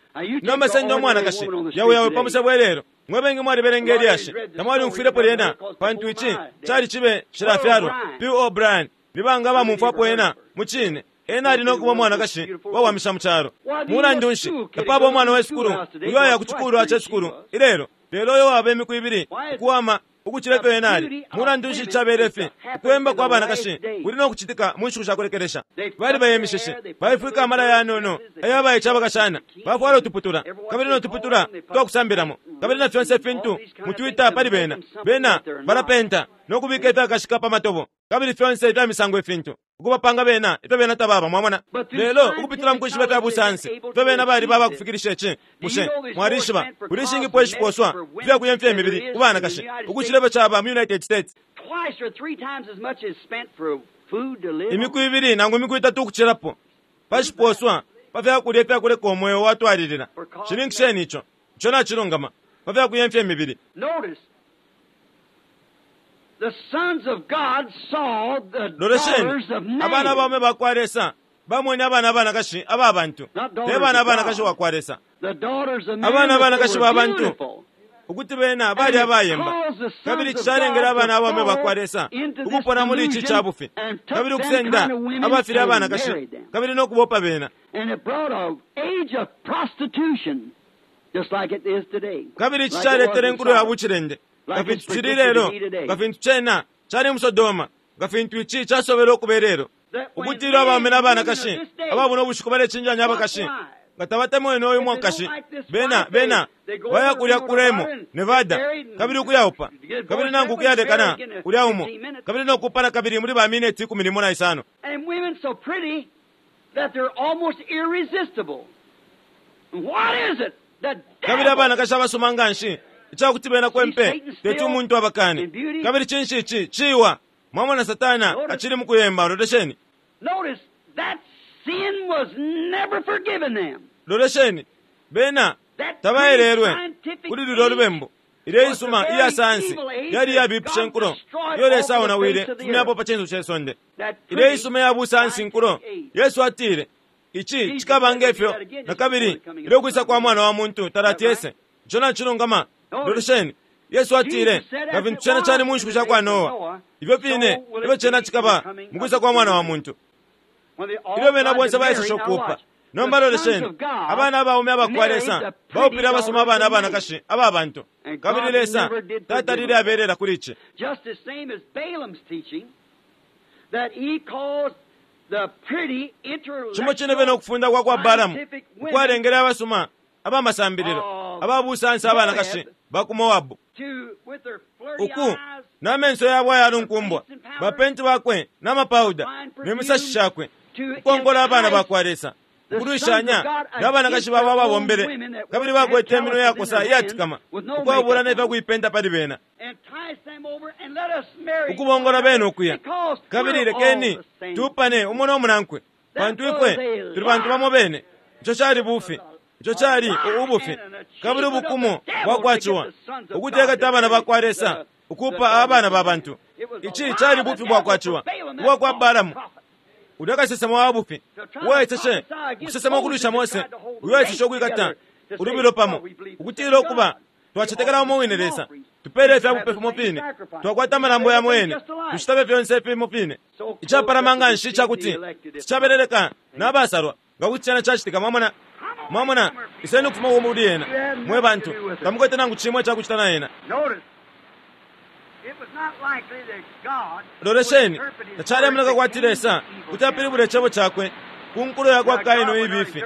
Nomba senda umwanakashi yawe yawe pamusebo elelo mwebengi mwalibelenga elyashi tamwalimfwilepo lyena pantu ici cali cibe cilafyalwa. P O Bryan libanga bamumfwapo ena mucine ena ali nokuba umwanakashi wawamisha mu calo. Mulandu nshi tapaba umwana we sukulu uyo aya ku cikulu ce sukulu ilelo, lelo uyo waba imiku ibili ukuwama ukucila ifyo ena ali. Mulandu nshi cabele ifi ukuyemba kwa banakashi kuli nokucitika mu nshiku shakulekelesha. Bali bayemishishe baifwika amala yanono ayabayica abakashana bafwala utuputula kabili notuputula twakusambilamo kabili na fyonse ifintu mutwita pali bena. Bena balapenta nokubika ifyakashika pa matobo kabili fyonse ifya misango ifintu ukubapanga bena ifyo bena tababa. Mwamona lelo ukupitila mukwishiba fya busansi ifyo bena bali baba kufikilisha ici. Bushe mwalishiba kuli ishingipo ishiposwa ifyakuyemfya imibili ku banakashi ukucila ifyo caba mu United States imiku ibili nangu imiku itatu ukucilapo pashiposwa pa fyakulya ifyakuleka umweo watwalilila. Shininkisheni ico ico nacilungama pa fyakuyemfya imibili. Lolesheni abana abaume bakwa Lesa bamwene abana abanakashi aba bantu te bana abanakashi wakwa Lesa, abana abanakashi ba bantu ukuti bena bali abayemba, kabili cishalengele abana abaume bakwa Lesa ukupona muli ici ca bufi kabili ukusenda abafile abanakashi kabili nokubopa bena. Kabili ici caletele inkulo ya bucilende nga fintu cili lelo, nga fintu cena cali mu Sodoma, nga fintu ici casobele ukuba ilelo, ukuti ilyo abaume n'abanakashi ababona ubushiku balecinjanya abakashi nga tabatemwene uyu mwakashi bena bena baya kulya ku Remo Nevada kabili ukuyaupa kabili nangu ukuyalekana kulya umo kabili nokupana kabili muli ba mineti ikumi limo na isano. Kabili abanakashi abasoma nganshi icakuti bena kwempe teti umuntu abakane. Kabili cinshi ici ciwa mwamona Satana acili mukuyemba. Lolesheni lolesheni bena tabaelelwe kuli lulyo lubembu Ile isuma iya sayansi yali yabipisha nkulo iyo Lesa aonawile fumyapo pa cinso ce sonde. Ile isuma ya busayansi nkulo, Yesu atile ici cikaba ngefyo na kabili ilyo kwisa kwa mwana wa muntu talati ese. Ico nacilungama. Lolesheni, Yesu atile nga fintu cena cali mu nshiku sha kwa Noa, ifyo fine ifyo cena cikaba mu kwisa kwa mwana wa muntu. Ilyo bena bonse baeseshe ukuupa. Nomba lolesheni, abana abaume abakwa Lesa baupile abasuma abana abanakashi aba bantu, kabili Lesa tatalile abelela kuli ici. Just the same as Balaam's teaching that he caused the pretty Cimo cine bene ukufunda kwa kwa Balamu ukwalengele abasuma abamasambililo ababusansi abanakashi ba ku Moabu to with their flirty uku eyes n'amenso yabo ayalunkumbwa bapenti bakwe n'amapauda n'emisashi shakwe ukongola abana bakwa Lesa ukulwishanya n'abanakashi babo ababombele kabili bakwete iminwe yakosa iyatikama ukwabula n'efyakuipenta pali bena entice them over and let us marry ukubongola bene ukuya because kabili we're lekeni all the same. tupane umo n'omunankwe pantu ifwe tuli bantu bamo bene. Ico cali bufi, ico cali ubufi kabili ubukumu bwakwaciwa ukutekata abana bakwa Lesa ukupa abana ba bantu. Ici cali bufi bwakwaciwa ubwa kwa Balamu ulya kasesema wa bufi uwaeseshe ukusesema ukulwisha Mose, uyo waeseshe ukwikata ulubilo pamo ukutila ukuba twacetekela umo wine Lesa, tupele ifyabupe fimo fine, twakwata amalambo yamo yene, tushitabe fyonse fimo fine. Icapalama nga nshi icakuti ticabeleleka n'abasalwa nga kuti cena cacitika. Mwamona, mwamona, iseni ukufuma muli ena mwe bantu, tamukwete nangu cimwe icakucita na ena. Notice, it was not likely that God Lolesheni, would interpret his tacalemoneka word kwati to Lesa evil kuti apilibule icebo cakwe ku nkulo yakwa Kaini ibifi.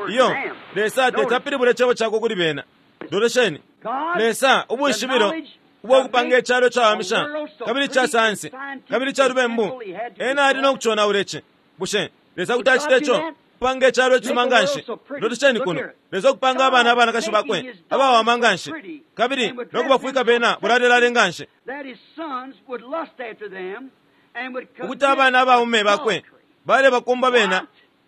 Iyo Lesa teti apilibule icebo cakwe kuli bena. Lolesheni, God, Lesa ubwishibilo ubwakupanga icalo cawamisha kabili ca sayansi kabili ca lubembu, ena ali no kuconaula ici. Bushe Lesa kuti acita ico? Kupanga icalo icisuma nga nshi. Lolesheni kuno, Lesa okupanga abana abanakashi bakwe abawama nga nshi kabili no kubafwika bena bulalelale nga nshi, that his sons would lust after them and would ukuti abana abaume bakwe balebakumba bena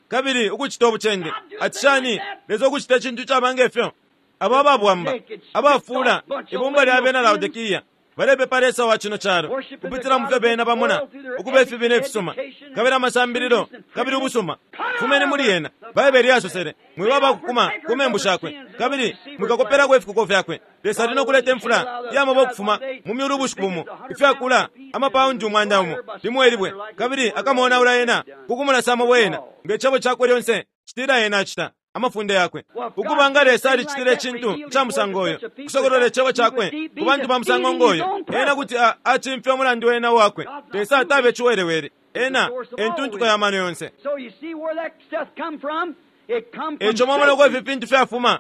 kabili ukucita ubucende. Ati shani Lesa ukucita icintu caba ngefyo? Abo ababwamba abafula ibumba lya bena Laodikiya balepepa Lesa wa cino calo kupitila mu fyo bena bamona ukuba ifibi n'efisuma kabili amasambililo kabili ubusuma. Fumeni muli yena. Baibeli yasosele mwiba abakukuma ku membu shakwe kabili mwikakopelako ifikuko fyakwe. Lesa ali no kuleta imfula iyamaba ukufuma mu myulu ubushiku bumo, ifyakula amapaundi umwanda umo limwe libwe, kabili akamonaula ena kukumulasa amabwe ena nge cebo cakwe lyonse citila ena acita amafunde yakwe. Ukuba nga Lesa alicitile icintu ca musango uyo kusokolola icebo cakwe ku bantu ba musango ngoyo, ena kuti acimfya umulandu ena wakwe. Lesa tabe ciwelewele, ena entuntuko ya mano yonse. So you see where that stuff come from? It come from Eco mwamona uko Satan. ifi fintu fyafuma,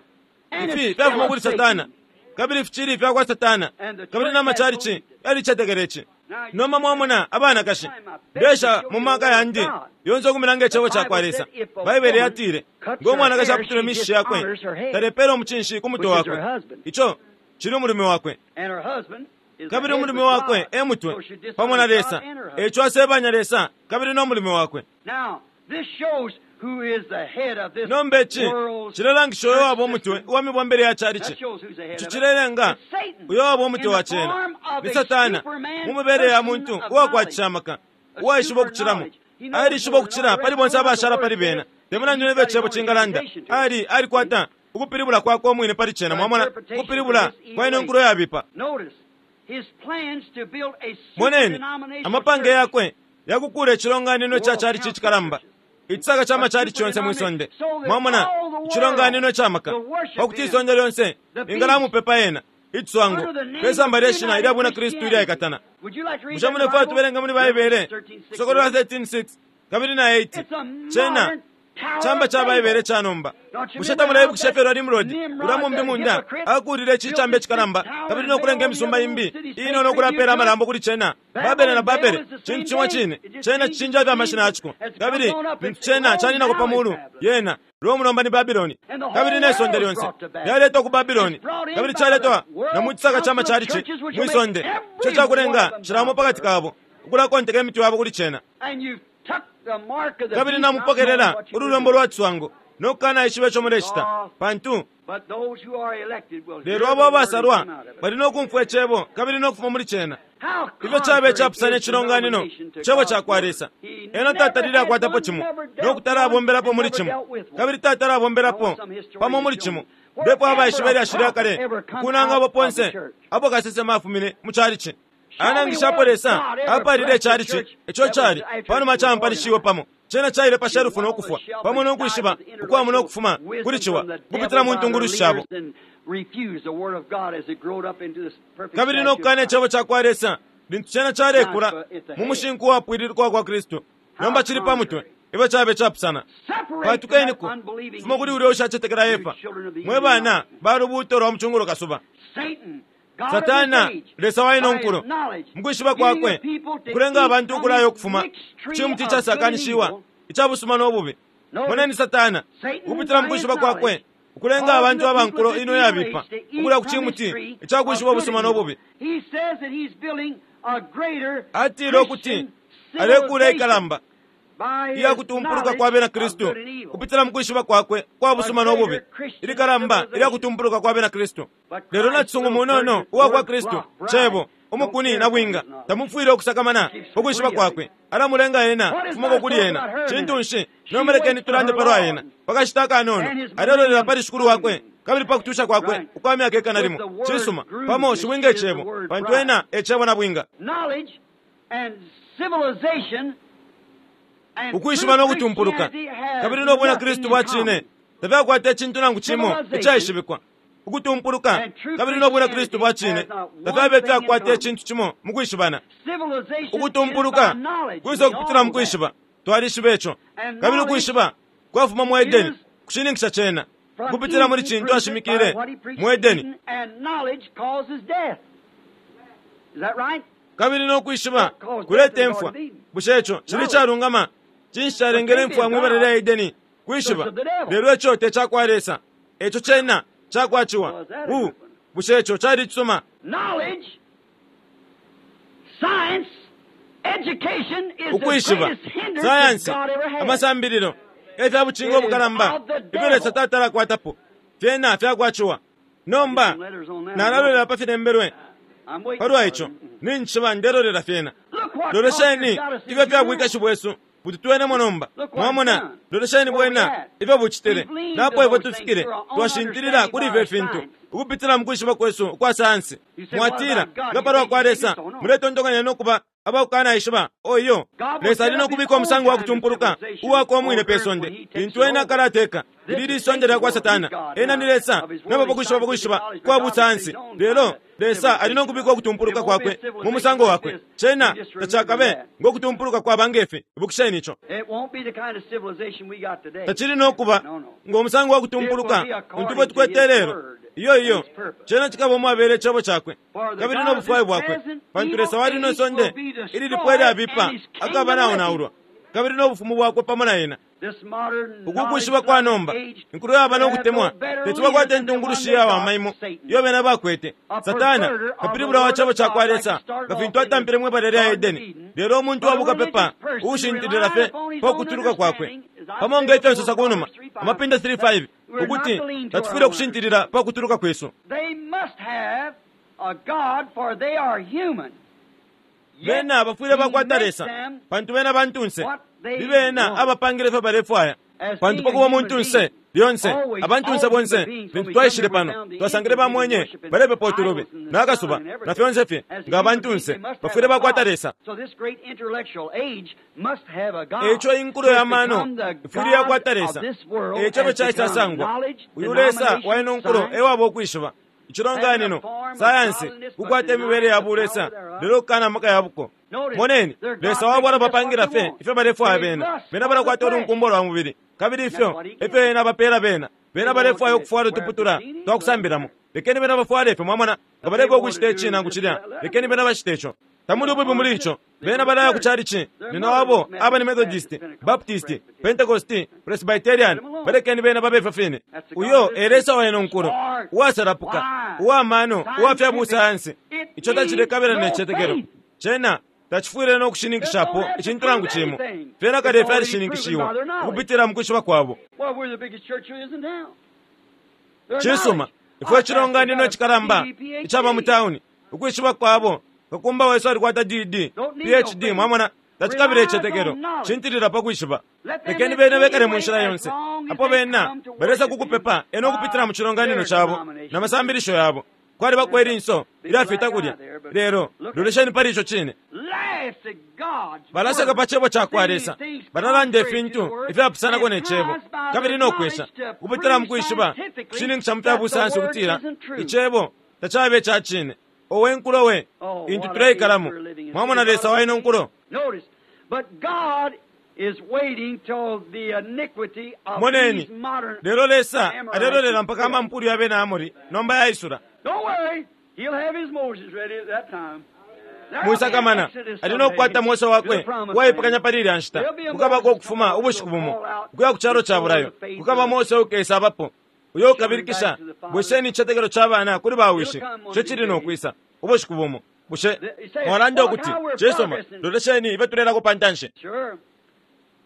And ifi it's fyafuma still kuli Satan. Satana kabili ficili fyakwa Satana kabili n'amacalici yalicetekela ici. Nomba mwamona abanakashi ndesha mu maka yandi yonse okumilanga icebo cakwa Lesa. Baibele yatile ngo mwanakashi aputula imishishi yakwe talepela omucinshi ku mutwe wakwe, ico cili umulume wakwe, And her husband is the kabili head umulume with wakwe God. e mutwe So she dishonors pamo na God Lesa. and her husband. Eco asebanya Lesa kabili n'omulume wakwe. Now, this shows who is the head of this Nomba ici world's cilelangisha uyo waba umutwe system. uwa mibombele ya That calici. shows who's the head Ico of it. cilelenga It's Satan uyo waba in umutwe the wa cena form of ni a Satana superman mu mibele ya person muntu of uwakwatisha knowledge. amaka A uwaishiba super ukucilamo knowledge. He knows alishiba more than ukucila all the pali rest. bonse Know what abashala the pali word bena says. temulandu He's nefyo got his icebo own cingalanda interpretation to it. ali alikwata ukupilibula kwakwe umwine pali cena. Mwamona ukupilibula Interpretation kwa ino for this nkulo yabipa. Notice his plans to build a Moneni super-denominational amapange church. yakwe yakukula icilonganino ca calici icikalamba, icisaka ca macalici yonse mwisonde. Mwamona icilonganino ca maka pakuti isonde lyonse lingalamupepa ena iciswango pesamba lye shina ilya bwina Kristu ilyaikatana. Would you like to read Bushe that in the mulefwaya Bible? tubelenga muli Baibele Kusokolola thirteen six kabili na eight? It's a Cena modern tower chamba of cha Baibele Babel. ca nomba. Bushe tamuleibukisha ifyo lwa Nimrodi ulya mumbi munda akuulile icicamba icikalamba kabili nokulenga imisumba imbi inono ukulapela amalambo kuli cena? Babele na Babele cintu cimo cine, cena cicinja fye amashina yaciko kabili lintu cena caninako pa mulu yena Rome nomba ni Babiloni, kabili ne sonde lyonse lyaletwa ku Babiloni kabili caletwa na mu cisaka ca macalici mwi sonde ico cakulenga cilamo pakati kabo ukulakonteka imitwe yabo kuli cena. And you've tucked the mark of the Kabili beast, not knowing namupokelela what you were ululombo doing. lwa ciswango no kukanaishiba ico mulecita, pantu lelo abo abasalwa bali no kumfwa icebo kabili no kufuma muli cena. Ifyo caba icapusana icilonganino cebo cakwa Lesa. Ena tatalile akwatapo cimo no kutala abombelapo muli cimo, kabili tatala abombelapo pamo muli cimo. Ndipo abaishiba ilyashi lya kale kunanga abo ponse apo kasesema afumine mu chalichi. Anangishapo Lesa apalile chalichi ico chali panuma champanishiwe pamo. Cena chaile pa shelufu no kufwa pamo no kwishiba ukwamu no kufuma kuli ciwa kupitila mu ntungulushi shabo. Kabili no kukana icebo cakwa Lesa lintu cena chalekula mu mushinku wapwililika kwa Kristu. Nomba chili pa mutwe ifyo chabe chapusana. Patukeniko fuma kuli ulya ushacetekela Efa, mwe bana ba lubuuto lwa mucungulo kasuba. Satana Lesa wa ino nkulo mukwishiba kwakwe kulenga abantu ukulayo ukufuma chimuti chasakanishiwa icabusuma n'obubi. Moneni Satana kupitila mukwishiba kwakwe ukulenga abantu abankulo ino yabipa ukulya ku chimuti icakwishiba ubusuma n'obubi. Atile ukuti alekula ikalamba iya kutumpuluka kwa bena Kristu kupitila mukwishiba kwakwe kwa busuma n'obubi, ilikalamba ilya kutumpuluka kwa bena Kristu. Lelo nacisungu munono uwa kwa Kristu cebo umukuni na bwinga tamufwile okusakamana ukwishiba kwakwe alamulenga ena fumako kuli ena. Cintu nshi nomba tulande palwa ena pakashita akanono alelolera pali shikulu wakwe kabili pakutusha kwakwe ukwa myaka ikana limo. Cisuma pamo shibwinga icebo, pantu ena ecebo na bwinga. Ukwishiba no kutumpuluka kabili no bwina Kristu bwa cine tafyakwata icintu nangu cimo icaishibikwa. Ukutumpuluka kabili no bwina Kristu bwa cine tafyabe fyakwata icintu cimo mu kwishibana. Ukutumpuluka kwisa kupitila mu kwishiba, twalishiba ico. Kabili ukwishiba kwafuma mu Edeni kushininkisha cena kupitila muli cintu ashimikile mu Edeni. Kabili no kwishiba kuleta imfwa. Bushe ico cili calungama? Cinshi calengele imfwa mwibala lya Edeni? Kwishiba. Lelo ico te cakwa Lesa, eco cena cakwaciwa. U bushe ico cali cisuma? Ukwishiba, sayansi, amasambililo efya bucingo obukalamba ifyo Lesa tatalakwatapo fyena fyakwaciwa. Nomba nalalolela pa filembelwe palwa ico, ninchiba ndelolela fyena. Lolesheni ifyo fyabwikashi bwesu bututwenemo nomba. Mwamona, lolesheni bwena ifyo bucitile napo ifyo tufikile twashintilila kuli ifyo fintu ukupitila mu kwishiba kwesu ukwa sayansi. Mwatila nga palwa kwa Lesa muletontonkanya nokuba abakukanaishiba. Oyo Lesa ali nokubika omusango wa kutumpuluka uwakwa omwine pe sonde lintu ena akalateka. Ili lisonde lya kwa Satana. Ena ni Lesa nabo pakwishiba pakwishiba kwa busayansi. Lelo Lesa ali nokubika okutumpuluka kwakwe mu musango wakwe. Cena tacakabe ngokutumpuluka kwa bangefe. Ibukisheni ico. Tacili nokuba ng'omusango wa kutumpuluka untu bwe tukwete lelo. Iyo iyo cena cikaba omwabele icebo cakwe kabili n'obufwayo bwakwe, pantu Lesa wali nosonde ili lipwe lyabipa akaba naonaulwa kabili n'obufumu bwakwe pamo na ena. Ukukwishiba kwa nomba inkulu yaba n'okutemwa tetubakwata entungulushi yawama iyo bena bakwete. Satana kapilibula wa cebo cakwa Lesa nga fintu atampile mwibala lya Edeni. Lelo omuntu wabukapepa uushintilila fye pa kutuluka kwakwe pamo nga ifyo nsosa kunuma amapinda three five ukuti tatufwile okushintilila pa kutuluka kwesu. Bena bafwile bakwata Lesa pantu bena bantunse, bibena abapangile ifyo balefwaya. Pantu pakuba omuntunse lyonse abantunse bonse lintu twaishile pano twasangile bamwenye balepepa utulubi n'akasuba na fyonse fye nga abantunse bafwile bakwata Lesa. Eco inkulo ya mano ifwile yakwata Lesa. Eco bwe caisasangwa uyu Lesa waino nkulo ewaba okwishiba icilonganino sayansi kukwata emibele ya bulesa lelo okukana amaka yabuko. Moneni Lesa wabwala bapangila fye ifyo balefwaya bena. Bena balakwata olunkumbo lwa mubili kabili ifyo efyo ena bapela bena. Bena balefwaya okufwala utuputula twakusambilamo. Lekeni bena bafwale ifyo, mwamona nga balefwaya okucita ici nangu cilya, lekeni bena bacite ico. Tamuli ububi muli ico. Bena balaya ku chalichi nina wabo aba ni Methodist, Baptist, Pentecost, Presbyterian. Balekeni bena babe ifyo fine. Uyo e Lesa waino nkulo uwasalapuka uwamano uwafya busayansi. Ico tacilekabela ne citetekelo cena Tacifwile no kushininkishapo icintu nangu cimo. Fyena kale fyalishininkishiwa ukupitila mu kwishiba kwabo. Well, we're the biggest church there is in town. Their Cisuma, knowledge. ifwe icilonganino cikalamba icaba mu tauni, ukwishiba kwabo, kakumba wesu alikwata D D, P H D, mwamona, tacikabila icetekelo, cintilila pa kwishiba. Lekeni bene bekale mu nshila yonse, apo bena balesa kukupepa eno ukupitila mu cilonganino cabo na masambilisho yabo. Kwalibako ilinso ilyafita kulya, lelo lolesheni pali ico cine. Laughs at God's Balaseka word. pa cebo ca kwa Lesa, balalanda ifintu ifyapusanako ne cebo, kabili no kwesha kupitila mu kwishiba kushininkisha mu fya busayansi ukutila icebo tacabe ica cine. Owe nkulo we intu tuleikalamo! Mwamona Lesa wa ino nkulo. Notice, but God is waiting till the iniquity of Moneni, these modern lelo Lesa Amorites alelolela is mpaka amampulu ya bena Amori nomba yaisula. Don't worry, he'll have his Moses ready at that time. There'll be an Mwisakamana, Exodus ali no kukwata someday Mose to wakwe the promised uwaipekanya land. pali ilya nshita. There'll be a Kukabako Moses ukufuma come ubushiku will bumo call out ukuya ku calo ca before bulayo. the face Kukaba of the Mose ukesa abapo uyo ukabilikisha, bwesheni icitetekelo ca bana kuli bawishi, ico cili no kwisa ubushiku bumo. Bushe mwalanda ukuti cisuma, lolesheni ife tulelako pa ntanshi. Sure.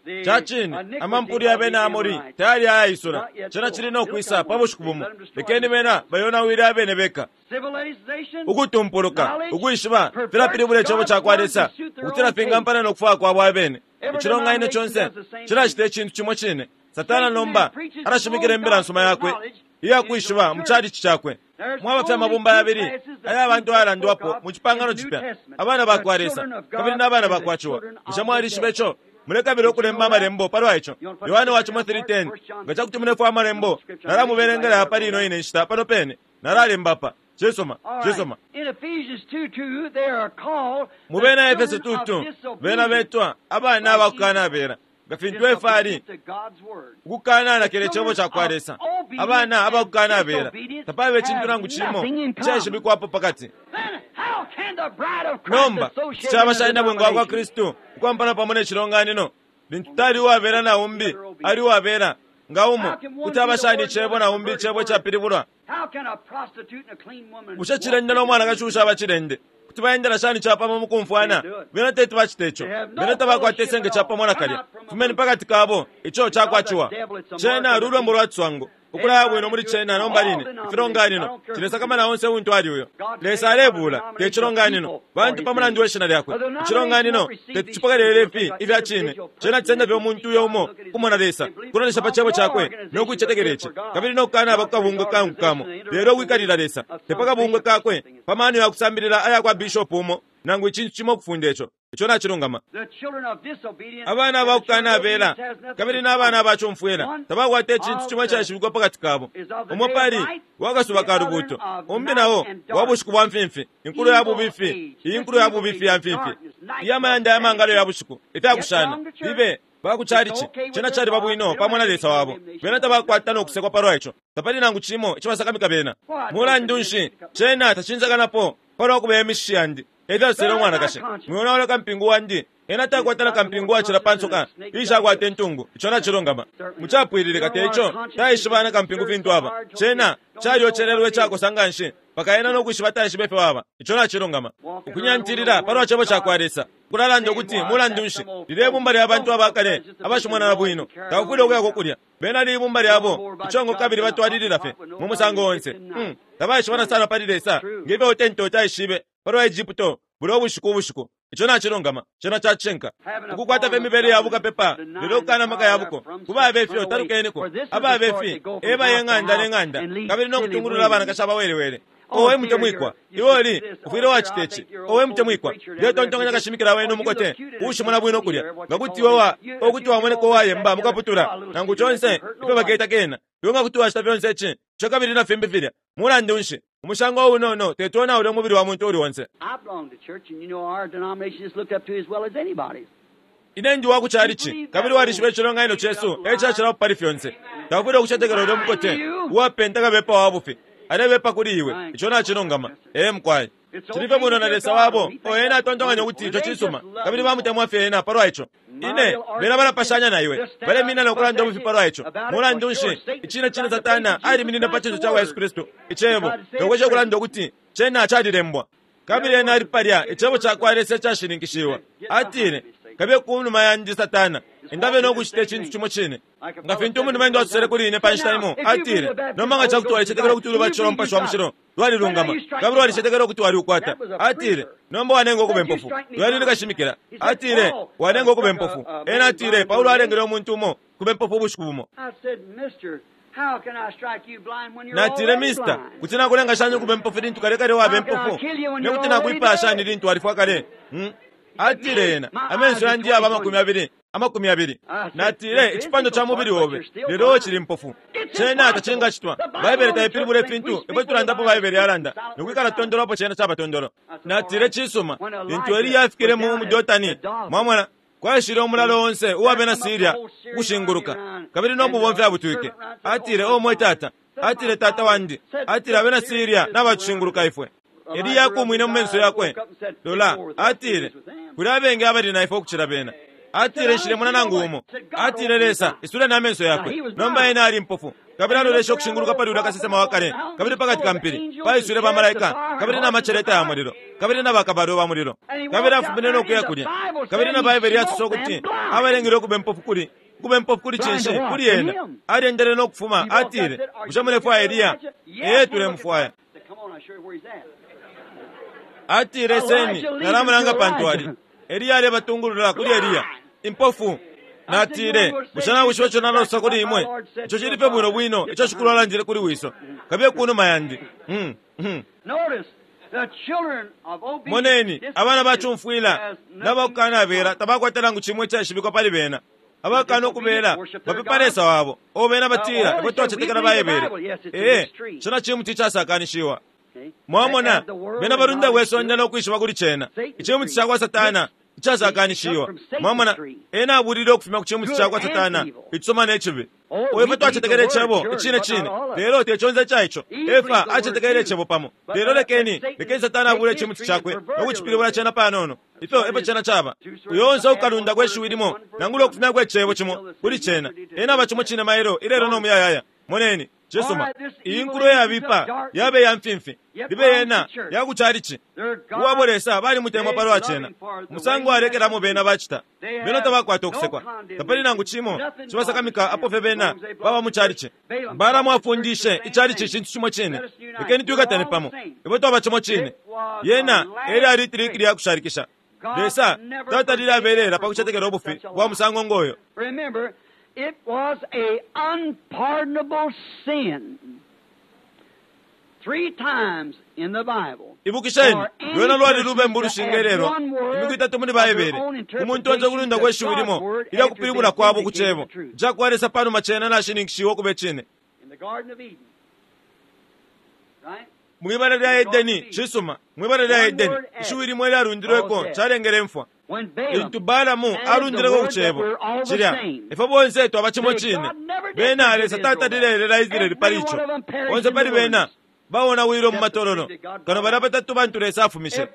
The Ca cine, iniquity amampulu ya of the bena Amori Amorites. tayali ayaisula, cena cili no kwisa pa bushiku bumo. Lekeni bena bayonawile abene beka. Civilization, Ukutumpuluka, ukwishiba filapilibula icebo ca kwa Lesa, ukutila fingampana no kufwaya kwabo abene. Icilonganino conse cilacita icintu cimo cine. Satana nomba alashimikila imbila nsuma yakwe iyakwishiba mu calici cakwe. Mwaba fye amabumba yabili aya bantu ayalandwapo mu cipangano cipya, abana ba kwa Lesa kabili n'abana ba kwa Ciwa. Bushe mwalishiba ico? Mulekabila ukulemba amalembo palwa ico. Yohane wa cimo three ten, nga cakuti mulefwaya amalembo, nalamuberengela pali ino ine nshita pano pene, nalalemba pa. Cisuma, All right. cisuma. In Ephesians two two, they are called Mu the bena Efeso children of two two, bena disobedience. betwa abana abakukanabela, nga fintu Efa ali Disobedience to God's word. ukukananakila icebo ca kwa Lesa. Abana abakukanabela tapabe icintu nangu cimo icaishibikwapo pakati. Then how can the bride of Christ Nomba associate caba with shani na bwenga wa kwa denomination? Kristu ukwampana pamo ne cilonganino, lintu tali uwabela na umbi ali uwabela nga umo, kuti aba shani icebo na umbi icebo icapilibulwa? How can a prostitute and a clean woman Bushe cilende no mwanakashi ushaba cilende kuti baendela shani capamo mu kumfwana? Bena teti bacita ico. Bena tabakwata isenge capamo nakalya. Fumeni pakati kabo, ico cakwaciwa. Cena lulwembo lwa ciswango ukulaya bwino muli cena nomba line ifilonganino cilesakamana onse untu ali uyo. Lesa alebuula te cilonganino bantu pa mulandu we shina lyakwe. Icilonganino teti cipokelele ifi ifya cine. Cena cisenda fye umuntu uyo umo kumona Lesa, kulolesha pa cebo cakwe no kuicetekela ici, kabili no kukanaba ku kabungwe kangu kamo, lelo ukwikalila Lesa te pa kabungwe kakwe pa mano ya kusambilila aya kwa bishopu umo nangu icintu cimo ukufunda ico. Ico nacilungama. The children of disobedience Abana and the children of abakukanabela obedience has nothing kabili in n'abana common. abacumfwila tabakwata icintu cimo icaishibikwa pakati kabo. Umo pali wakasuba ka lubuuto, umbi nao wa bushiku bwa mfimfi, inkulo ya bubifi, iyi nkulo ya bubifi ya mfimfi, iyamayanda ya mangalo ya bushiku, ifyakushana libe bakucalici cena caliba bwino pamo na Lesa wabo. Bena tabakwata no kusekwa palwa ico, tapali nangu cimo icibasakamika bena. Mulandu nshi cena tacinzakanapo palwa kubeya imishishi yandi? Efyasosele umwanakashi, mwionaula kampingu wandi. Ena takwata na kampingu wacila pa nsoka ishakwata intungu. Ico nacilungama. Mucapwililika te ico taishiba na kampingu fintu aba. Cena calyocelelwe icakosa nga nshi mpaka ena no kwishiba taishiba ifyo aba. Ico nacilungama. Ukunyantilila palwa cebo ca kwa Lesa kulalanda ukuti mulandu nshi lilye bumba lya bantu abakale abashimona na bwino tabafwile ukuyako kulya. Bena libumba lyabo icongo kabili batwalilila fye mu musango onse. Hmm, tabaishibana sana pali Lesa ngefyo utento taishibe palwa Egypto bulya ubushiku ubushiku. Ico nacilungama, cena cacishinka. Ukukwata fye imibele ya bukapepa lelo ukukana amaka ya buko. Kubabe ifyo talukeniko, ababe ifi ebaye ng'anda ne ng'anda kabili no kutungulula abanakashi abawelewele. Owe mutemwikwa, iwe oli ufwile wacita ici. Owe mutemwikwa, ndetontonkanya kashimikila wenu umukote uushimona bwino kulya, nga kuti iwe wa okuti wamoneka uwayemba mukaputula nangu conse ifyo baketa kena. Iwe nga kuti wacita fyonse ici ico kabili na fimbi filya. Mulandu nshi umushango unono tetuonaule umubili wa muntu uli onse. I belong to church, and you know our denomination is looked up to as well as anybody's. Ine ndi wa ku calici kabili walishiba icilonganino cesu ecacilapo pali fyonse. Taufwile ukucetekela ulya mukote uwapenta kabepa wa bufi alebepa kuli iwe. Ico nacilungama. Ee mukwai, cili fye bwino na Lesa wabo. O ena atontonkanya ukuti ico cisuma kabili bamutemwa fye ena palwa ico. Ine bena balapashanya na iwe, balemina no kulanda ubufi palwa ico. Mulandu nshi icine cine Satana aliminine pa cinso ca kwa Yesu Kristu icebo nokwesha ukulanda ukuti cena calilembwa. Kabili ena ali palya, icebo cakwa Lesa icashininkishiwa. Atile, kabiye kunuma yandi Satana, ingabe nokucita icintu cimo cine. Nga fintu umuntu asosele kuli ine pa nshita imo, atile, nomba nga cakuti walicetekela ukuti ulubatisho lwa Mupashi wa Mushilo lwalilungama, kabili walicetekela ukuti waliukwata. Atile, nomba wanenga ukuba impofu. Lwali nikashimikila. Atile, wanenga ukuba impofu. Ena atile, Paulo alengele umuntu umo kuba impofu ubushiku bumo. Natile, mister, kuti nakulenga shani ukuba impofu lintu kale kale waba impofu? Nekuti nakuipaya shani lintu walifwa kale? Hmm? Atile ena, amenso yandi yaba amakumi abili, amakumi abili. Natile, icipando ca mubili obe, lelo cili mpofu. Cena tacingacitwa. Baibele taipilibula ifintu, ifwe tulandapo Baibele yalanda. Nokwikala tondolo apo cena caba tondolo. Natile cisuma, lintu Eliya afikile mu Dotani, mwamona, kwaishile umulalo onse uwa bena Syria ukushinguluka, kabili no mubomfi abutwike. Atile, o mwe tata, atile tata wandi, atile abena Syria nabatushinguluka ifwe. Eliya akumwine mu menso yakwe. Lola, atile, kuli abengi abali na ifwe ukucila bena. Atile nshilemona nangu umo. Atile Lesa, isule na menso yakwe. Nomba ena ali mpofu. Kabili alolesha ukushinguluka pali ulya kasesema wa kale, kabili pakati ka mpili, paiswile bamalaika, kabili na maceleta ya mulilo, kabili na bakabalo ba mulilo. Kabili afumine no kuya kulya. Kabili na Baibele yasosa ukuti abalengele ukuba impofu kuli ukuba impofu kuli cinshi kuli ena. Aliendele no kufuma, atile, bushe mulefwaya Eliya? Ee, tulemufwaya. Atile seni, nalamulanga pantu ali. Eliya alebatungulula kuli Eliya. Impofu. Natile, bushe nawishiba ico nalosa kuli imwe? Ico cili fye bwino bwino, ico shikulu alandile kuli wiso. Kabiye kunuma yandi. Hmm, hmm. Moneni, abana bacumfwila n'abakukanabela tabakwata nangu cimwe icashibikwa pali bena. Abakana ukubela bapepa Lesa wabo. O bena batila, ifwe twacetekela Baibele. Ee, cena cimuti icasakanishiwa. Mwamona, bena balunda bwesonde nokwishiba kuli cena. Icimuti cakwa Satana icasakanishiwa. Mwamona, ena abulile ukufuma ku cimuti cakwa Satana, icisoma necibi. Ifwe twacetekela icebo, icine cine, lelo te conse ca ico. Efa acetekele icebo pamo. Lelo lekeni, lekeni Satana abule icimuti cakwe nokucipilibula cena panono. Ifyo efyo cena caba. Uyo onse ukalunda kwe shiwi limo, nangula ukufumyako icebo cimo kuli cena. Ena aba cimo cine mailo, ilelo no muyayaya. Moneni, cisuma. Iyi nkulo yabipa, yabe ya mfimfi. Libe yena, yakucalici. Uwabo Lesa balimutemwa palwa cena. Musango alekelamo bena bacita. Bena tabakwata ukusekwa. Tapali nangu cimo cibasakamika apo fye bena baba mu calici. Balamu afundishe icalici icintu cimo cine. Lekeni twikatane pamo. Ifwe twaba cimo cine. Yena eli ali itiliki lya kushalikisha. Lesa tatalile abelela pa kucetekela ubufi bwa musango ngoyo. Remember, it was a unpardonable sin. Three times in the Bible. Ibukisheni, lwena lwali lubembu lushingelelwa imiku itatu muli Baibele. Umuntu onse ukulunda kwe shiwi limo ilya kupilibula kwabo ku cebo cakwa Lesa panuma cena nashininkishiwa ukuba icine. In the Garden of Eden. Right? Mwibala lya Edeni, cisuma, mwibala lya Edeni, ishiwi limwe lyalundilweko calengele imfwa. When Balaam Lintu Balamu alundileko ku cebo cilya, ifwe bonse twaba cimo cine. Bena Lesa tatalile Israeli pali ico. Bonse pali bena baonawile mu matololo, kano balya batatu bantu Lesa afumishe.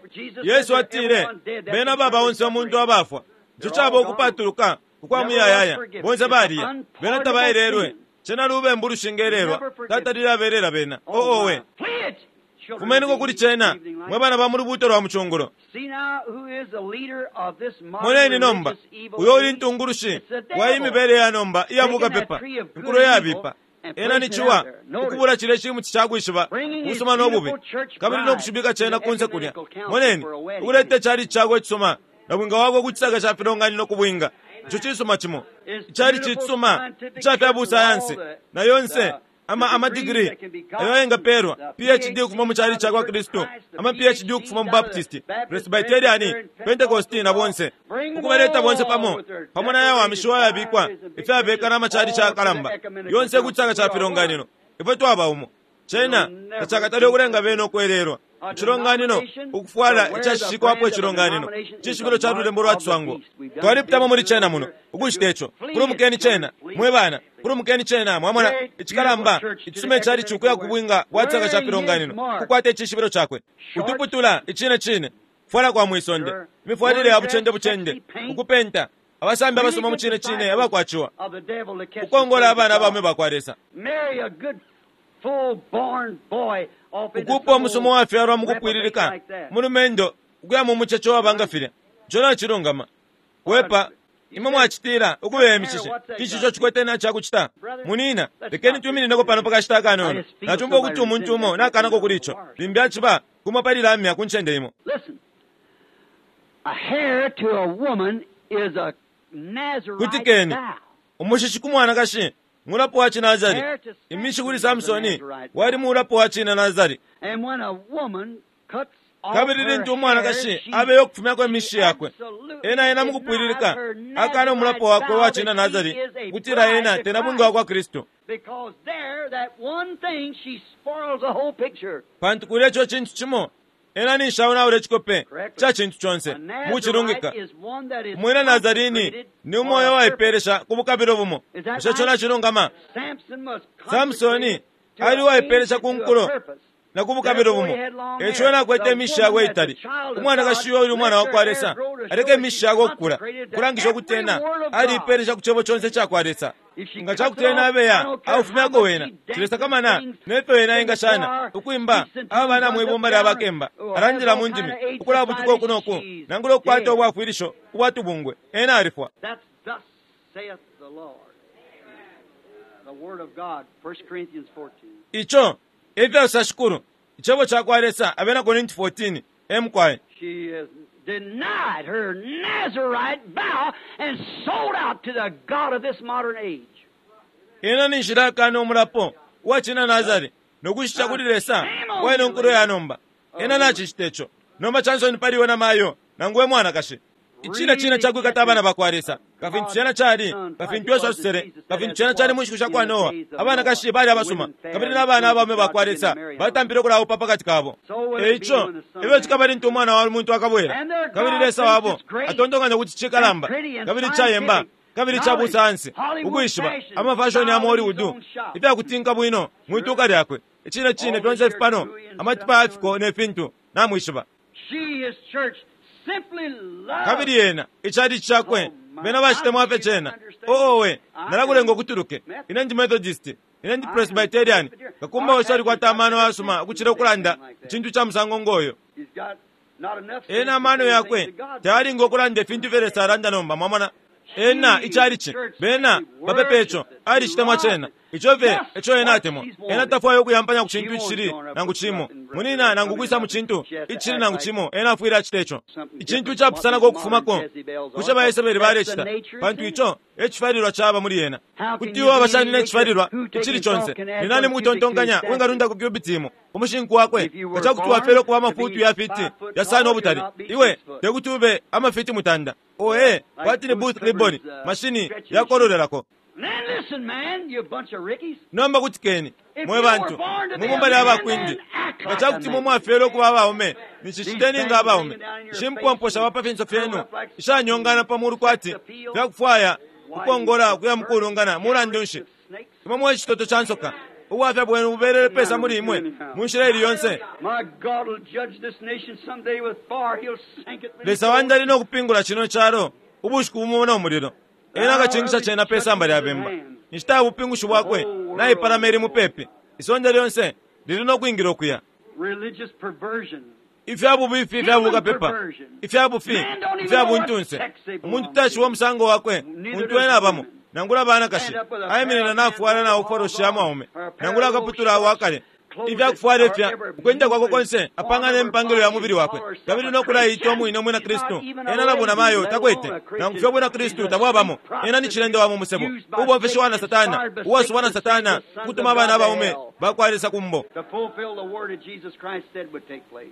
Yesu atile, bena baba onse omuntu abafwa. Ico caba ukupatuluka ukwa muyayaya, bonse baliya. Bena tabaelelwe. Cena lubembu lushingelelwa, tatalile abelela bena. Oo we. Flee it, children Fumeniko of kuli the cena, evening light. mwe bana ba mu lubuuto lwa mucungulo. See now who is the leader of this modern Moneni nomba, religious evil uyo uli age? ntungulushi It's the devil. wa imibele ya nomba iyabukapepa, inkulo yabipa. Ena ni ciwa, ukubula cilya cimuti cakwishiba ubusuma n'obubi, kabili nokushibika cena kunse kulya. Moneni, ukuleta icali cakwe icisuma, na bwinga wakwe ku cisaka ca filonganino ku bwinga. Ico cisuma cimo, icali cisuma ica fya busayansi, na yonse ama amadigiri ayo ayengapeelwa, P H D ukufuma mu cali cakwa Kristu, ama P H D ukufuma mu Baptist, Presbyterian, Pentecost na bonse, ukubaleta bonse pamo pamo na yawamishiwa ayabikwa ifyabeka n'amacali cakalamba yonse ku cisaka ca filonganino. Ifwe twaba umo. Cena tacakatali ukulenga bena ukwelelwa icilonganino ukufwala icashishikwapo icilonganino cishibilo ca lulembo lwa ciswango. Twalipitamo muli cena muno ukucita ico. Kulumukeni cena, mwe bana, kulumukeni cena. Mwamona icikalamba icisuma icali cukuya ku bwinga bwa cisaka ca filonganino kukwata icishibilo cakwe utuputula icine cine kufwala kwa mwisonde, imifwalile ya bucende bucende, ukupenta, abasambi abasoma mu cine cine abakwaciwa Of the devil to catch ukongola the abana sons of abaume God. bakwa Lesa. Marry a good full-born boy off into Ukupa umusomo some wafyalwa mu old kupwililika reprobate like that. mulumendo ukuya mu muceco wabanga filya ico nacilungama wepa imwe mwacitila ukubeya imishishe ici ico cikwete na cakucita munina lekeni twiminineko pano pakashita akanono nacumva ukuti umuntu umo nakanako kuli ico limbi aciba kumo pali lamya ku ncende imo Listen. A hair to a woman is a Nazarite Kutikeni. vow. Umushishi ku mwanakashi mulapo wa cinazari Hair to imishi kuli Samson is a Samsoni Nazarite wali mulapo wa cina nazari And when a woman cuts off kabili her lintu hair, umwanakashi she, abeyo okufumyako imishi she yakwe absolutely ena ena denies mukupwililika her akana umulapo Nazarite wakwe vow wa cina that nazari she is a kutila bride ena to tena bunga wa Christ. kwa Kristo Because there, that one thing, she spoils the whole picture. pantu kuli eco cintu cimo ena ninshaonaula ecikope Correctly. ca cintu conse A mucilungika Nazarite is one that is umwina nazarini consecrated ni for umoyo a purpose. waipeelesha ku bukabilo bumo Is that bushe ico right? nacilungama Samson was Samsoni consecrated to ali an uwaipeelesha age ku and to a nkulo purpose. na ku bukabilo Therefore bumo he had long eco hair. ena akwete The imishi yakwe woman that's a itali child of umwanakashi God uyo uli umwana lets wa kwa her hair Lesa grow to show aleke that imishi she's yakwe okukula consecrated to kulangisha ukuti every ena word of God. aliipeelesha ku cebo conse ica kwa Lesa If she nga cuts it cakuti ena off, I abeya don't care how aufumyako much wena she dances, cilesakamana sings nefyo wena in the engashana choir, ukwimba speaks in aba tongues, bana runs up mwibumba down, lya bakemba or has alandila all mu kind ndimi of aid ukulabutuka society, uku noku she's nangula okukwata dead. obwafwilisho ubwatubungwe ena alifwa That's thus saith the Lord. The Word of God, First Corinthians fourteen. ico efyasosa shikulu icebo ca kwa Lesa abena Korinti fourteen emukwaye She has denied her Nazarite vow and sold out to the God of this modern age. Ena ni nshila akana umulapo uwacina Nazari nokushisha kuli Lesa waino nkulo ya nomba ena nacicita ico nomba chansoni paliwe na mayo nangu we mwanakashi icina cina cakwikata abana bakwa Lesa kafintu cena cali kafintu Yesu asosele kafintu cena cali mu nshiku sha kwa Noa abanakashi bali abasuma kabili n'abana abaume bakwa Lesa batampile okulaupa pakati kabo eico ebyo cikaba lintu umwana wa muntu akabwera kabili Lesa wabo atontonganya kuti cikalamba kabili cayemba kabili ca busansi ukwishiba amafashoni ya mu Hollywood ifyakutinka bwino mwituka lyakwe icine cine fyonse ifipano amatipa yafiko ne fintu namwishiba She, his church, simply loves. kabili yena icali cakwe bena bacitemwa fye cena oowe nalakulenga okutuluke ine ndi Methodist ine ndi Presbyterian kakumba wese alikwata amano ayasuma ukucila ukulanda icintu ca musango ngoyo He's got not enough sense ena to amano say the yakwe things that God tayalinga okulanda ifintu ifyo Lesa alanda nomba mwamona ena icalici bena bapepa ico alicitemwa cena ico fye eco ena atemwa ena tafwaya okuyampanya ku cintu icishili nangu cimo munina nangu kwisa mu cintu icishili nangu cimo ena afwile acita ico icintu icapusanako okufumako kuca ba Yesebeli balecita pantu ico ecifalilwa caba muli ena kuti iwo abashanina ecifalilwa icili conse ni nani mukutontonkanya wingalundako cubit imo umushinku wakwe nga cakuti wafele okuba amafutu ya fiti yasano obutali iwe tekuti ube amafiti mutanda oe kwati ni booth ribbon mashini yakololelako Then listen, man, you bunch of rickies. nomba kutikeni mwe bantu mwibumba lya bakwindi nga cakuti mwe mwafele okuba abaume niciciteni nga abaume ishimpomposha bapa finso fyenu ishanyongana pamulu kwati fyakufwaya ukongola kuya mukulungana mulandu nshi imwe mwe citoto ca nsoka ubwafya bwenu bubelele pesa muli imwe mu nshila ili yonse My God will judge this nation someday with fire. He'll sink it. Lesa wandi ali nokupingula cino calo ubushiku bumo no mulilo ena akachingisha cena pe samba lya bemba inshita ya bupingushi bwakwe naipalama ili mupepi isonde lyonse lili nokwingila okuya Religious perversion. ifya bubifi ifya bukapepa ifya bufi ifya buntunse umuntu tashiwa omusango wakwe muntu ena abamo nangula banakashi ayiminina nafwala na uforoshi ya mwaume nangula akaputula wakale ifyakufwala ifya ukwenda kwakwe konse apangana empangilo ya mubili wakwe kabili nokulayita omwine omwina Kristu ena nabuna mayo takwete nangu fye obwina Kristu tabwabamo ena ni cilende wa mu musebo ubomfeshiwa na Satana uwasubwa na Satana kutuma abana abaume bakwa Lesa kumbo To fulfill the word that Jesus Christ said would take place.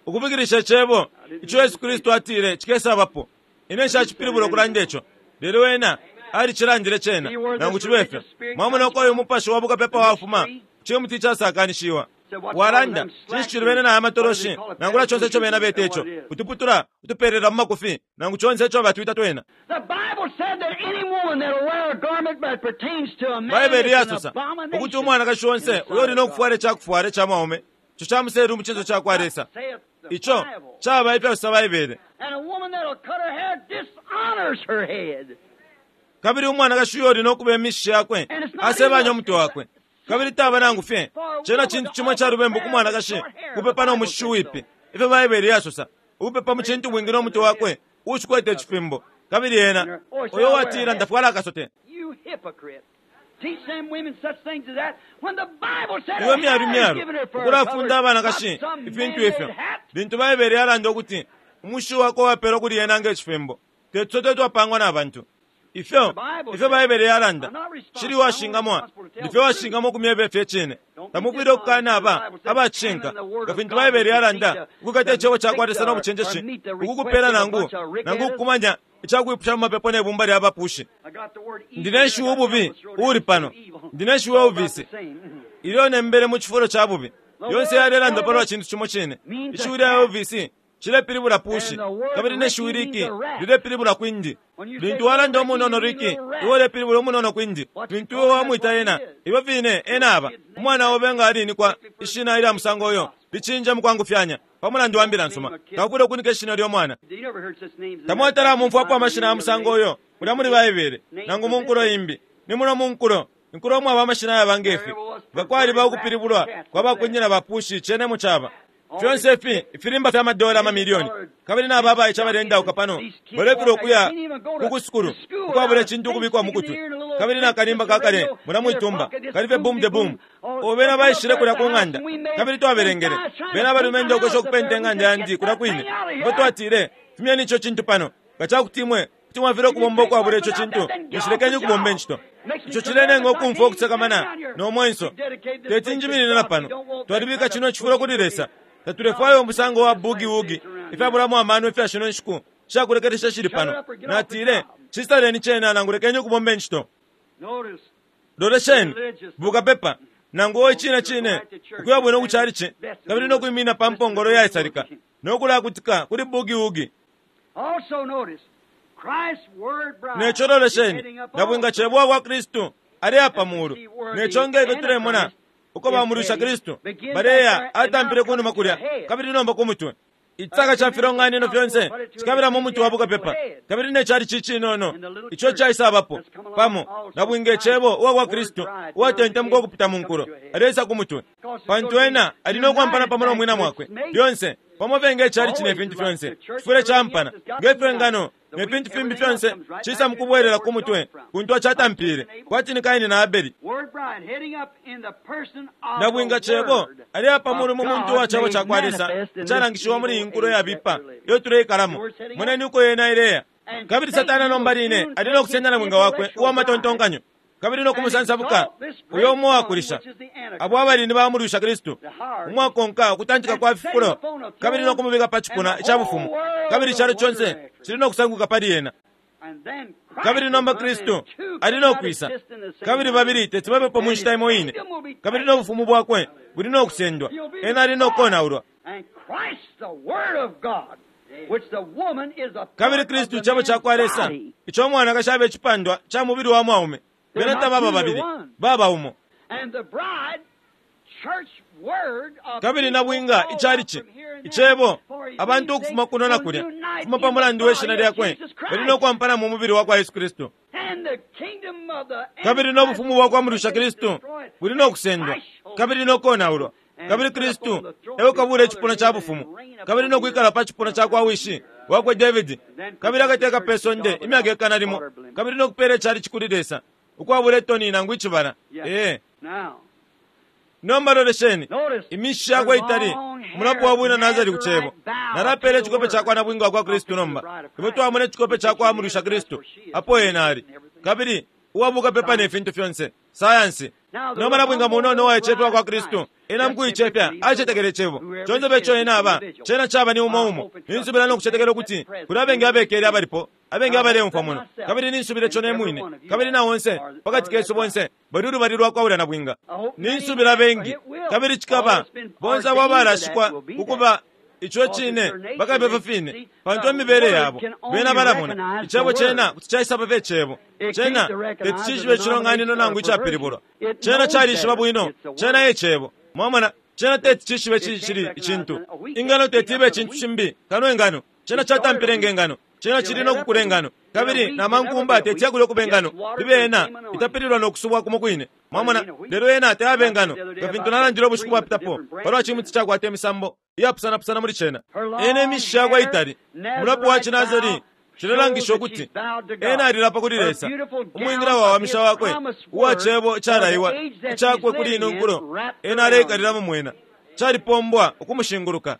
ukupikilisha icebo ico Yesu Kristu atile cikesaabapo ine nshacipilibula okulanda ico lelo ena alicilandile cena nangu cibe fyo mwamona uko uyu mupashi wa bukapepa wafuma cimuti icasakanishiwa walanda cinshi cili bene na amatoloshi nangula conse ico bena beta ico utuputula utupelela mu makufi nangu conse ico batwita twena The Bible said that any woman that'll wear a garment that pertains to a man Baibeli is an yasosa ukuti abomination. umwanakashi onse uyo uli nokufwala icakufwala ica mwaume ico camuseelu mu cinso cakwa Lesa Saith the ico Bible. caba ifyasosa Baibele And a woman that'll cut her hair dishonors her head. kabili umwanakashi uyo uli nokuba emishi yakwe And it's not asebanya even umutwe wakwe Kabili taba nangu fye cena cintu cimo calubembu ku mwanakashi kupepa no mushishi wipi, ifyo Baibele yasosa, ukupepa mu cintu bwingi no mutwe wakwe ushikwete icifimbo. Kabili ena uyo watila ndafwala akasote. Iwe myalu myalu ukulafunda abanakashi ifintu ifyo, lintu Baibele yalanda ukuti umushishi wakwe wapelwa kuli ena nge cifimbo, tetusote twapangwa na bantu. Ifyo ifyo Baibele yalanda shili washingamwa, ndifyo washingamwa kumyeba ifyo icine. Tamufwile ukukana aba abacishinka nga fintu Baibele yalanda ukukata icebo cakwa Lesa no bucenjeshi, ukukupela nangu nangu ukukumanya icakwipusha mu mapepo ne bumba lya bapushi. Ndine nshiwi ububi uli pano, ndine nshiwi ububisi ilyo nembele mu cifulo ca bubi. Yonse yalelanda palwa cintu cimo cine. Ishiwi lya ububisi cilepilibula pushi, kabili ne shiwi liki lilepilibula kwindi. Lintu walanda umunono liki, iwe ulepilibula umunono kwindi. Lintu iwe wamwita ena, iwe fine ena aba umwana obe nga alinikwa ishina ilya musango uyo licinja mukwangufyanya pamulandu wa mbila nsuma. Taufwile ukunika ishina lyo mwana. Tamwatala mumfwapo amashina ya musango uyo mulya muli Baibele nangu mu nkulo imbi. Ni muno mu nkulo inkulo mwaba amashina yaba ngefi, nga kwaliba ukupilibulwa kwa bakunyina bapushi cene mu caba fyonse ifi ifilimba fya madola amamilioni. Kabili naba abaice abalendauka pano balefilwa ukuya ku sukulu ukwabula icintu ukubikwa mu kutwi, kabili nakalimba kakale mula mwitumba kali fye boom de boom. Bena baishile kulya ku ng'anda, kabili twabelengele bena abalumendo ukwesha ukupenta ing'anda yandi kulya kwine. Mbo twatile, fumyeni ico cintu pano, nga cakuti imwe kuti mwafilwa ukubomba ukwabula ico cintu, nishilekeni ukubomba incito. Ico cilenenga ukumfwa ukusakamana no mwenso. Teti njiminine na pano. Twalibika cino cifulo kuli Lesa. Tatulefwaya umusango wa bugi-wugi ifyabulamo amano ifya shino nshiku shakulekelesha shili pano. Natile, cisaleni cena nangu lekeni ukubomba incito. Lolesheni bukapepa nangu o icine cine ukuya bwino kuchalichi, kabili no kwimina pa mpongolo yaisalika no kulakutika kuli bugi-wugi. Neco lolesheni nabwinga cebwa kwa Kristu ali apa mulu. Neco ngefyo tulemona uko bamulusha Kristu baleya atampile kunuma kulya kabili nomba ku mutwe. Itsaka ca filonganino fyonse cikabila mu mutwe wa bukapepa, kabili ne cali cicinono ico caisabapo pamo nabwinga icebo uwa kwa Kristu uwatentemuka ukupita mu nkulo alesa ku mutwe, pantu ena ali no kwampana pamo no mwina mwakwe lyonse pamo fye icali cine ifintu fyonse cifwile campana ngefyo ingano ne fintu fimbi fyonse cisa mukubwelela ku mutwe kuntu acatampile kwati ni Kaini na Abeli. Nabwinga cebo ali apa mulu mu muntu wa cebo cakwa Lesa calangishiwa muli inkulo yabipa iyo tuleikalamo. Moneni uko yena ileya. Kabili Satana nomba line ali no kusenda nabwinga wakwe uwa matontonkanyo kabili no kumusansabuka uyo umo wakulisha abo abalindi bamulusha Kristu umwakonka ukutantika kwa fifulo kabili no kumubika pa cipuna ica bufumu, kabili icalo conse cili no kusanguka pali yena. Kabili nomba Kristu ali no kwisa, kabili babili teti babepo mu nshita imo ine, kabili no bufumu bwakwe buli no kusendwa, ena ali no konaulwa. Kabili Kristu icebo cakwa Lesa ico mwanakashi abe icipandwa ca mubili wa mwaume, bena tababa babili baba umo. Kabili nabwinga icalici icebo abantu ukufuma kuno na kulya kufuma pa mulandu we shina lyakwe bali no kwampana mu mubili wa kwa Yesu Kristu. Kabili no bufumu bwa kwa mulusha Kristu buli no kusendwa kabili no konaulwa, kabili Kristu ewe kabula icipuna ca bufumu kabili no kwikala pa cipuna ca kwa wishi wakwe Davidi, kabili akateka pe sonde imyaka ikana limo, kabili no kupela icalici kuli Lesa ukwabula itoni nangu icibala. Ee, nomba lolesheni imishi yakwe itali umulapo wa bwina Nazari ku cebo. Nalapela icikope cakwa nabwinga wa kwa Kristu nomba ifwe twamona icikope cakwa mulusha Kristu apo ena ali, kabili uwabuka pepa ne fintu fyonse sayansi. Nomba nabwinga munono uwaicepya kwa Kristu ena mukuicepya acetekele icebo conse peco ena aba cena caba ni umo umo. Ninsubila no kucetekela ukuti kuli abengi abekele abalipo abengi abaleumfwa muno, kabili ninsubila ico nemwine kabili na onse pakati kesu bonse bali ulubali lwakwabula nabwinga. Ninsubila bengi kabili cikaba bonse abo abalashikwa ukuba ico cine bakabepa fine, pantu emibele yabo bena balamona icebo cena kuti caisaba pe cebo cena teti cishibe icilonganino nangu icapilibulwa. Cena calishiba bwino cena ecebo mwamona. Cena teti cishibe cili icintu ingano teti ibe icintu cimbi kano ingano cena catampile nge ngano Cena cili no kukulengano kabili na mankumba tecyakulya ukubengano libe ena itapililwa no kusubwa kumo kwine. Mwamona, lelo ena tayaba engano nga fintu nalandile ubushiku bwapitapo palwa cimuti cakwata imisambo iyapusanapusana muli cena. Ena imishishi yakwe itali mulapo wa cinazari cilelangisha ukuti ena alilapa kuli Lesa. Umwingila wawamisha wakwe uwa cebo icalaiwa icakwe kuli ino nkulo ena aleikalilamo mwena calipombwa ukumushinguluka,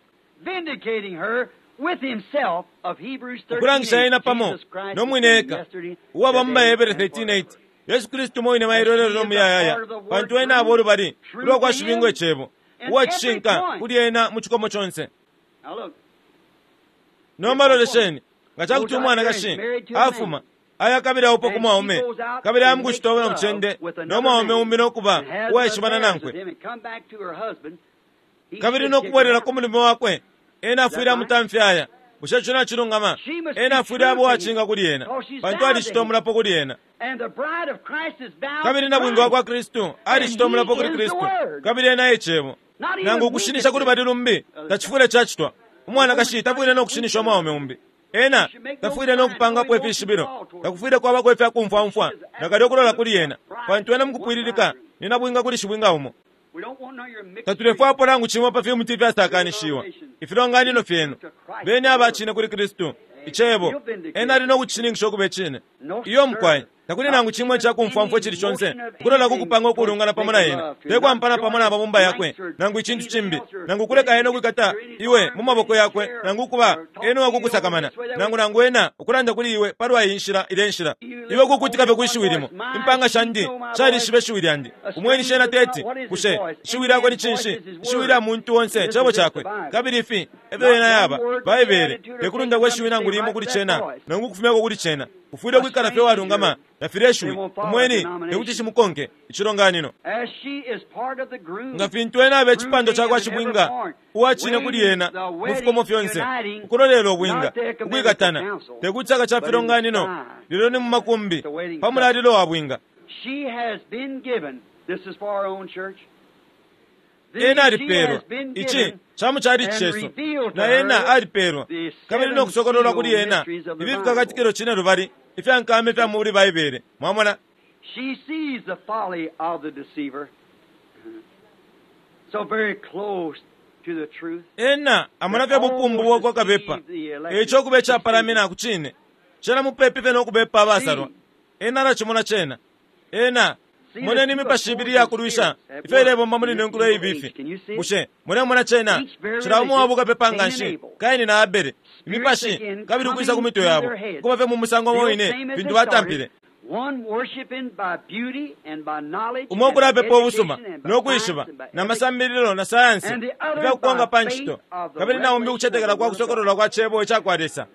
ukulangisha ena pamo no mwine eka uwaba mu Bahebere thirteen eight Yesu Kristu mwine mailo lelo muyayaya, pantu ena abo lubali ulwa kwa shibingo icebo uwa cishinka kuli ena mu cikomo conse. Nomba lolesheni nga cakuti umwanakashi afuma aya kabili aupa ku mwaume kabili amukucita na mucende no mwaume umbi nokuba uwaishibana nankwe kabili nokubwelela ku mulume wakwe, ena afwile amutamfyaya. Bushe ico nacilungama? Ena afwile aba uwacinga kuli ena pantu alicita umulapo kuli ena. Kabili nabwinga wa kwa Kristu alicita umulapo kuli Kristu kabili ena e cebo. Nangu ukushinisha kuli bali lumbi tacifwile cacitwa. Umwanakashi tafwile nokushinisha umwaume umbi. Ena tafwile nokupangapo ifishibilo, takufwile kwabako ifyakumfwamfwa nakalyo okulola kuli ena, pantu ena mukupwililika ni nabwinga kuli shibwinga umo. Tatulefwapo nangu cimo pa fimuti ifyasakanishiwa ifilonganino fyenu. Beni abacine kuli Kristu icebo, ena ali nokucishininkisha ukuba icine. Iyo mukwai, takuli nangu cimwe icakumfwamfwa icili conse ukulola kukupanga ukulungana pamo na ena, tekwampana pamo na mabumba yakwe nangu icintu cimbi, nangu kuleka ena ukwikata iwe mu maboko yakwe, nangu ukuba ena uwakukusakamana, nangu nangu ena ukulanda kuli iwe palwa iyi nshila ile nshila. Iwe kukutika fye kwi shiwi limo. Impanga shandi shalishiba ishiwi lyandi. Umweni shena teti bushe ishiwi lyakwe ni cinshi? Ishiwi lya muntu onse cebo cakwe. Kabili ifi efyo ena yaba Baibele, tekulunda kwe shiwi nangu limo kuli cena nangu ukufumyako kuli cena. Ufwile ukwikala fye walungama na filya ishiwi umweni tekuti shimukonke icilonganino. Nga fintu ena abe icipando cakwa shibwinga uwacine kuli ena mu fikomo fyonse, ukulolela ubwinga ukwikatana tekuti caka ca filonganino lelo ni mu makumbi pa mulalilo wa bwinga. Ena alipeelwa ici camu cali cesu na ena alipeelwa kabili nokusokololwa kuli ena ifi fikakatikilo cine lubali ifyankama ifya muli Baibele. Mwamona, She sees the folly of the deceiver, so very close to the truth. Ena amona fye bupumbu bwakwa kabepa eco kuba icapalamina ku cine cena mupepi fye nokubepa abasalwa. Ena alacimona cena. Ena moneni imipashi ibili yakulwisha ifyo ilebomba muli ino nkulo ibifi. Bushe mulemona cena? Cila umo wabo kapepa nga nshi Kaini na Abele, imipashi kabili ukwisa ku mitwe yabo kuba fye mu musango umo wine fintu batampile. Umo ukulapepa ubusuma nokwishiba na masambililo na sayansi ifyakukonga pa ncito, kabili na umbi ukucetekela kwa kusokololwa kwa cebo icakwa Lesa.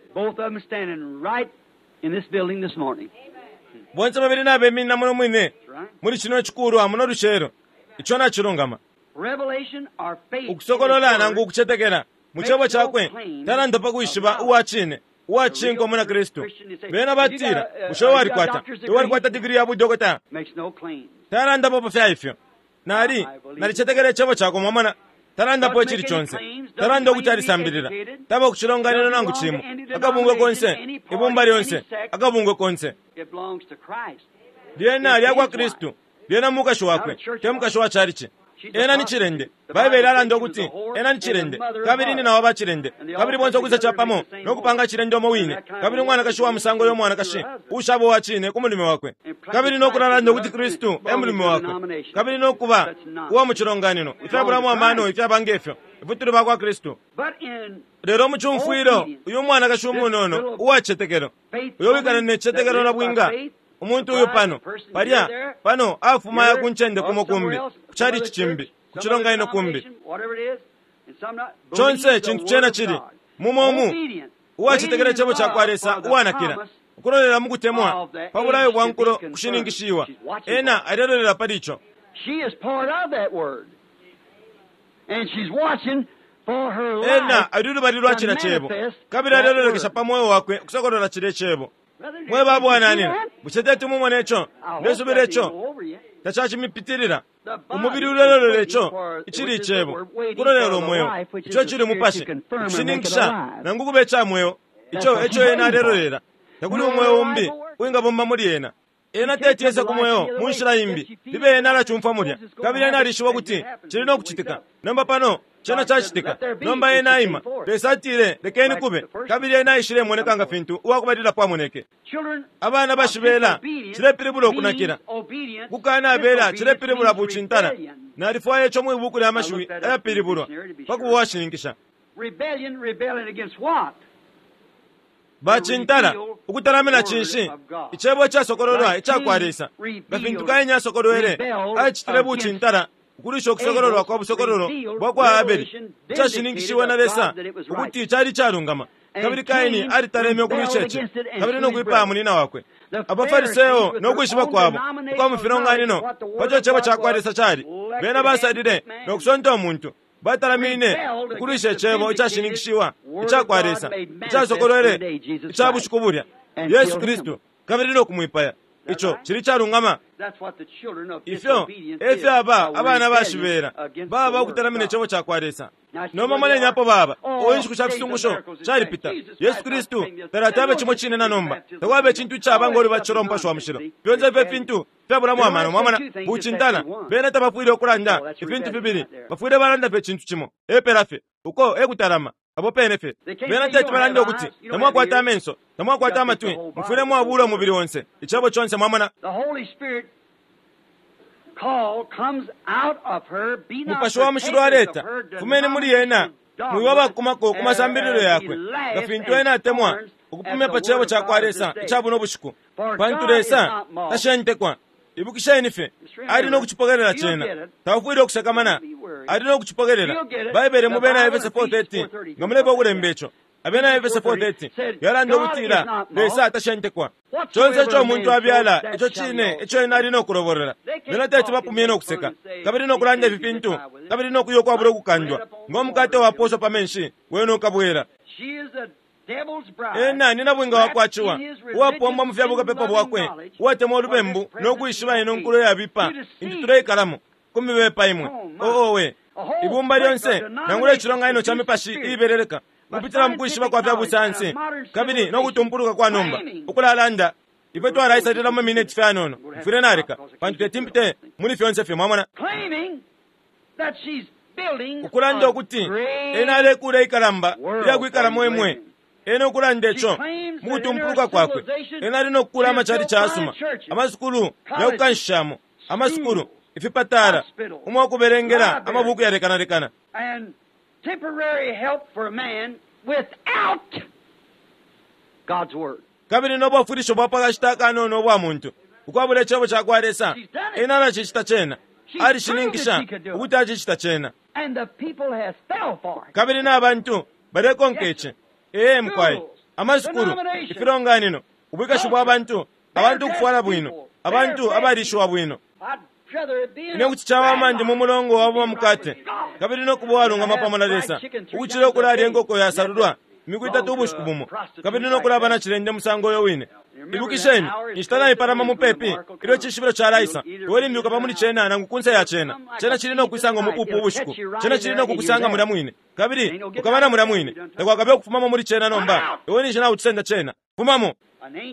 Bonse babili nabeminina muno mwine muli cino cikulu amuno lucelo. Ico nacilungama. Ukusokolola nangu ukucetekela mu cebo cakwe talanda pa kwishiba uwa cine uwacinka umuna Kristu. Bena batila bushe walikwata walikwata digiri ya budokota? Talandapo pa fya ifyo. Nali nalicetekela icebo cakwe, mwamona. Talandapo icili conse, talanda ukuti alisambilila, taba kucilonganino nangu cimo, akabungwe konse, ibumba lyonse, akabungwe konse. Lyena lyakwa Kristu, lyena mukashi wakwe, te mukashi wa chalichi. Ena ni chilende. Baibele alanda ukuti ena ni chilende kabili ni nawa bachilende kabili bonse okwisa chapamo nokupanga chilende omo wine, kabili umwanakashi wa musango yo mwanakashi ushaba uwa cine ku mulume wakwe, kabili nokulalanda ukuti Kristu e mulume wakwe, kabili nokuba uwa mu cilonganino ifyabulamo amano ifyaba ngefyo ifwe bakwa Kristu. Lelo mu cumfwilo uyu mwanakashi umunono uwacetekelo uyo wikala ne cetekelo na bwinga umuntu uyu pano palya pano afuma ya kuncende kumo kumbi kuchali chimbi kuchilonganino kumbi chonse chintu chena chili mumomu uwachitekela chebo chakwa Lesa uwanakila ukulolela mukutemwa pa bulayo bwa nkulo kushininkishiwa. Ena alelolera pali ico. Ena ali lubali lwa cila cebo kabili alelolekesha pa moyo wakwe kusokolola cile cebo. Mwe babwananina bushe teti mumone ico? Ndesubila ico tacacimipitilila. Umubili ulelolera ico icili icebo kulolela umweo ico cili mupashi ukushininkisha nangu kuba ica mweo. Ico eco ena alelolela. Takuli umweo umbi uwingabomba muli ena. Ena tetiese ku mweo mu nshila imbi, libe ena alacumfwa mulya, kabili ena alishiba ukuti cili no kucitika. Nomba pano cena cacitika. Nomba ena aima. Lesa atile, lekeni kube, kabili ena aishilemoneka nga fintu uwakubalilapo amoneke. Abana bashibela cilepilibula ukunakila. Kukanabela cilepilibula bucintala. Nalifwaya ico mwi buku lya mashiwi ayapilibulwa pa kuba uwashininkisha. Bacintala ukutalamina cinshi? Icebo icasokololwa icakwa Lesa. Nga fintu Kaini asokolwele, acitile bucintala ukulisha ukusokololwa kwa busokololo bwa kwa Abeli, icashininkishiwe na Lesa ukuti cali calungama. Kabili Kaini alitaleme ukulwisha ici, kabili no kwipaya munina wakwe. Abafariseo no kwishiba kwabo ukwa mu filonganino paco cebo ca kwa Lesa cali, bena basalile no kusonta umuntu. Batalamine ukulwisha icebo icashininkishiwa ica kwa Lesa, icasokolwele ica bushiku bulya, Yesu Kristu, kabili no kumwipaya. Ico cili calungama. Ifyo efyaba abana bashibela baba ukutalamina icebo ca kwa Lesa. Nomba moneni apo baba. O inshiku sha fisungusho calipita. Yesu Kristu talatabe cimo cine na nomba. Takwaba icintu icaba ngo lubatisho lwa Mupashi wa Mushilo. Fyonse ifyo fintu fyabulamo amano. Mwamona bucintala. Bena tabafwile ukulanda ifintu fibili, bafwile balanda fye icintu cimo epela fye. Uko ekutalama abo pene fye. Bena teti balanda ukuti tamwakwata amenso, tamwakwata amatwi, mufwile mwabula umubili onse, icebo conse. Mwamona Mupashi wa Mushilo aleta, fumeni muli ena, mwiba abakumako ku masambililo yakwe, nga fintu ena atemwa ukupumya pa cebo ca kwa Lesa ica buno bushiku, pantu Lesa tashentekwa. Ibukisheni fye, ali no kucipokelela cena. Taufwile ukusakamana, ali no kucipokelela. Baibele mu Bena Efese four thirty, nga mulepa ukulemba ico. Abena Efese four thirty yalanda ukutila Lesa tashentekwa. Conse ico umuntu abyala, ico cine ico ena ali no kulobolola. Bena teti bapumye no kuseka, kabili no kulanda ifi fintu, kabili no kuya ukwabula ukukandwa. Ngo mukate waposwa pa menshi, wena ukabwela. Ena ni nabwinga wakwaciwa, uwapombwa mu fyabukapepa bwakwe, uwatemwa ulubembu no kwishiba ino nkulo yabipa intu tuleikalamo, kumibepa imwe. Oowe, ibumba lyonse nangula icilonganino ca mipashi iibeleleka kupitila mu kwishiba kwa fya busayansi kabili no kutumpuluka kwa nomba ukulalanda. Ifwe twalaisalila mu mineti fyanono, mfwile naleka pantu teti mpite muli fyonse fye. Mwamona ukulanda ukuti ena alekula ikalamba ilyakwikalamo imwe. Ena ukulanda ico mu kutumpuluka kwakwe, ena ali no kukula amacali casuma, amasukulu yakukanshishamo, amasukulu, ifipatala, umwa kubelengela amabuku yalekanalekana, kabili no bwafwilisho bwa pakashita akanono ubwa muntu ukwabula icebo ca kwa Lesa. Ena alacicita cena, alishininkisha ukuti acicita cena, kabili n'abantu balekonka ici. Ee mukwai, amasukulu, ifilonganino, ubwikashi bwa bantu, abantu ukufwala bwino, abantu abalishiwa bwino. Ine kuti cawama ndi mu mulongo wa mukate kabili no kuba uwalungama pamo na Lesa, ukucila ukulalya inkoko yasalulwa imiku itatu ubushiku bumo, kabili no kulaba na cilende musango uyo wine. Ibukisheni, inshita naipalama mupepi ilyo icishibilo calaisa. Iwe limbi ukaba muli cena nangu kunse ya cena. Cena cili no kwisanga umupupu ubushiku, cena cili no kukusanga mulya mwine, kabili ukaba na mulya mwine. Takwakabe ukufumamo muli cena nomba. Iwe ninshi naucisenda cena, fumamo.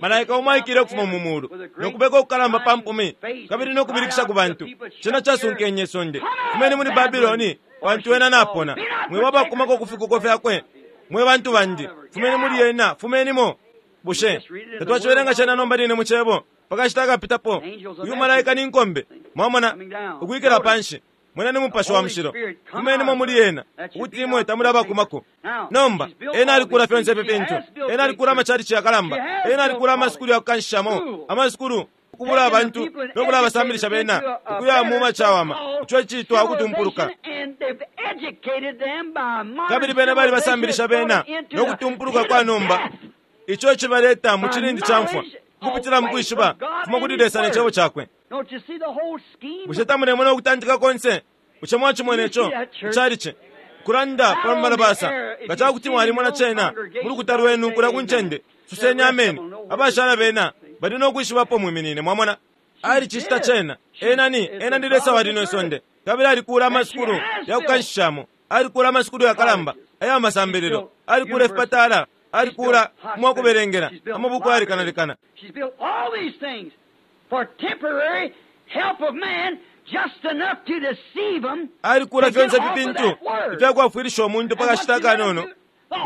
Malaika umo aikile ukufuma mu mulu nokubeka ukukalamba pa mpumi kabili nokubilikisha ku bantu. Cena casunkenye isonde, fumeni muli Babiloni, pantu ena napona. Mwiba abakumako ku fikuko fyakwe, mwe bantu bandi, fumeni muli ena, fumenimo. Bushe tatwacibelenga cena nomba line mu cebo pakashita akapitapo? Uyu malaika ni nkombe, mwamona, ukwikila panshi. Mwena ni Mupashi wa Mushilo, fumenimo muli ena, ukuti imwe tamuli abakumako. Nomba ena alikula fyonse ifi fintu. Ena alikula amacalici yakalamba, ena alikula amasukulu yakukanshishamo, amasukulu ukubula abantu no kulabasambilisha bena ukuya mu macawama, ico icitwa ukutumpuluka. Kabili bena balibasambilisha bena no kutumpuluka kwa nomba, ico cibaleta mu cilindi ca mfwa kupitila mu kwishiba fuma kuli Lesa ne cebo cakwe. Bushe tamulemona ukutantika konse? Bushe mwacimona ico icalici kulanda pa malabasa? Nga cakuti mwalimona cena mu lukuta lwenu kulya ku ncende, suseni ameni. Abashala bena bali no kwishibapo mwiminine. Mwamona alicicita cena. Ena ni ena ndi Lesa wa lino isonde, kabili alikula amasukulu yakukanshishamo, alikula amasukulu yakalamba aya masambililo, alikula ifipatala, Alikula mwakuberengera amabuku ayalekanalekana. She's built all these things for temporary help of man, just enough to deceive them. Alikula fyonse ifi ifyakwafwilisha omuntu pakashita akanono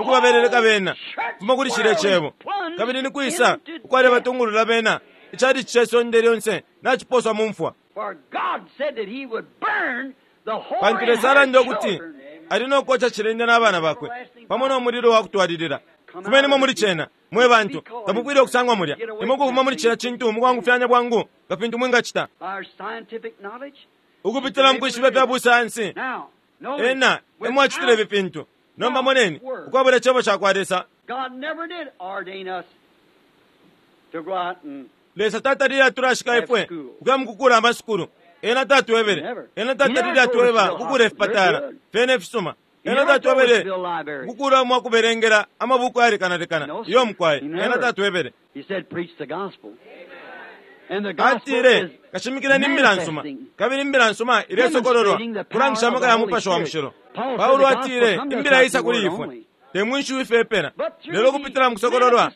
ukubaberereka bena fuma kuli shile chebo kabili nikwisa ukwale batungulula bena ichali chisonde lyonse nachiposwa mumfwa. For God said that he would burn the whole Pantu Lesa alanda ukuti ali nokocha chilende n'abana bakwe pamo n'omuliro wakutwalilira. Fumenimo muli chena mwe bantu tamupwire okusangwa mulya imukufuma muli chila chintu mukwangufyanya bwangu nga fintu mwingachita by our scientific knowledge. ukupitila mukwishiba fya busayansi. Now, notice, Ena emwachitile ifi fintu. Nomba moneni ukwabula chebo cha kwa Lesa. God never did ordain us to go out and Lesa tatalile atulashika ifwe ukuya mukukula amasukulu. Ena tatwebele. Ena tatalile atweba kukula ifipatala fyene ifisuma. Ena tatwebele kukula mwakuberengera amabuku ayalekanalekana iyo mukwaye. Ena tatwebele. He said, preach the gospel. And the gospel Atile is kashimikila imbila nsuma kabili imbila nsuma ilesokololwa kulangisha amaka ya mupashi wa mushilo. Paulo atile imbila isa kuli ifwe te mwinshiwi ifepela lelo kupitila mukusokololwa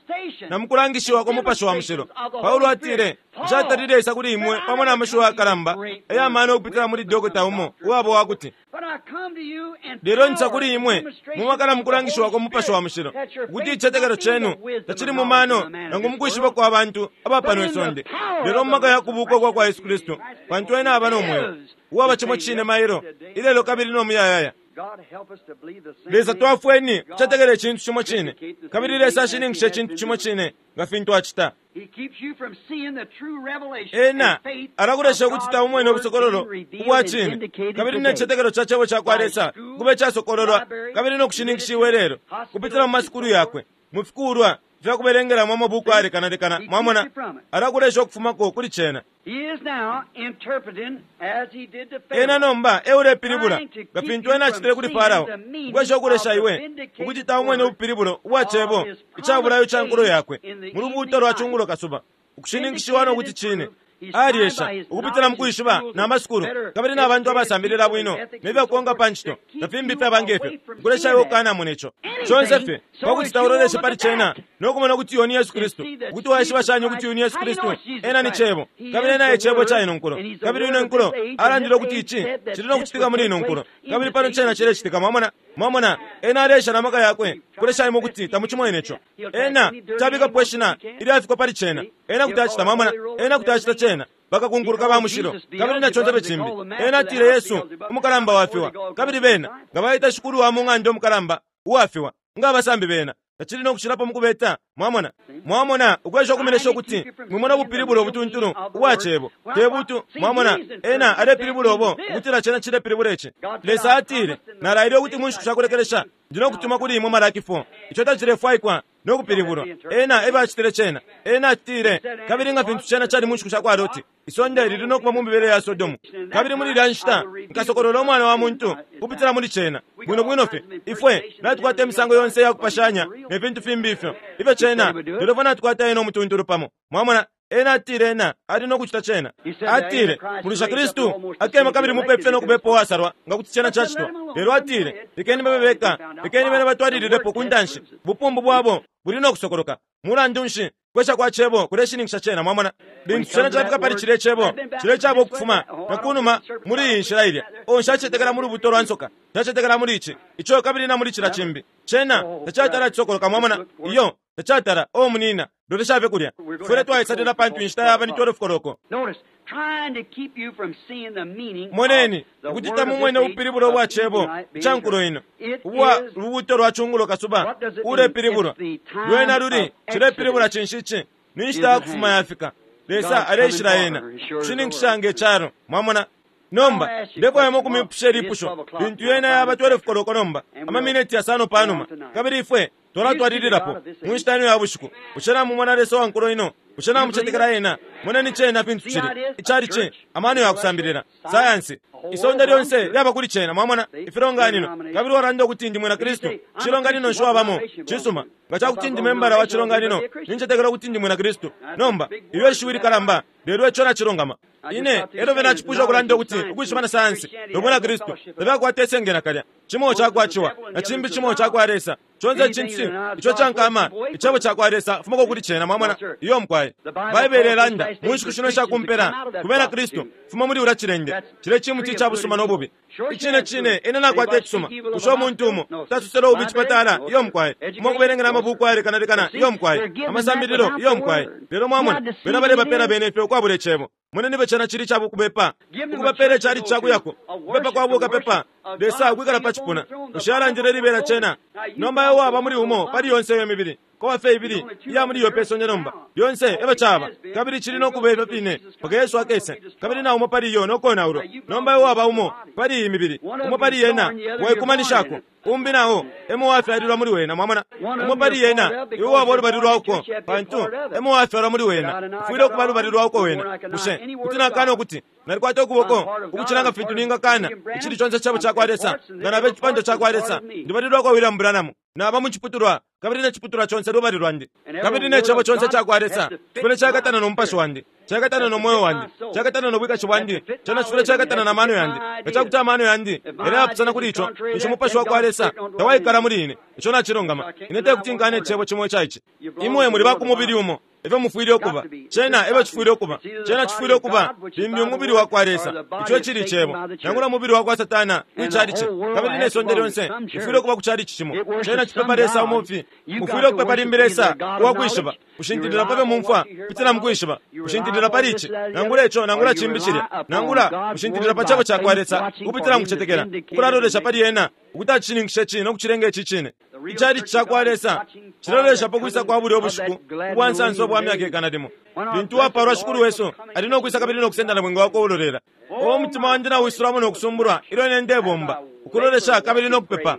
na mukulangishiwa kwa mupashi wa mushilo. Paulo atile nshatalile isa kuli imwe pamo na amashiwi akalamba ayamano okupitila muli dokota umo uwabo wakuti But I come to you in lelo nsa power kuli and imwe demonstration mumakala of the mukulangishiwa kwa Holy mupashi wa Spirit, mushilo that your ukuti faith ichetekelo not be in chenu the wisdom tachili and mu knowledge mano of the man of nangu this mukwishiba world, kwa bantu abapano but in the isonde power lelo of mu maka the ya kubuka kwa kwa Yesu Kristu pantu ena aba n'omwoyo uwaba chimo chine mailo ilelo kabili n'omuyayaya. God help us to believe the same Lesa thing. twafweni kuchetekela echintu chimo chine kabili Lesa ashininkisha echintu chimo chine nga fintu achita. He keeps you from seeing the true revelation Ena and faith alakulesha of ukuti God's taumwene word obusokololo being revealed ubwa and chine vindicated kabili today. n'echichetekelo cha chebo cha kwa Lesa kube chasokololwa kabili n'okushininkishiwa lelo kupitila mu masukulu yakwe mu fikulwa fyakubelengeramo amabuku ayalekanalekana. Mwamona alakulesha okufumako kuli chena. He is now interpreting as he did to Pharaoh. Ena nomba eulepilibula nga fintu ena achitile kuli Farao ukwesha okulesha iwe ukuti taumwene ubupilibulo ubwa chebo icabulayo cha nkulo yakwe mu lubuuto lwa chungulo kasuba ukushininkishiwa nokuti chine. Aliesha ukupitila mukwishiba n'amasukulu kabili n'abantu abasambilila bwino nebyakukonka pa nchito na fimbi fyaba ngefyo ukulesha iwe ukukanamona ico chonse fye pakuti tauloleshe pali chena nokumona ukuti uyo ni Yesu Kristu ukuti waishiba shani ukuti uyu ni Yesu Kristu ena ni chebo kabili ena ye chebo cha ino nkulo kabili ino nkulo alandile ukuti ichi chili nokuchitika muli ino nkulo kabili pano chena chilechitika. Mwamona mwamona ena alesha na maka yakwe kulesha imwe ukuti tamuchimwene ico. Ena chabikapo ishina ilyafikwa pali chena ena kuti achita. Mwamona ena kuti achita chena bakakunkuluka ba mushilo kabili na chonse bechimbi. Ena atile Yesu umukalamba wafiwa kabili bena nga baita shikulu wa mung'anda omukalamba uwafiwa nga abasambi bena tachili nokuchilapo mukubeta. Mwamona mwamona ukwesha okumelesha ukuti mwimona obupilibulo obutuntulu ubwa chebo tebutu. Mwamona ena alepilibula obo ukutila chena chilepilibula ichi. Lesa atile nalaile ukuti mu nshiku shakulekelesha ndi nokutuma kuli imwe Malaki four icho tachilefwaikwa nokupilibulwa. Ena ebe achitile chena ena achitile kabili nga fintu chena chali mu nshiku sha kwa Loti isonde lili nokuba mu mibele ya Sodomu kabili muli ilya nshita nkasokolola omwana wa muntu kupitila muli chena bwino bwino fye ifwe natukwata emisango yonse yakupashanya ne fintu fimbi ifyo ifyo chena lelo fwe natukwata ena omutuntulu pamo. Mwamona ena atile ena ali nokuchita chena atile mulisha Kristu akema kabili mupefe nokubepo wasalwa nga kuti chena chachitwa lelo atile lekeni babe beka lekeni bene batwalililepo kuntanshi bupumbu bwabo buli nokusokoloka. Mulandu nshi kwesha kwa chebo kuleshininkisha chena. Mwamona lintu chena chafika pali chile chebo chile chabo okufuma na kunuma muli iyi nshila ilya o nshachetekela muli lubuto lwa nsoka nshachetekela muli ichi icho kabili na muli chila chimbi chena tachatala chisokoloka. Mwamona iyo tachatala o munina loleshabe kulya fwele twaisalila pantu inshita yaba ni twelve koloko. Notice, trying to keep you from seeing the meaning Moneni of the ukuti word of tamumwene this age ubupilibulo bwa of chebo evening light being cha nkulo ino It ubwa is lubuuto lwa chungulo kasuba What does it mean? ulepilibulwa It's the time lwena luli of chilepilibula exodus. chinshi ichi ni nshita yakufuma yafika. Lesa God's aleishila coming ena forward, sure as the kushininkisha word. nge chalo. Mwamona nomba ndefwayamo kumipusha ilipusho lintu yena yaba twelve koloko nomba amamineti yasano panuma kabili ifwe twalatwalililapo mu nshita ino ya bushiku. Bushe namumona Lesa wa nkulo ino? Bushe namuchetekela ena? Moneni chena fintu chili ichali chi amano yakusambilila sayansi isonde lyonse lyaba kuli chena. Mwamona ifilonganino kabili walanda ukuti ndi mwina Kristu chilonganino nsho wabamo chisuma nga chakuti ndi membala wa chilonganino ninchetekela ukuti ndi mwina Kristu. Nomba ilyo ishiwi likalamba lelo icho nachilongama ine elo vena chipusha okulanda ukuti ukwishiba na sayansi nobwina Kristu tebyakwata esenge nakalya chimo chakwachiwa na chimbi chimo chakwa Lesa Conse icintu ico cankama icebo cakwa Lesa fumako kuli cena, mwamona. Iyo mukwaye. Baibele ilanda mu nshiku shino ishakumpela ku bena Kristu, fuma muli ulya cilende, cile cimuti ica busuma no bubi. Icine cine ine nakwata icisuma kusha umuntu umo tatusela ububi icipatala. Iyo mukwaye. Umo kubelengela amabuku ayalekanalekana. Iyo mukwaye. Amasambililo. Iyo mukwaye. Lelo mwamona bena balebapela bene ifyo ukwabula icebo. Moneni ife cena cili cabukubepa, ukubapela icali cakuyako, kupepa kwa bukapepa, Lesa ukwikala pa cipuna. Bushe alandile libela cena? Nomba iwe waba muli umo pali yonse iyo mibili, kowa fye ibili iya muli iyo pe sonde nomba. Yonse efyo caba, kabili cili no kuba ifyo fine mpaka Yesu akese, kabili na umo pali iyo nokonaulwa. Nomba iwe waba umo pali iyi mibili, umo pali yena waikumanishako, umbi nao emo wafyalilwa muli wena, mwamona. Umo pali yena iwe waba ulubali lwauko, pantu emo wafyalwa muli wena, ufwile ukuba lubali lwauko wena. Bushe kuti nakana ukuti nalikwata ukuboko ukucila nga fintu ningakana icili conse cebo cakwa Lesa, nga nabe icipando cakwa Lesa? Ndibali lwakwa William Branham, naba mu ciputulwa, kabili ne ciputulwa conse lubali lwandi, kabili ne cebo conse cakwa Lesa cifwile cakatana no mupashi wandi, cakatana no moyo wandi, cakatana no bwikashi bwandi, cena cifwile cakatana na mano yandi. Nga cakuti amano yandi yaleyapusana kuli ico, ninshi umupashi wakwa Lesa tawaikala muli ine. Ico nacilungama. Ine tekuti nkane icebo cimo ica ici. Imwe muli ba ku mubili umo, efyo mufwile ukuba. Cena efyo cifwile ukuba. Cena cifwile ukuba limbi umubili wakwa Lesa, ico cili icebo, nangula umubili wakwa Satana kwicalici, kabili ne sonde lyonse lifwile ukuba ku calici cimo. Cena cipepa Lesa umufi. Mufwile ukupepa limbi Lesa uwakwishiba, kushintilila pa fyo mumfwa kupitila mu kwishiba, kushintilila pali ici nangula ico nangula cimbi cilya, nangula kushintilila pa cebo cakwa Lesa kupitila mu kucetekela, ukulalolesha pali ena ukuti acishininkishe ici no kucilenga ici cine. Icalici cakwa Lesa cilolesha pa kwisa kwa bulya ubushiku ubwa nsansa ubwa myaka ikana limo, lintu uwapalwa Shikulu wesu ali no kwisa kabili no kusenda na bwinga wakwe ulolela. O umutima wandi nawisulamo no kusumbulwa ilyo ine ndebomba, ukulolesha kabili no kupepa,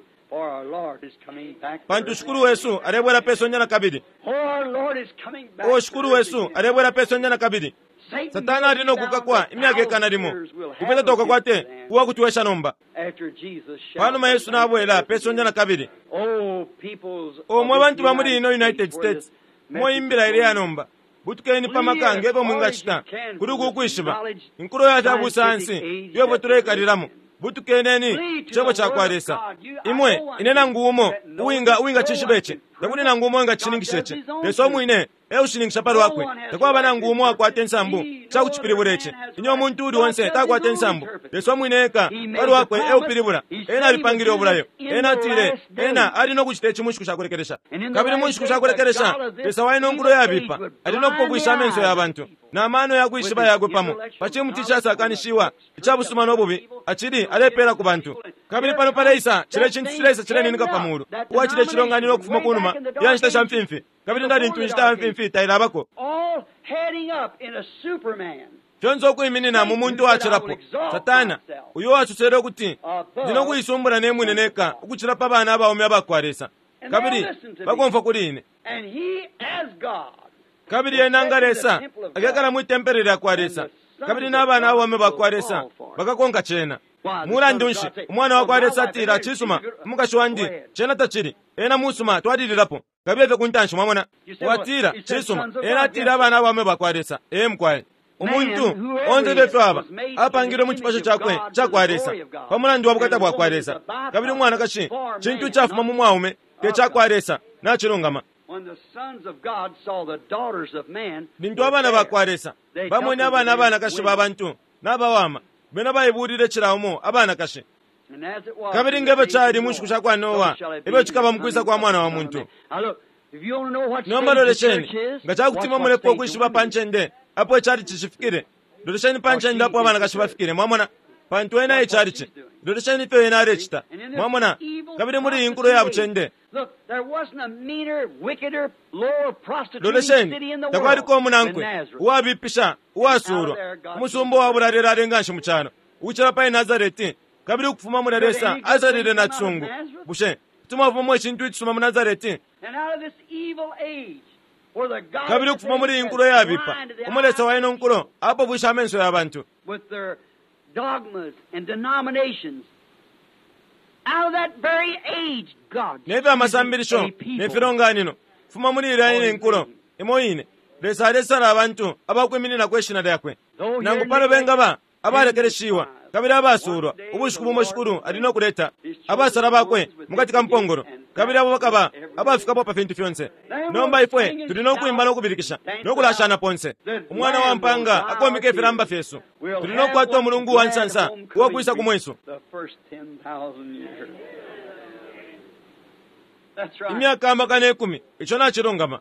pantu Shikulu wesu alebwela pe sonde na kabili. O Shikulu wesu alebwela pe sonde na kabili. Satana ali no kukakwa imyaka ikana limo, kupeta tokakwate uwakutwesha nomba panuma Yesu nabwela pe sonde na kabili. Omwe bantu ba muli ino United States moyimbila ile ya nomba, butukeni pa maka ngefyo mwingacita kuli uku kwishiba inkulo ya fya busayansi iyo fwe tuleikalilamo. Butukeneni cebo cakwa Lesa. Imwe ine nangu umo uwinga uwingacishiba ici, takuli nangu umo uwingacishininkisha ici. Lesa umwine eushininkisha pa lwakwe. Takwaba nangu umo akwata insambu cakucipilibula ici. Inyo umuntu uli onse takwata insambu. Lesa umwine eka pa lwakwe eupilibula. Ena alipangile ubulayo. Ena atile ena ali no kucita ici mu nshiku shakulekelesha. Kabili mu nshiku shakulekelesha Lesa waino nkulo yabipa ali no kupofwisha amenso ya bantu na mano ya kwishiba yakwe pamo pa cimuti icasakanishiwa ica busuma no bubi acili alepeela ku bantu. Kabili pano paleisa cile cintu cileisa cileninika pa mulu uwacile cilonganino ukufuma ku numa ya nshita sha mfimfi, kabili na lintu inshita ya mfimfi tailabako. Fyonse ukwiminina mu muntu uwacilapo Satana, uyo uwasosele ukuti ndi no kuisumbula ne mwine neka ukucila pa bana abaume abakwa Lesa, kabili bakomfwa kuli ine. Kabili ena nga Lesa akekala mwi tempele lyakwa Lesa, kabili n'abana abaume bakwa Lesa bakakonka cena. Mulandu nshi umwana wakwa Lesa atila, cisuma umukashi wandi, cena tacili ena musuma, twalililapo kabili efyo kuntanshi. Mwamona, watila cisuma, ena atila abana abaume bakwa Lesa. Ee mukwaye, umuntu onse efyo aba apangilwe mu cipasho cakwe cakwa Lesa pa mulandu wa bukata bwakwa Lesa, kabili umwanakashi cintu cafuma mu mwaume te cakwa Lesa. Nacilungama. Lintu abana bakwa Lesa bamwene abana abanakashi ba bantu nabawama, bena baibulile cila umo abanakashi. Kabili ngefyo cali mu nshiku shakwa Noa, efyo cikaba mu kwisa kwa Mwana wa Muntu. Nomba lolesheni, nga cakuti imwe mulepo ukwishiba pa ncende apo icalici cifikile, lolesheni pa ncende apo abanakashi bafikile, mwamona, pantu ena icalici. Lolesheni ifyo ena alecita, mwamona. Kabili muli iyi nkulo ya bucende, lolesheni, takwaliko umunankwe uwabipisha uwasulwa, umusumba uwabulalelale nganshi mu calo ukucila pali Nazareti. Kabili ukufuma muli Lesa azalile na cisungu. Bushe kuti mwafumamo icintu icisuma mu Nazareti? Kabili ukufuma muli iyi nkulo yabipa, umo Lesa wa ino nkulo apofwisha amenso ya bantu nefyo amasambilisho ne filonganino, fuma muli ilya ine nkulo imo ine Lesa alesala abantu abakwiminina kwe shina lyakwe, nangu pano bengaba abalekeleshiwa kabili abasulwa ubushiku bumo Shikulu ali no kuleta abasala bakwe mukati ka mpongolo, kabili abo bakaba abafikapo pa fintu fyonse. Nomba ifwe tuli no kwimba no kubilikisha no kulashana ponse. Umwana wa mpanga akomika ifilamba fyesu. Tuli no kukwata umulungu wa nsansa uwakwisa ku mwesu. Imyaka amakana ikumi, ico nacilungama.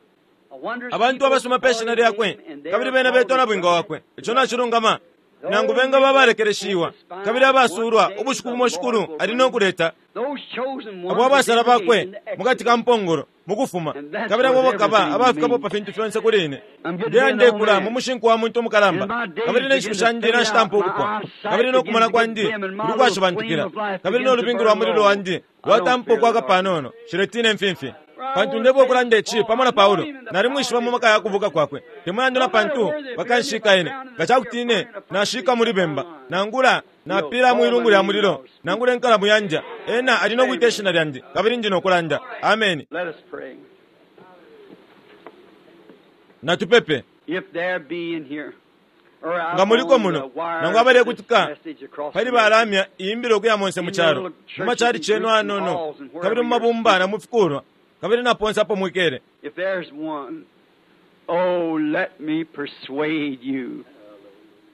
Abantu abasoma pe shina lyakwe, kabili bena betwa na bwinga wakwe, ico nacilungama. Nangu benga babalekeleshiwa kabili abasulwa ubushiku bumo Shikulu ali no kuleta abo abasala bakwe mukati ka mpongolo mukufuma, kabili abo bakaba abafikapo pa fintu fyonse kuli ine. Ndeya ndekula mu mushinku wa muntu umukalamba, kabili nenshiku shandi nashitampa ukupwa, kabili nokumona kwandi kuli kwashibantukila, kabili nolubingu lwa mulilo wandi lwatampa ukwaka panono. Shiletine mfimfi, pantu ndebwa ukulanda ici pamo na Paulo, nalimwishiba mu maka ya kubuka kwakwe. Temulandu na pantu bakanshika ine, nga cakuti ine nashika muli bemba, nangula napila mwilungu lya mulilo, nangula enkalamu yanja, ena ali no kwita ishina lyandi, kabili ndi no kulanda. Ameni. Natupepe. Nga muliko muno, nangu abalekutika pali balamya iyimbilo ukuya monse mu calo, mu macali cenu anono, kabili mu mabumba na mu fikulwa, kabili na ponse apo mwikele. If there's one, oh, let me persuade you.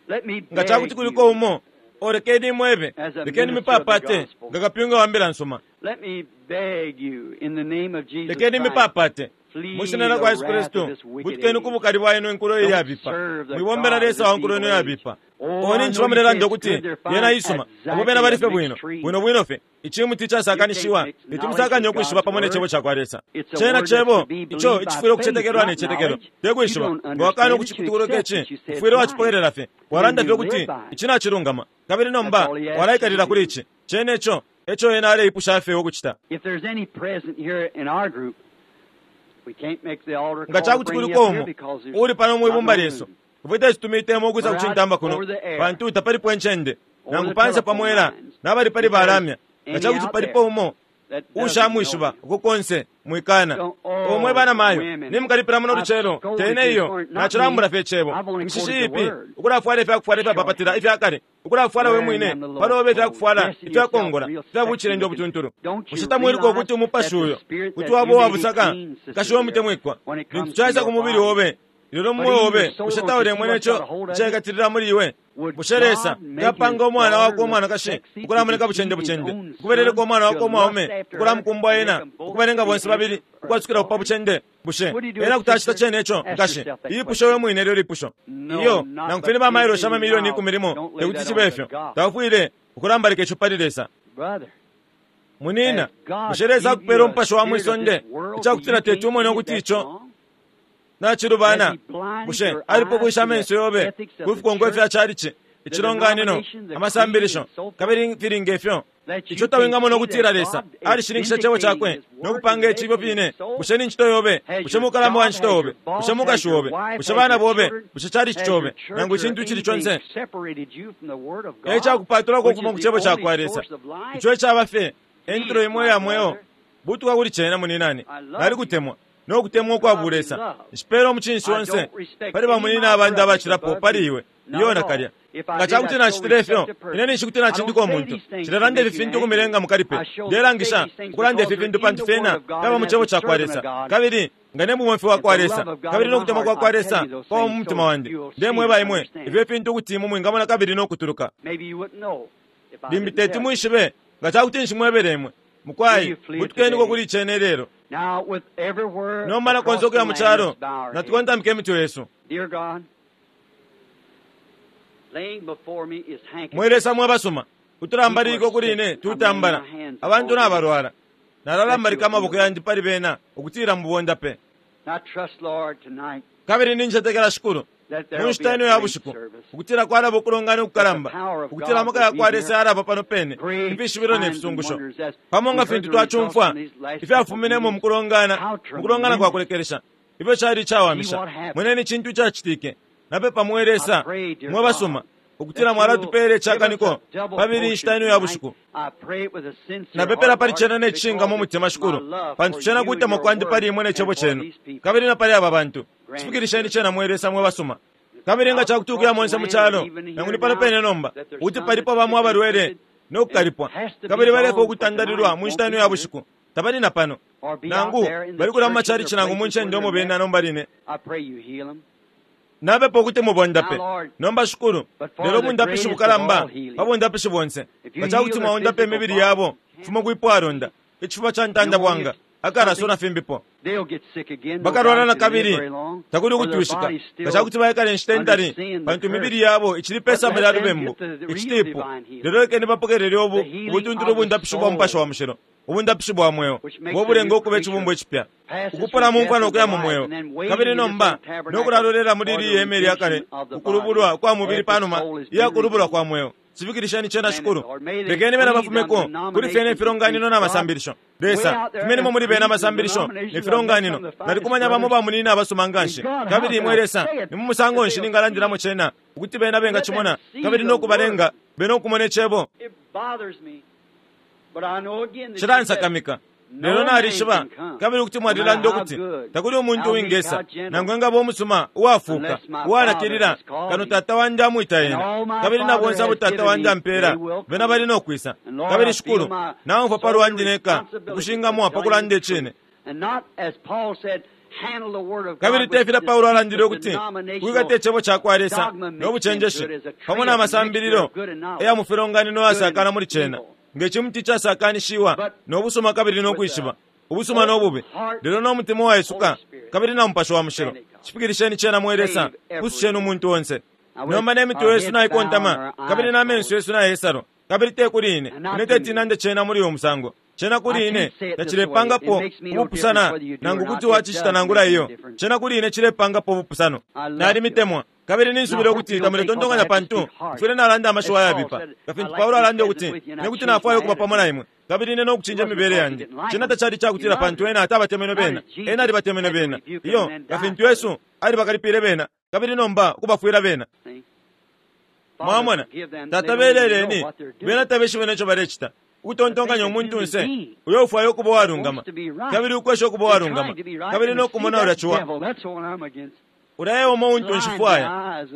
Let me Nga cakuti kuliko umo, olekeni imwebe, lekeni mipapate nga kapyunga wa mbila nsuma. Let me beg you in the name of Jesus Lekeni Christ. mipapate Flee mu shina lya kwa Yesu the wrath Kristu, of this wicked butukeni age. ku bukali bwa ino inkulo Don't iyabipa. serve the Mwibombela God of Lesa wa this nkulo ino evil yabipa. age. Oh, Oni I nchi know you bamuleranda say ukuti it's good, they're yena fine, isuma, exactly abo bena bali fye a bwino mixed tree. bwino bwino fye. Icimuti icasakanishiwa You can't mix litimusakanya knowledge ukwishiba with pamo ne God's cebo ca kwa Lesa. It's a Cena word that's cebo to be ico believed by icifwile ukucetekelwa faith, ne not cetekelo, knowledge. te kwishiba. You don't Nga wakana understand it, you ukucikutukuloka accept ici, it, you say it's ufwile right. wacipokelela fye. Walanda Then fye you ukuti live by it. ici nacilungama, kabili nomba That's all he asks walaikalila you to kuli do. ici. Cene ico eco ena aleipusha fye ukucita. If there's any present here in our group, we can't make the altar Nga call to cakuti bring you kuliko up here umo because there's uli pano not mwibumba no lyesu, room. ifwe tetumitemo ukwisa We're out kucintamba kuno, over the air, pantu tapalipo encende, over nangu the panse telephone pamwela, lines. nabali pali If there's balamya. Nga any cakuti out palipo there umo that doesn't know ushamwishiba you, uko konse mwikana. don't, oh, Omwe bana mayo women, nimukalipila muno I've lucelo scolded tene you iyo for it, not nacilambula me. fye cebo I've only mishishi quoted the ipi word. ukulafwala ifyakufwala ifyapapatila ifyakale ukulafwala we Wearing mwine them the low palobe clothes, ifyakufwala dressing yourself ifyakongola real ifya sexy bucilende looking. obutuntulu. Don't you Bushe tamwiluka realize ukuti umupashi that the uyo spirit kuti that waba you may be uwabusaka clean, Sister kashiwe dear, omutemwikwa when it lintu comes to caisa your ku mubili body, obe lelo but mumwe in your obe soul, bushe don't you see taulemwene what's ico got a hold of you? icekatilila muli iwe? Would Bushe Lesa God make his yapanga umwana daughter wakwe look umwanakashi sexy to ukulamoneka deceive bucende his bucende, own ukuberereka son, umwana to wakwe lust umwaume after her, ukulamukumbwa and make ena them both ukubalenga be bonse babili answered for ukwasukila kupa adultery? bucende? Bushe Would he do ena it, kuti acita sister? cene ico Ask nkashi? yourself that Iyipusho we question. mwine lyo lipusho No, iyo not nangu but fye ni bamailo sha ten million mamiliyoni miles. ikumi limo Don't lay tekuti that cibe on ifyo. the gospel. Tawafwile ukulambalika ico pali Lesa. Brother, Munina, has God bushe Lesa give you akupela a umupashi wa spirit of mwisonde this world ica that kutila you teti can't umone see ukuti that's ico wrong? Has nacilubana? he blinded Bushe your alipo eyes kwisha to the amenso yobe ethics of the kufikongo ifya church, calici, the icilonganino, denomination, the creed, amasambilisho, and so forth? kabili filinga ifyo That ico you can't tawingamona see ukutila that Lesa God is alishininkisha cebo vindicating cakwe His no word kupanga and icibyo making it fine? so? Bushe ni ncito yobe? Has Bushe your mukalamba wa job, ncito has yobe? your boss, Bushe has mukashi your obe? wife, Bushe has bana your bobe? children, Bushe calici has cobe your church nangu or icintu icili anything conse separated you from the Word of e God, cakupatulako which ukufuma is ku the cebo ca only kwa Lesa source of life? ico icaba fye entulo Please, imwe my ya mweo brother, butuka kuli cena muninani. I love Nali you kutemwa no kutemwa ukwa godly bulesa love. nshipela umucinshi I onse don't respect pali any of bamunina my abandi brothers abacilapo above pali you. iwe Not iyo at all. nakalya. If I Nga did, cakuti I'd still nacitile ifyo respect the ine person. ninshi kuti I don't nacindika say umuntu. these things to Nshilelanda make ifi you fintu angry. ukumilenga mukalipe. I show say Ndelangisha these things ukulanda because ifi they're fintu in pantu the Word fyena of God, fyaba and mu as cebo a ca kwa servant Lesa of God kabili nga ne mubomfi wa and kwa the Lesa love of God kabili in no my kutemwa heart, kwa kwa I tell Lesa you those kwaba mu things mutima so wandi. you'll see Ndemweba and imwe understand. ifyo fintu ukuti imwe mwingamona kabili no kutuluka. Maybe you wouldn't know if I Limbi didn't teti tell you. mwishibe nga cakuti nshimwebele imwe. Do Mukwai you flee it butukeniko today? kuli cene lelo. Now, with everywhere Nomba na across konse the ukuya mu land, calo let's bow our heads. natukontamika emitwe yesu. Dear God, laying before me is Mwe handkerchiefs. Lesa mwe basuma People are utulambaliko kuli sick. ine I'm laying tutambala my hands abantu upon them nabalwala that nalalambalika you'll heal amaboko them. yandi pali bena ukutila mubonda pe. I trust, Lord, tonight Kabili nincetekela Shikulu that mu there will be nshita a ino ya great bushiku service, ukutila kwalaba ukulongana that the ukukalamba power of ukutila God amaka will ya be kwa here. Lesa yalaba pano pene Great ifishibilo ne signs and fisungusho wonders as pamo we nga heard fintu the results twacumfwa from these last couple of ifyafuminemo meetings. mu kulongana How mu kulongana kwa tremendous. kulekelesha ifyo cali See icawamisha. what happened. Mweneni icintu icacitike. Napepa mwe I Lesa pray, dear mwe basuma God, ukutila that you will mwalatupela give us a icakaniko double pabili inshita portion ino ya tonight. bushiku. I pray it with a sincere Napepela heart, pali Lord, cena ne cishinka because mu it's mutima my Shikulu love pantu for cena you and kutemwa your kwandi word pali imwe ne and cebo for cenu these people. kabili na pali aba bantu. Grant it, Chifikilisheni dear cena God. mwe Lesa mwe basuma. Kabili nga cakuti ukuya monse mu calo, nangu ni pano pene nomba, ukuti palipo bamo abalwele no kukalipwa, kabili balefwa ukutandalilwa mu nshita ino ya bushiku, tabali na pano, nangu bali kulya mu macalici nangu mu ncende umo bena nomba line. Napepa ukuti mubondape. Nomba Shikulu, lelo bundapishi bukalamba pa bundapishi bonse. Nga cakuti mwaundape imibili yabo, kufuma kwipwalonda, icifuba ca ntanda bwanga, akalaso na fimbipo. Bakalwala na kabili, takuli ukutwishika. Nga cakuti baikala inshita intali, pantu imibili yabo icili pe samba lya lubembu, icitipu. Lelo lekeni bapokelele ubu ubutuntulu ubundapishi bwa Mupashi wa Mushilo, ubundapishi bwa mweo, bwo bulenga ukuba icibumbwa icipya, ukupula mu mfwa no kuya mu mweo. Kabili nomba no kulalolela muli ili ihema lya kale, ukulubulwa kwa mubili panuma ya kulubulwa kwa mweo. Sifikilisheni cena Shikulu. Lekeni bena bafumeko kuli fyene ifilonganino na masambilisho. Lesa, fumenimo muli bena amasambilisho ne filonganino. Nalikumanya bamo bamunina abasoma nganshi. Kabili imwe Lesa, ni mu musango nshi ningalandilamo cena, ukuti bena bengacimona, kabili no kubalenga bena ukumona icebo. Cilansakamika. Lelo nalishiba, kabili ukuti mwalilanda ukuti takuli umuntu uwingesa, nangu engaba umusuma, uwafuuka, uwanakilila, kano Tata wandi amwita ena. Kabili na bonse abo Tata wandi ampela, bena bali no kwisa. Kabili Shikulu, naumfwa pa lwandi neka, ukushingamwa pa kulanda icine. Kabili tefila Paulo alandile ukuti kwikata icebo ca kwa Lesa no bucenjeshi, pamo na masambililo eya mu filonganino yasakana muli cena, nge cimuti casakanishiwa no busuma kabili no kwishiba, ubusuma no bubi, lelo no mutima uwaisuka kabili na Mupashi wa Mushilo. Cipikilisheni cena mwe Lesa, pususheni umuntu onse. Nomba ne mitwe yesu naikontama, kabili na menso yesu nayesalwa, kabili te kuli ine, ine teti nande cena muli uyu musango. Cena kuli ine tacilepangapo ubupusana, nangu kuti wacicita nangula iyo. Cena kuli ine cilepangapo ubupusano. Nalimitemwa, kabili ninsubila ukuti tamuletontonkanya pantu mfwile nalanda amashiwi ayabipa, nga fintu Paulo alanda ukuti ine kuti nafwaya ukuba pamo na imwe, kabili ine no kucinja imibele yandi. Cena tacali cakutila pantu ena atabatemenwe bena, ena alibatemenwe bena. Iyo, nga fintu Yesu alibakalipile bena, kabili nomba ukubafwila bena. Mwamona, Tata beleleni, bena tabeshibe neco balecita. Ukutontonkanya umuntunse uyo ufwaya ukuba uwalungama, kabili ukwesha ukuba uwalungama, kabili no kumona ulya ciwa. Ulya umo untu nshifwaya,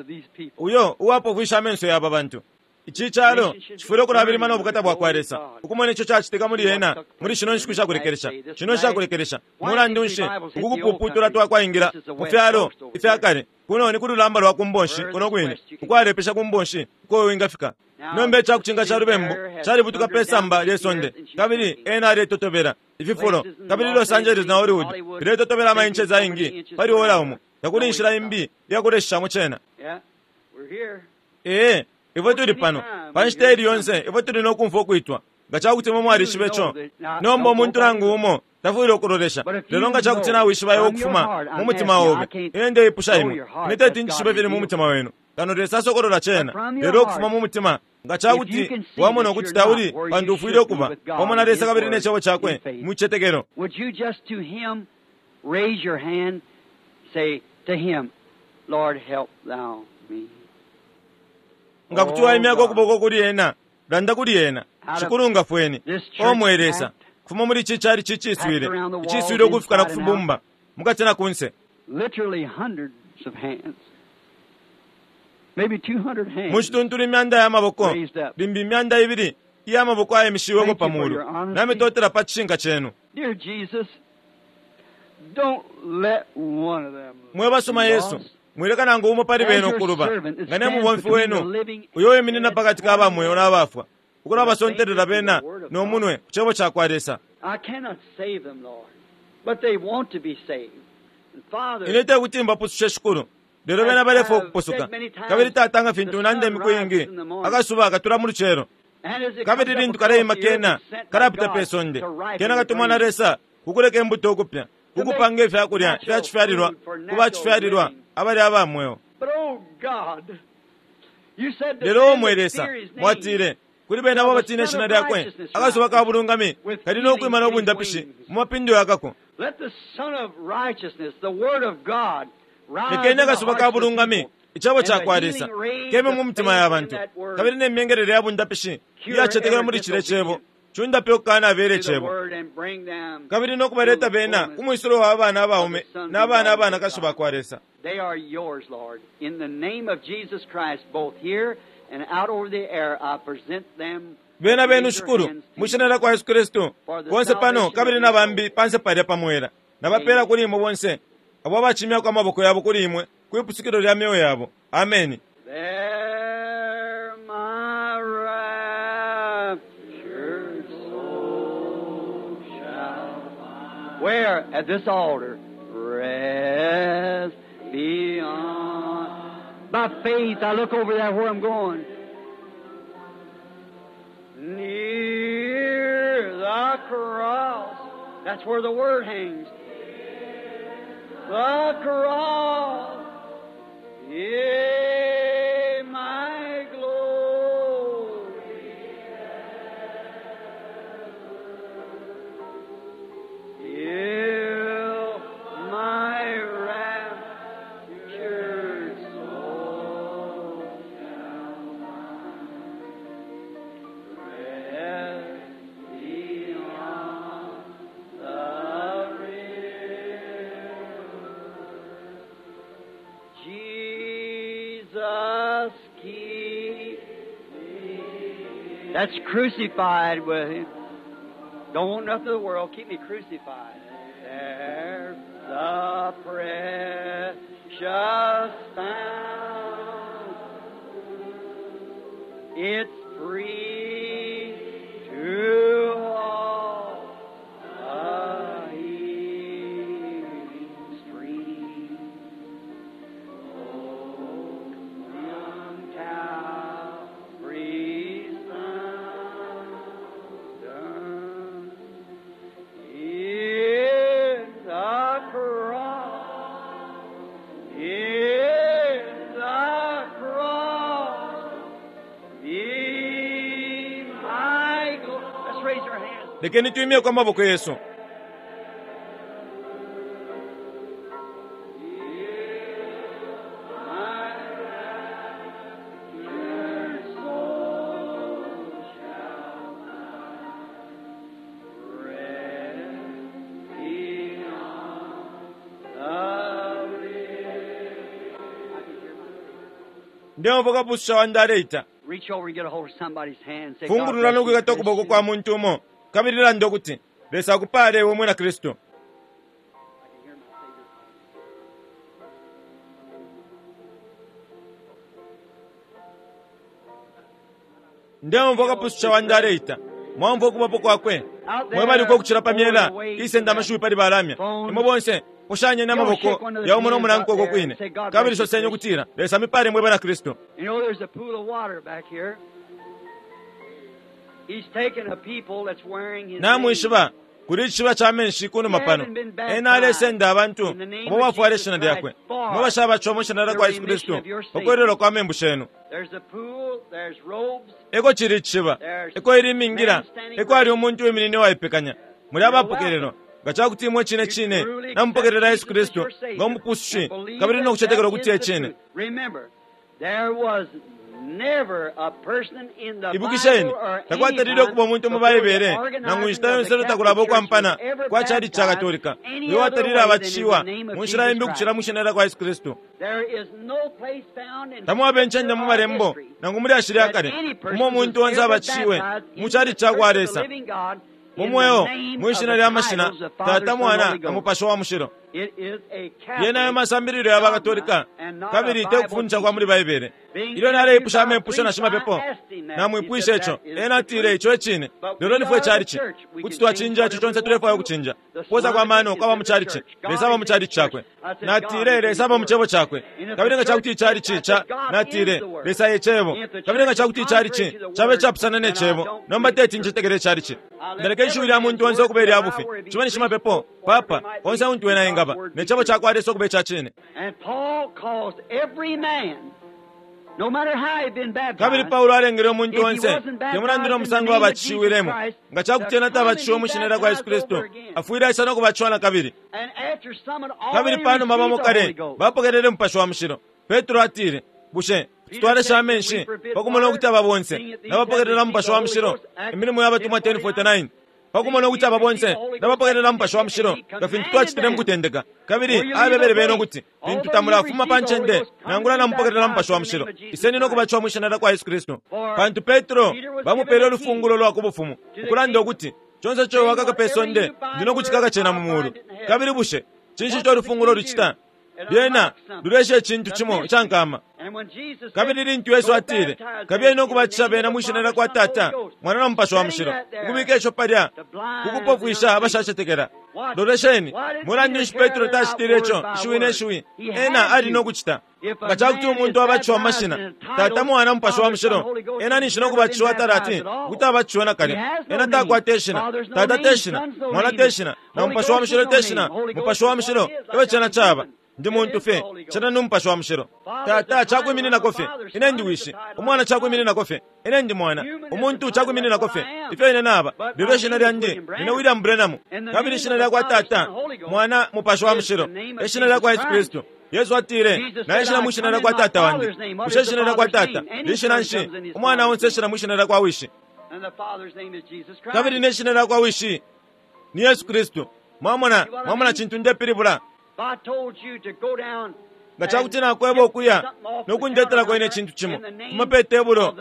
uyo uwapofwisha amenso ya aba bantu. Ici calo cifwile ukulabilima no bukata bwa kwa Lesa, ukumona ico cacitika muli ena muli shino nshiku shakulekelesha. Shino nshakulekelesha mulandu nshi uku kupuputula twakwaingila mu fyalo ifya kale? Kuno ni ku lulamba lwa kumbonshi kuno kwine, ukwalepesha kumbonshi uko wingafika. Nomba icakucinga ca lubembu calibutuka pe samba lye sonde, kabili ena aletotobela ififulo, kabili Los Angeles na Hollywood iletotobela ama inches aingi pali ora umo. Takuli inshila imbi iyakuleshishamo cena. Ee, ifwe tuli pano pa nshita ili yonse, ifwe tuli no kumfwa ukwitwa. Nga cakuti imwe mwalishiba ico, nomba umuntu nangu umo tafwile ukulolesha. Lelo nga cakuti nawishiba iwe ukufuma mu mutima obe, ine ndeipusha imwe, ine teti njishibe ifili mu mutima wenu, kano Lesa asokolola cena. Lelo ukufuma mu mutima, nga cakuti wamona ukuti tauli pantu ufwile ukuba pamo na Lesa kabili ne cebo cakwe mu cicetekelo, nga kuti waimyako ukuboko kuli ena, landa kuli ena, Shikulu ngafweni, o mwe Lesa, kufuma muli ici cali ciciswile, iciswile ukufika na kufibumba mukati na kunse. Mu cituntulu imyanda ya maboko, limbi imyanda ibili iya maboko ayemishiweko pa mulu. Namitotela pa cishinka cenu. Mwe basuma Yesu, mwileka nangu umo pali bena ukuluba, nga ne mubomfi wenu uyo wiminina pakati ka bamweo na bafwa, ukulabasontelela bena no munwe ku cebo ca kwa Lesa. Ine tekuti mbapusushe Shikulu, lelo bena balefwa ukupusuka. Kabili Tata, nga fintu nanda imiku iingi, akasuba katula mu lucelo, kabili lintu kaleima kena kalapita pe sonde, kena katumwa na Lesa kukuleka imbuto ukupya, kukupanga ifyakulya ifyacifyalilwa ku bacifyalilwa abali aba mweo. Lelo omwe Lesa, mwatile kuli bena abo batina ishina lyakwe, akasuba ka bulungami kali no kwima no bundapishi mu mapindo yakako. Lekeni akasuba ka bulungami, icebo ca kwa Lesa, keme mu mitima ya bantu, kabili ne myengelele ya bundapishi iyacetekela muli cile cebo. Chundape ukana abele to the chebo. Word and bring them Kabili no kubaleta to the bena fullness. kumwisulo wa abana abaume na abana abanakashi bakwa Lesa. They are yours, Lord. In the name of Jesus Christ, both here and out over the air, I present them. Bena benu Raise your shukuru hands to mwishina you. lya kwa Yesu Kristu bonse pano kabili na bambi panse palya pamwela nabapela kuli imwe bonse abo abachimyako amaboko yabo kuli imwe kwipusukilo lya myoyo yabo. Ameni. There my raptured soul shall find. Where? At this altar. Rest beyond. By faith, I look over there where I'm going. Near the cross. That's where the Word hangs. The cross. Yea, my glory. Heal my raptured soul shall find rest beyond the river. Jesus, keep me. That's crucified with him. Don't want nothing of the world. Keep me crucified. There's the precious fountain. It's free to all a healing stream. Oh, from Calvary's fountain, in the cross, in the cross, be my glory. Let's raise our hands. Lekeni tuimyeko amaboko yesu. Ndemva kapususha wandi aleita. Reach over and get a hold of somebody's hand. Say, God Fungulula bless you, nokwikata ukuboko Christian. kwa muntu umo kabili landa ukuti Lesa akupale iwe mwina Kristu. I can hear my Savior calling. Ndemva kapususha wandi aleita. Mwamva ukubapo kwakwe. Mwebaliko ukuchila pamyela isenda amashuwi pali balamya. Imwe bonse poshanyeni amaboko ya umo nomunankwe uko kwine. Kabili soseni ukutila Lesa mipale mwe bana Kristu. You know, there's a pool of water back here. He's taking a people that's wearing his name. Namwishiba kuli icishiba ca menshi kunuma pano ena alesenda abantu abo bafwala ishina lyakwe mwe bashabaca mu shina lya kwa Yesu Kristu pakwelelwa kwa membu shenu. There's a pool, there's robes, Eko chili icishiba eko ili imingila eko ali umuntu wiminine waipekanya muli abapokelelwa nga cakuti imwe cine cine namupokelela Yesu Kristu nga umupusushi kabili nokucetekela ukuti e cine. Remember, there was never a person in the Ibukisheni Bible or any takwatalile okuba omuntu mu time before the Baibele organizing nangu nshita of the yonse Catholic takulaba Church okwampana was ever kwa chali cha baptized Katolika any uyo other watalile way than in abatishiwa the name of mu nshila Jesus imbi ukuchila Christ. mu shina lya kwa Yesu Kristu. There is no place found in Tamwaba encende scripture mu or malembo history nangu muli ashili that akale any person umo omuntu was onse ever abatishiwe baptized mu into chali the cha kwa church of the Lesa living God mu in mweo the name mu of ishina the lya mashina titles, the Father, Tata Son, Mwana Holy na Ghost. Mupashi wa Mushilo. It is a Yena ayo Catholic masambililo ya bakatolika kabili te kufundisha kwa muli Baibele. Ilyo naleipusha amepusho na shimapepo namwipwishe ico ena atile ico ecine lelo nifwe chalichi kuti twachinja ico chonse tulefwaya ukuchinja kuposa kwa mano kwaba mu chalichi Lesa aba mu chalichi chakwe. Natile Lesa aba mu chebo chakwe kabili nga chakuti ichalichi cha natile Lesa ye chebo kabili nga chakuti ichalichi chabe chapusana ne chebo nomba teti nchitekele ichalichi. Ndaleka ishiwi lya muntu onse okuba ilya bufi chiba ni shimapepo papa onse untu wena engaba ne chebo chakwa Lesa okuba icha chine. And Paul caused every man, no matter how he'd been Kabili baptized, Paulo alengele omuntu If he onse wasn't baptized temulandile in the omusango name of abatishiwilemo Jesus Christ, nga chakuti ena to come and tabatishiwe be mu shina lya kwa Yesu baptized Kristu over again. afwile aisa nokubatishiwa na kabili. And after some had Kabili already panuma bamo received the Holy kale Ghost, bapokelele Mupashi wa Mushilo. Petro atile Bushe tutwalesha amenshi pakumona ukuti aba bonse nabapokelela Mupashi wa Mushilo? Imilimo ya Batumwa ten forty-nine. Pakumona ukuti aba bonse nabapokelela Mupashi wa Mushilo nga fintu twacitile mu kutendeka. Kabili abebele bena ukuti lintu tamulafuma pa ncende nangula namupokelela Mupashi wa Mushilo, iseni no kubatishiwa mwi shina lya kwa Yesu Kristu. Pantu Petro bamupele ulufungulo lwa ku bufumu, ukulanda ukuti conse ico wakaka pe sonde ndi no kucikaka cena mu mulu. Kabili bushe cinshi ico ulufungulo lucita? Lyena lulesha icintu cimo icankama. Kabili lintu Yesu atile, kabiyeni no kubatisha bena mwi shina lya kwa Tata, Mwana na Mupashi wa Mushilo, ukubika ico palya kukupofwisha abashacetekela. Lolesheni, mulandu nshi Petro tacitile ico ishiwi ne shiwi? Ena ali no kucita. Nga ca kuti umuntu abatishiwa mu mashina Tata, Mwana, Mupashi wa Mushilo, ena ninshi no kubatishiwa talati ukuti abatishiwe nakalya. Ena takwata ishina. Tata te shina, Mwana te shina, na Mupashi wa Mushilo te shina. Mupashi wa Mushilo ewe cena caba. Ndi muntu fye, cena ni Mupashi wa Mushilo. Tata cakwimininako fye, ine ndi wishi. Umwana cakwimininako fye, ine ndi mwana. Umuntu cakwimininako fye, ifyo ine naba. Lelo ishina lyandi nine William Branham. Kabili ishina lya kwa Tata, Mwana, Mupashi wa Mushilo, ishina lya kwa Yesu Kristu. Yesu atile, naishina mwi shina lya kwa Tata wandi. Bushe ishina lya kwa Tata lishina nshi? Umwana onse eshina mwi shina lya kwa wishi. Kabili ne shina lya kwa wishi ni Yesu Kristu. Mwamona, mwamona cintu ndepilibula. Nga cakuti nakweba ukuya nokundetelako ine cintu cimo fuma pe tebulo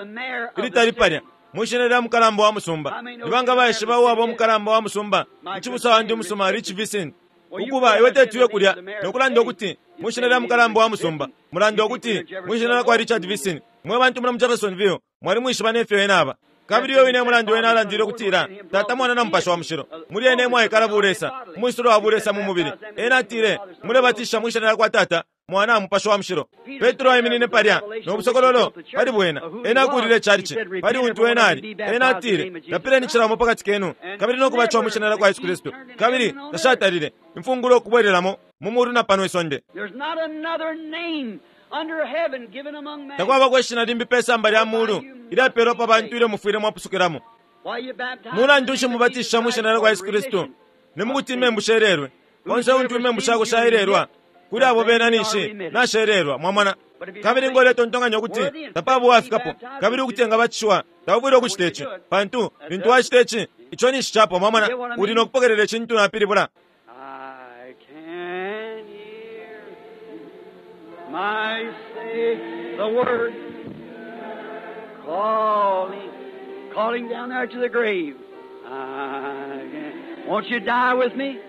ilitali palya mwi shina lya mukalamba wa musumba. Nibanga baishiba uwaba umukalamba wa musumba? Icibusa wandi umusuma Rich Vincent. Ukuba iwe tetuye kulya nokulanda ukuti mwi shina lya mukalamba wa musumba, mulanda ukuti mwi shina lya kwa Richard Vincent. Mwe bantu muna mu Jeffersonville mwali mwishiba nefyo ena aba. Kabili iyo ine mulandu wena alandile ukutila Tata, Mwana na Mupashi wa Mushilo muli ene mwaikala bulesa, umwisulo wa bulesa mu mubili. Ena atile mulebatisha mwi shina lya kwa Tata, Mwana, Mupashi wa Mushilo. Petro aiminine palya no busokololo pali bwena. Ena akulile chalichi pali untu wena ali. Ena atile lapileni cilamo pakati kenu kabili no kubatishiwa mwi shina lya kwa Yesu Kristu. Kabili tashatalile imfungulo okubwelelamo mu mulu na pano isonde. Takwabako ishina limbi pe samba lya mulu ilyapelwa pa bantu ilyo mufwile mwapusukilamo. Mulandu nshi mubatisha mwi shina lya kwa Yesu Kristu? Ni mukuti imembu shelelwe. Onse untu imembu shako shaelelwa, kuli abo bena ninshi nashelelwa. Mwamona? Kabili ngo uletontonkanya ukuti tapaba uwafikapo kabili ukuti engabatishiwa, taufwile ukucita ici, pantu lintu wacita ici, ico ninshi capwa. Mwamona? Uli no kupokelela icintu napilibula. My say the word calling, calling down there to the grave. I, won't you die with me?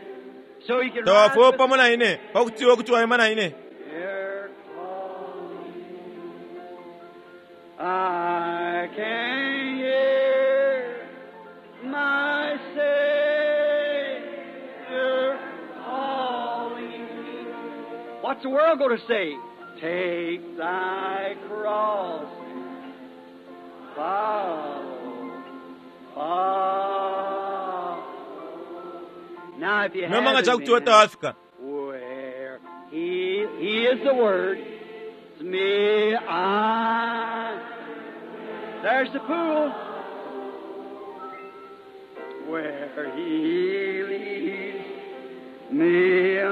So you can rise Tawafuwe with pamo me. na ine pakuti iwe kuti waima na ine. They're calling. I can hear my Savior calling. What's the world going to say? Take thy cross, follow, follow. Now, if you Nomba nga haven't cakuti iwe been, tawafika, where he, he is the Word. It's me, I. There's the pool. Where he leads me, I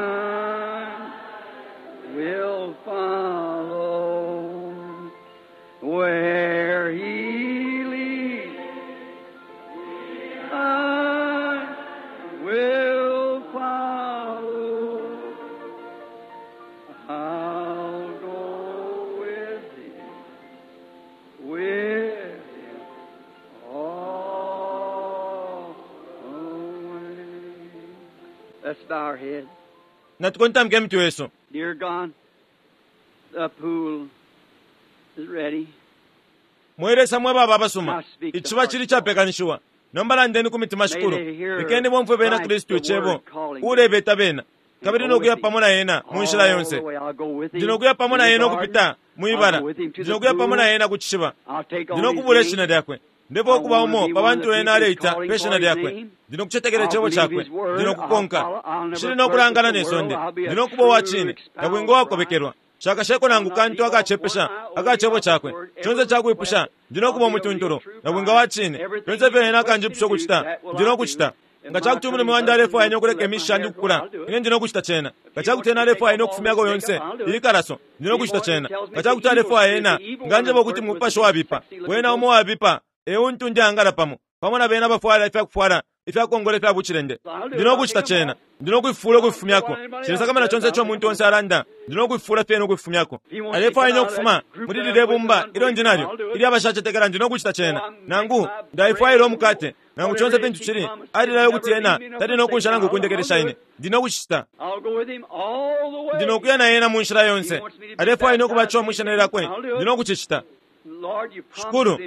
will follow. Where he leads, I will follow. I'll go with him, with him all the way. Let's bow our heads. natukontamike emitwe yesu. Dear God, the pool is ready. Mwelesa mwe baba abasuma, iciba cili capekanishiwa. Nomba landeni ku mitima shikulu, lekeni bomfwe bena Kristu icebo ulebeta bena, kabili nokuya pamo na ena mu nshila yonse. Ndi nokuya pamo na ena ukupita mwibala, ndi nokuya pamo na ena ku cishiba, ndi nokubula ishina lyakwe. Ndipo okuba umo pa bantu ena aleita pe shina lyakwe. Ndi nokucetekela icebo cakwe, ndi nokukonka. Nshili nokulangana ne sonde, ndi nokuba uwa cine, nabwinga uwakobekelwa. Shakasheko nangu kantu akacepesha akacebo cakwe. Conse cakwipusha, ndi nokuba umutuntulu, nabwinga wa cine. Fyonse ifyo ena akanjipusha ukucita, ndi nokucita. Nga cakuti umulume wandi alefwaya ine ukuleka imisha yandi ukukula, ine ndi nokucita cena. Nga cakuti ena alefwaya ine ukufumyako yonse ilikalaso, ndi nokucita cena. Nga cakuti alefwaya ena, nga njeba ukuti mupashi wabipa, wena umo wabipa, e untu ndiangala pamo, pamo na bena abafwala ifyakufwala ifyakongola ifya bucilende. Ndi nokucita cena. Ndi nokufifula ukufifumyako. Nshilesakamana conse ico umuntu onse alanda. Ndi nokufifula fye nokufifumyako. Alefwaya ine ukufuma muli lilye bumba ilyo ndi nalyo, ilyo abashacetekela, ndi nokucita cena. Nangu ndaifwaila umukate, nangu conse fintu cili, alilayo ukuti ena tali nokunsha nangu ukundekelesha ine. Ndi nokucita. Ndi nokuya na ena mu nshila yonse. Alefwaya ine ukubatishiwa mwi shina lyakwe. Ndi nokucicita. Shikulu,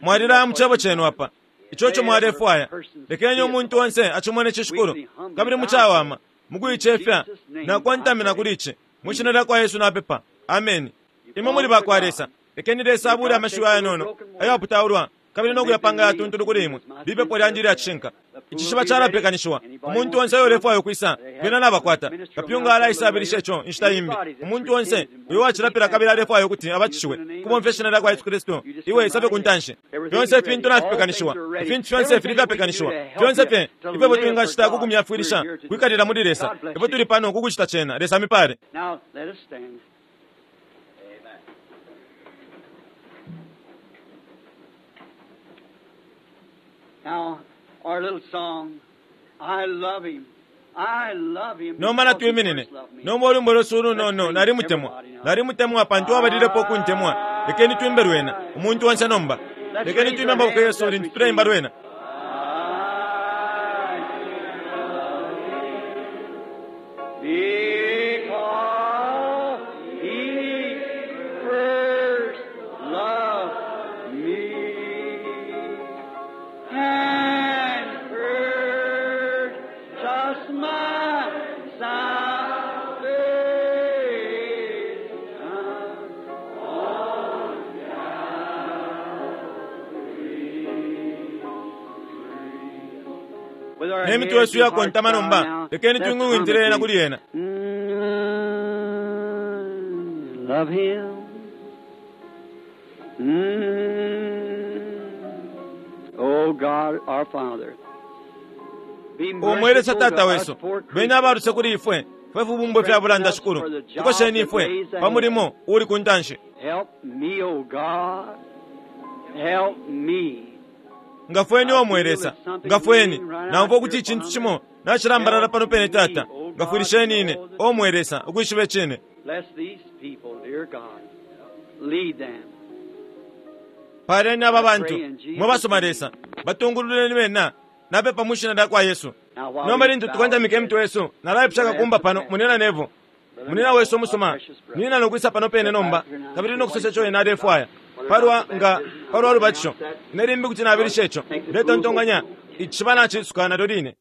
mwalilaya mu cebo cenu apa. Ico ico mwalefwaya. Lekeni umuntu onse acimone ici, Shikulu, kabili mucawama mukuicefya nakontamina kuli ici. Mwi shina lyakwa Yesu napepa. Ameni. Imwe muli bakwa Lesa. Lekeni Lesa abule amashiwi ayanono ayaputaulwa kabili nokuyapanga yatuntulu kuli imwe. Lipepo lyandi ilyacishinka. Icishiba calapekanishiwa. Umuntu onse uyo ulefwaya ukwisa, bena nabakwata. Kapyunga alaisabilisha ico inshita imbi. Umuntu onse uyo wacilapila kabili alefwaya ukuti abatishiwe kubomfya ishina lyakwa Yesu Kristu, iwe isabe ku ntanshi. Fyonse ifintu nafipekanishiwa. Ifintu fyonse fili fyapekanishiwa. Fyonse fye ifyo twingacita ku kumyafwilisha kwikalila muli Lesa. Ifwe tuli pano kukucita cena. Lesa amipale. Now let us stand. Now, our little song, I love him. I love him. Nomba natwiminine. Nomba olwimbo lwesu ulunono nalimutemwa. Nalimutemwa pantu abalilepo ukuntemwa. Lekeni twimbe lwena. Umuntu onse nomba. Lekeni twimbe amaboko yesu lintu tuleimba lwena. Because he first loved me and purchased my salvation on Calvary. With our Ne mitwe heads yesu and hearts yakontama bowed nomba. now, Lekeni let's twing'ung'intile ena hum it kuli ena. Mm, love him. Mm. Oh God, our Father. Be Omwelesa merciful to tata us wesu. poor Bena abaluse kuli ifwe. Fwe fubumbwe fya bulanda Shikulu. Tukosheni ifwe pa mulimo uli ku ntanshi. Help me, oh God. Help me. Ngafweni omwelesa. Ngafweni. Namva ukuti icintu cimo nacilambalala pano pene tata. Ngafwilisheni ine omwelesa ukwishiba icine. Bless these people, dear God. Lead them. Paleni aba bantu mwe basoma Lesa. Batungululeni bena. Napepa mu shina lyakwa Yesu. Now, while Nomba we lintu bow tukontamika emitwe yesu, nalaipusha kakumba pano munena nevo. Munena wesu omusoma, nina nokwisa pano pene nomba, kabili nokusosa ico ena alefwaya. Palwa nga palwa lubatisho, ine limbi kuti nabilisha ico. Ndetontonkanya icishiba nacisuka nalyo line.